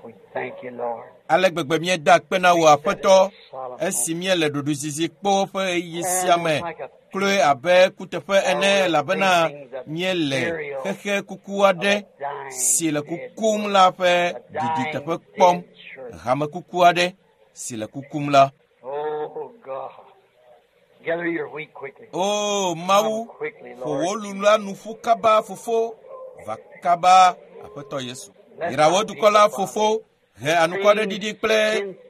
We thank you, Lord. Ale gbegbe míeda akpe na wò Aƒetɔ. Esi míele ɖoɖoezizi kpɔ ƒe ɣeyiɣi sia me kloe abe kuteƒe ene elabena míele xexe kuku aɖe si le kukum la ƒe ɖiɖi teƒe kpɔm. Hame kuku aɖe si le kukum la. Oh God, gather your wheat quickly. O Mawu, Come quickly, ƒo wò Lord. lu la nu ƒu kaba fofo, va kaba Aƒetɔ Yesu. Yra wò dukɔ la fofo, he anukwaɖeɖiɖi kple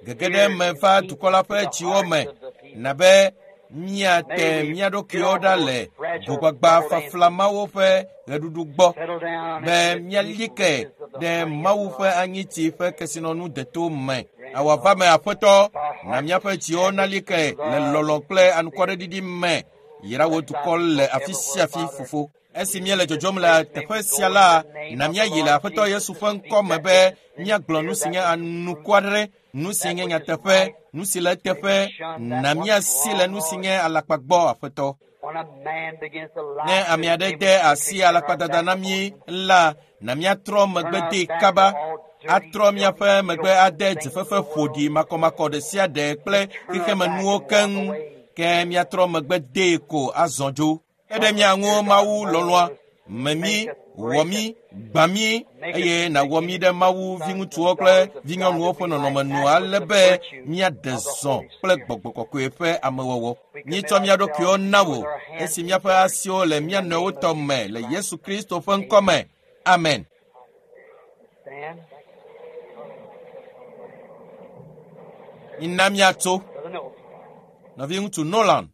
gege ɖe me va dukɔ la ƒe dziwo me, na be míate mía ɖokuiwo ɖa le gogbagba fafla mawo ƒe ɣeɖuɖu gbɔ Settle down be into the míali deep ke riches of the ɖe honey of Mawu love. ƒe anyitsi ƒe kesinɔnu deto me. Awɔ va me Aƒetɔ, na míaƒe dziwo nali ke le lɔlɔ̃ kple anukwaɖeɖiɖi me. Yra wò dukɔ le afi sia afi fofo. Esi míele dzɔdzɔm le teƒe sia la, na míayi le Aƒetɔ Yesu ƒe ŋkɔ me be míagblɔ nu si nye anukwaɖe, nu si nye nyateƒe, nu si le eteƒe, na míasi le nu si nye alakpa gbɔ Aƒetɔ. When a man begins to lie Ne to ame his aɖe neighbor, de asi turn our alakpadada back na upon mí him. la, na míatrɔ Turn megbe our dee back to kaba, all dirty, atrɔ míaƒe filthy, megbe filthy ade things of dzefefe the world. ƒoɖi makɔmakɔ ɖe sia ɖe kple Turn our back xexemenuwo and walk keŋ away. ke míatrɔ megbe dee ko azɔ dzo. Ke ɖe Help mía us, ŋu dear God, Mawu mold lɔlɔ̃a, us, me mí, make us, wɔ break mí, us, gbã mí make us eye into nàwɔ the mí image ɖe of Mawu the sons viŋutsuwo and kple daughters of God vinyɔnuwo that ƒe we nɔnɔme might nu act with ale the be virtue míaɖe of the zɔ Holy kple Spirit. gbɔgbɔ kɔkɔe ƒe amewɔwɔ. We commit Míetsɔ mía ɖokuiwo ourselves to na you wò with our hands esi to míaƒe each other asiwo le in mía the nɔewo name of tɔ me Jesus le Christ. Yesu Kristo ƒe ŋkɔ Amen. me. Amen. Stand. Mina míatso. Brother Noel. Nɔviŋutsu Nolan.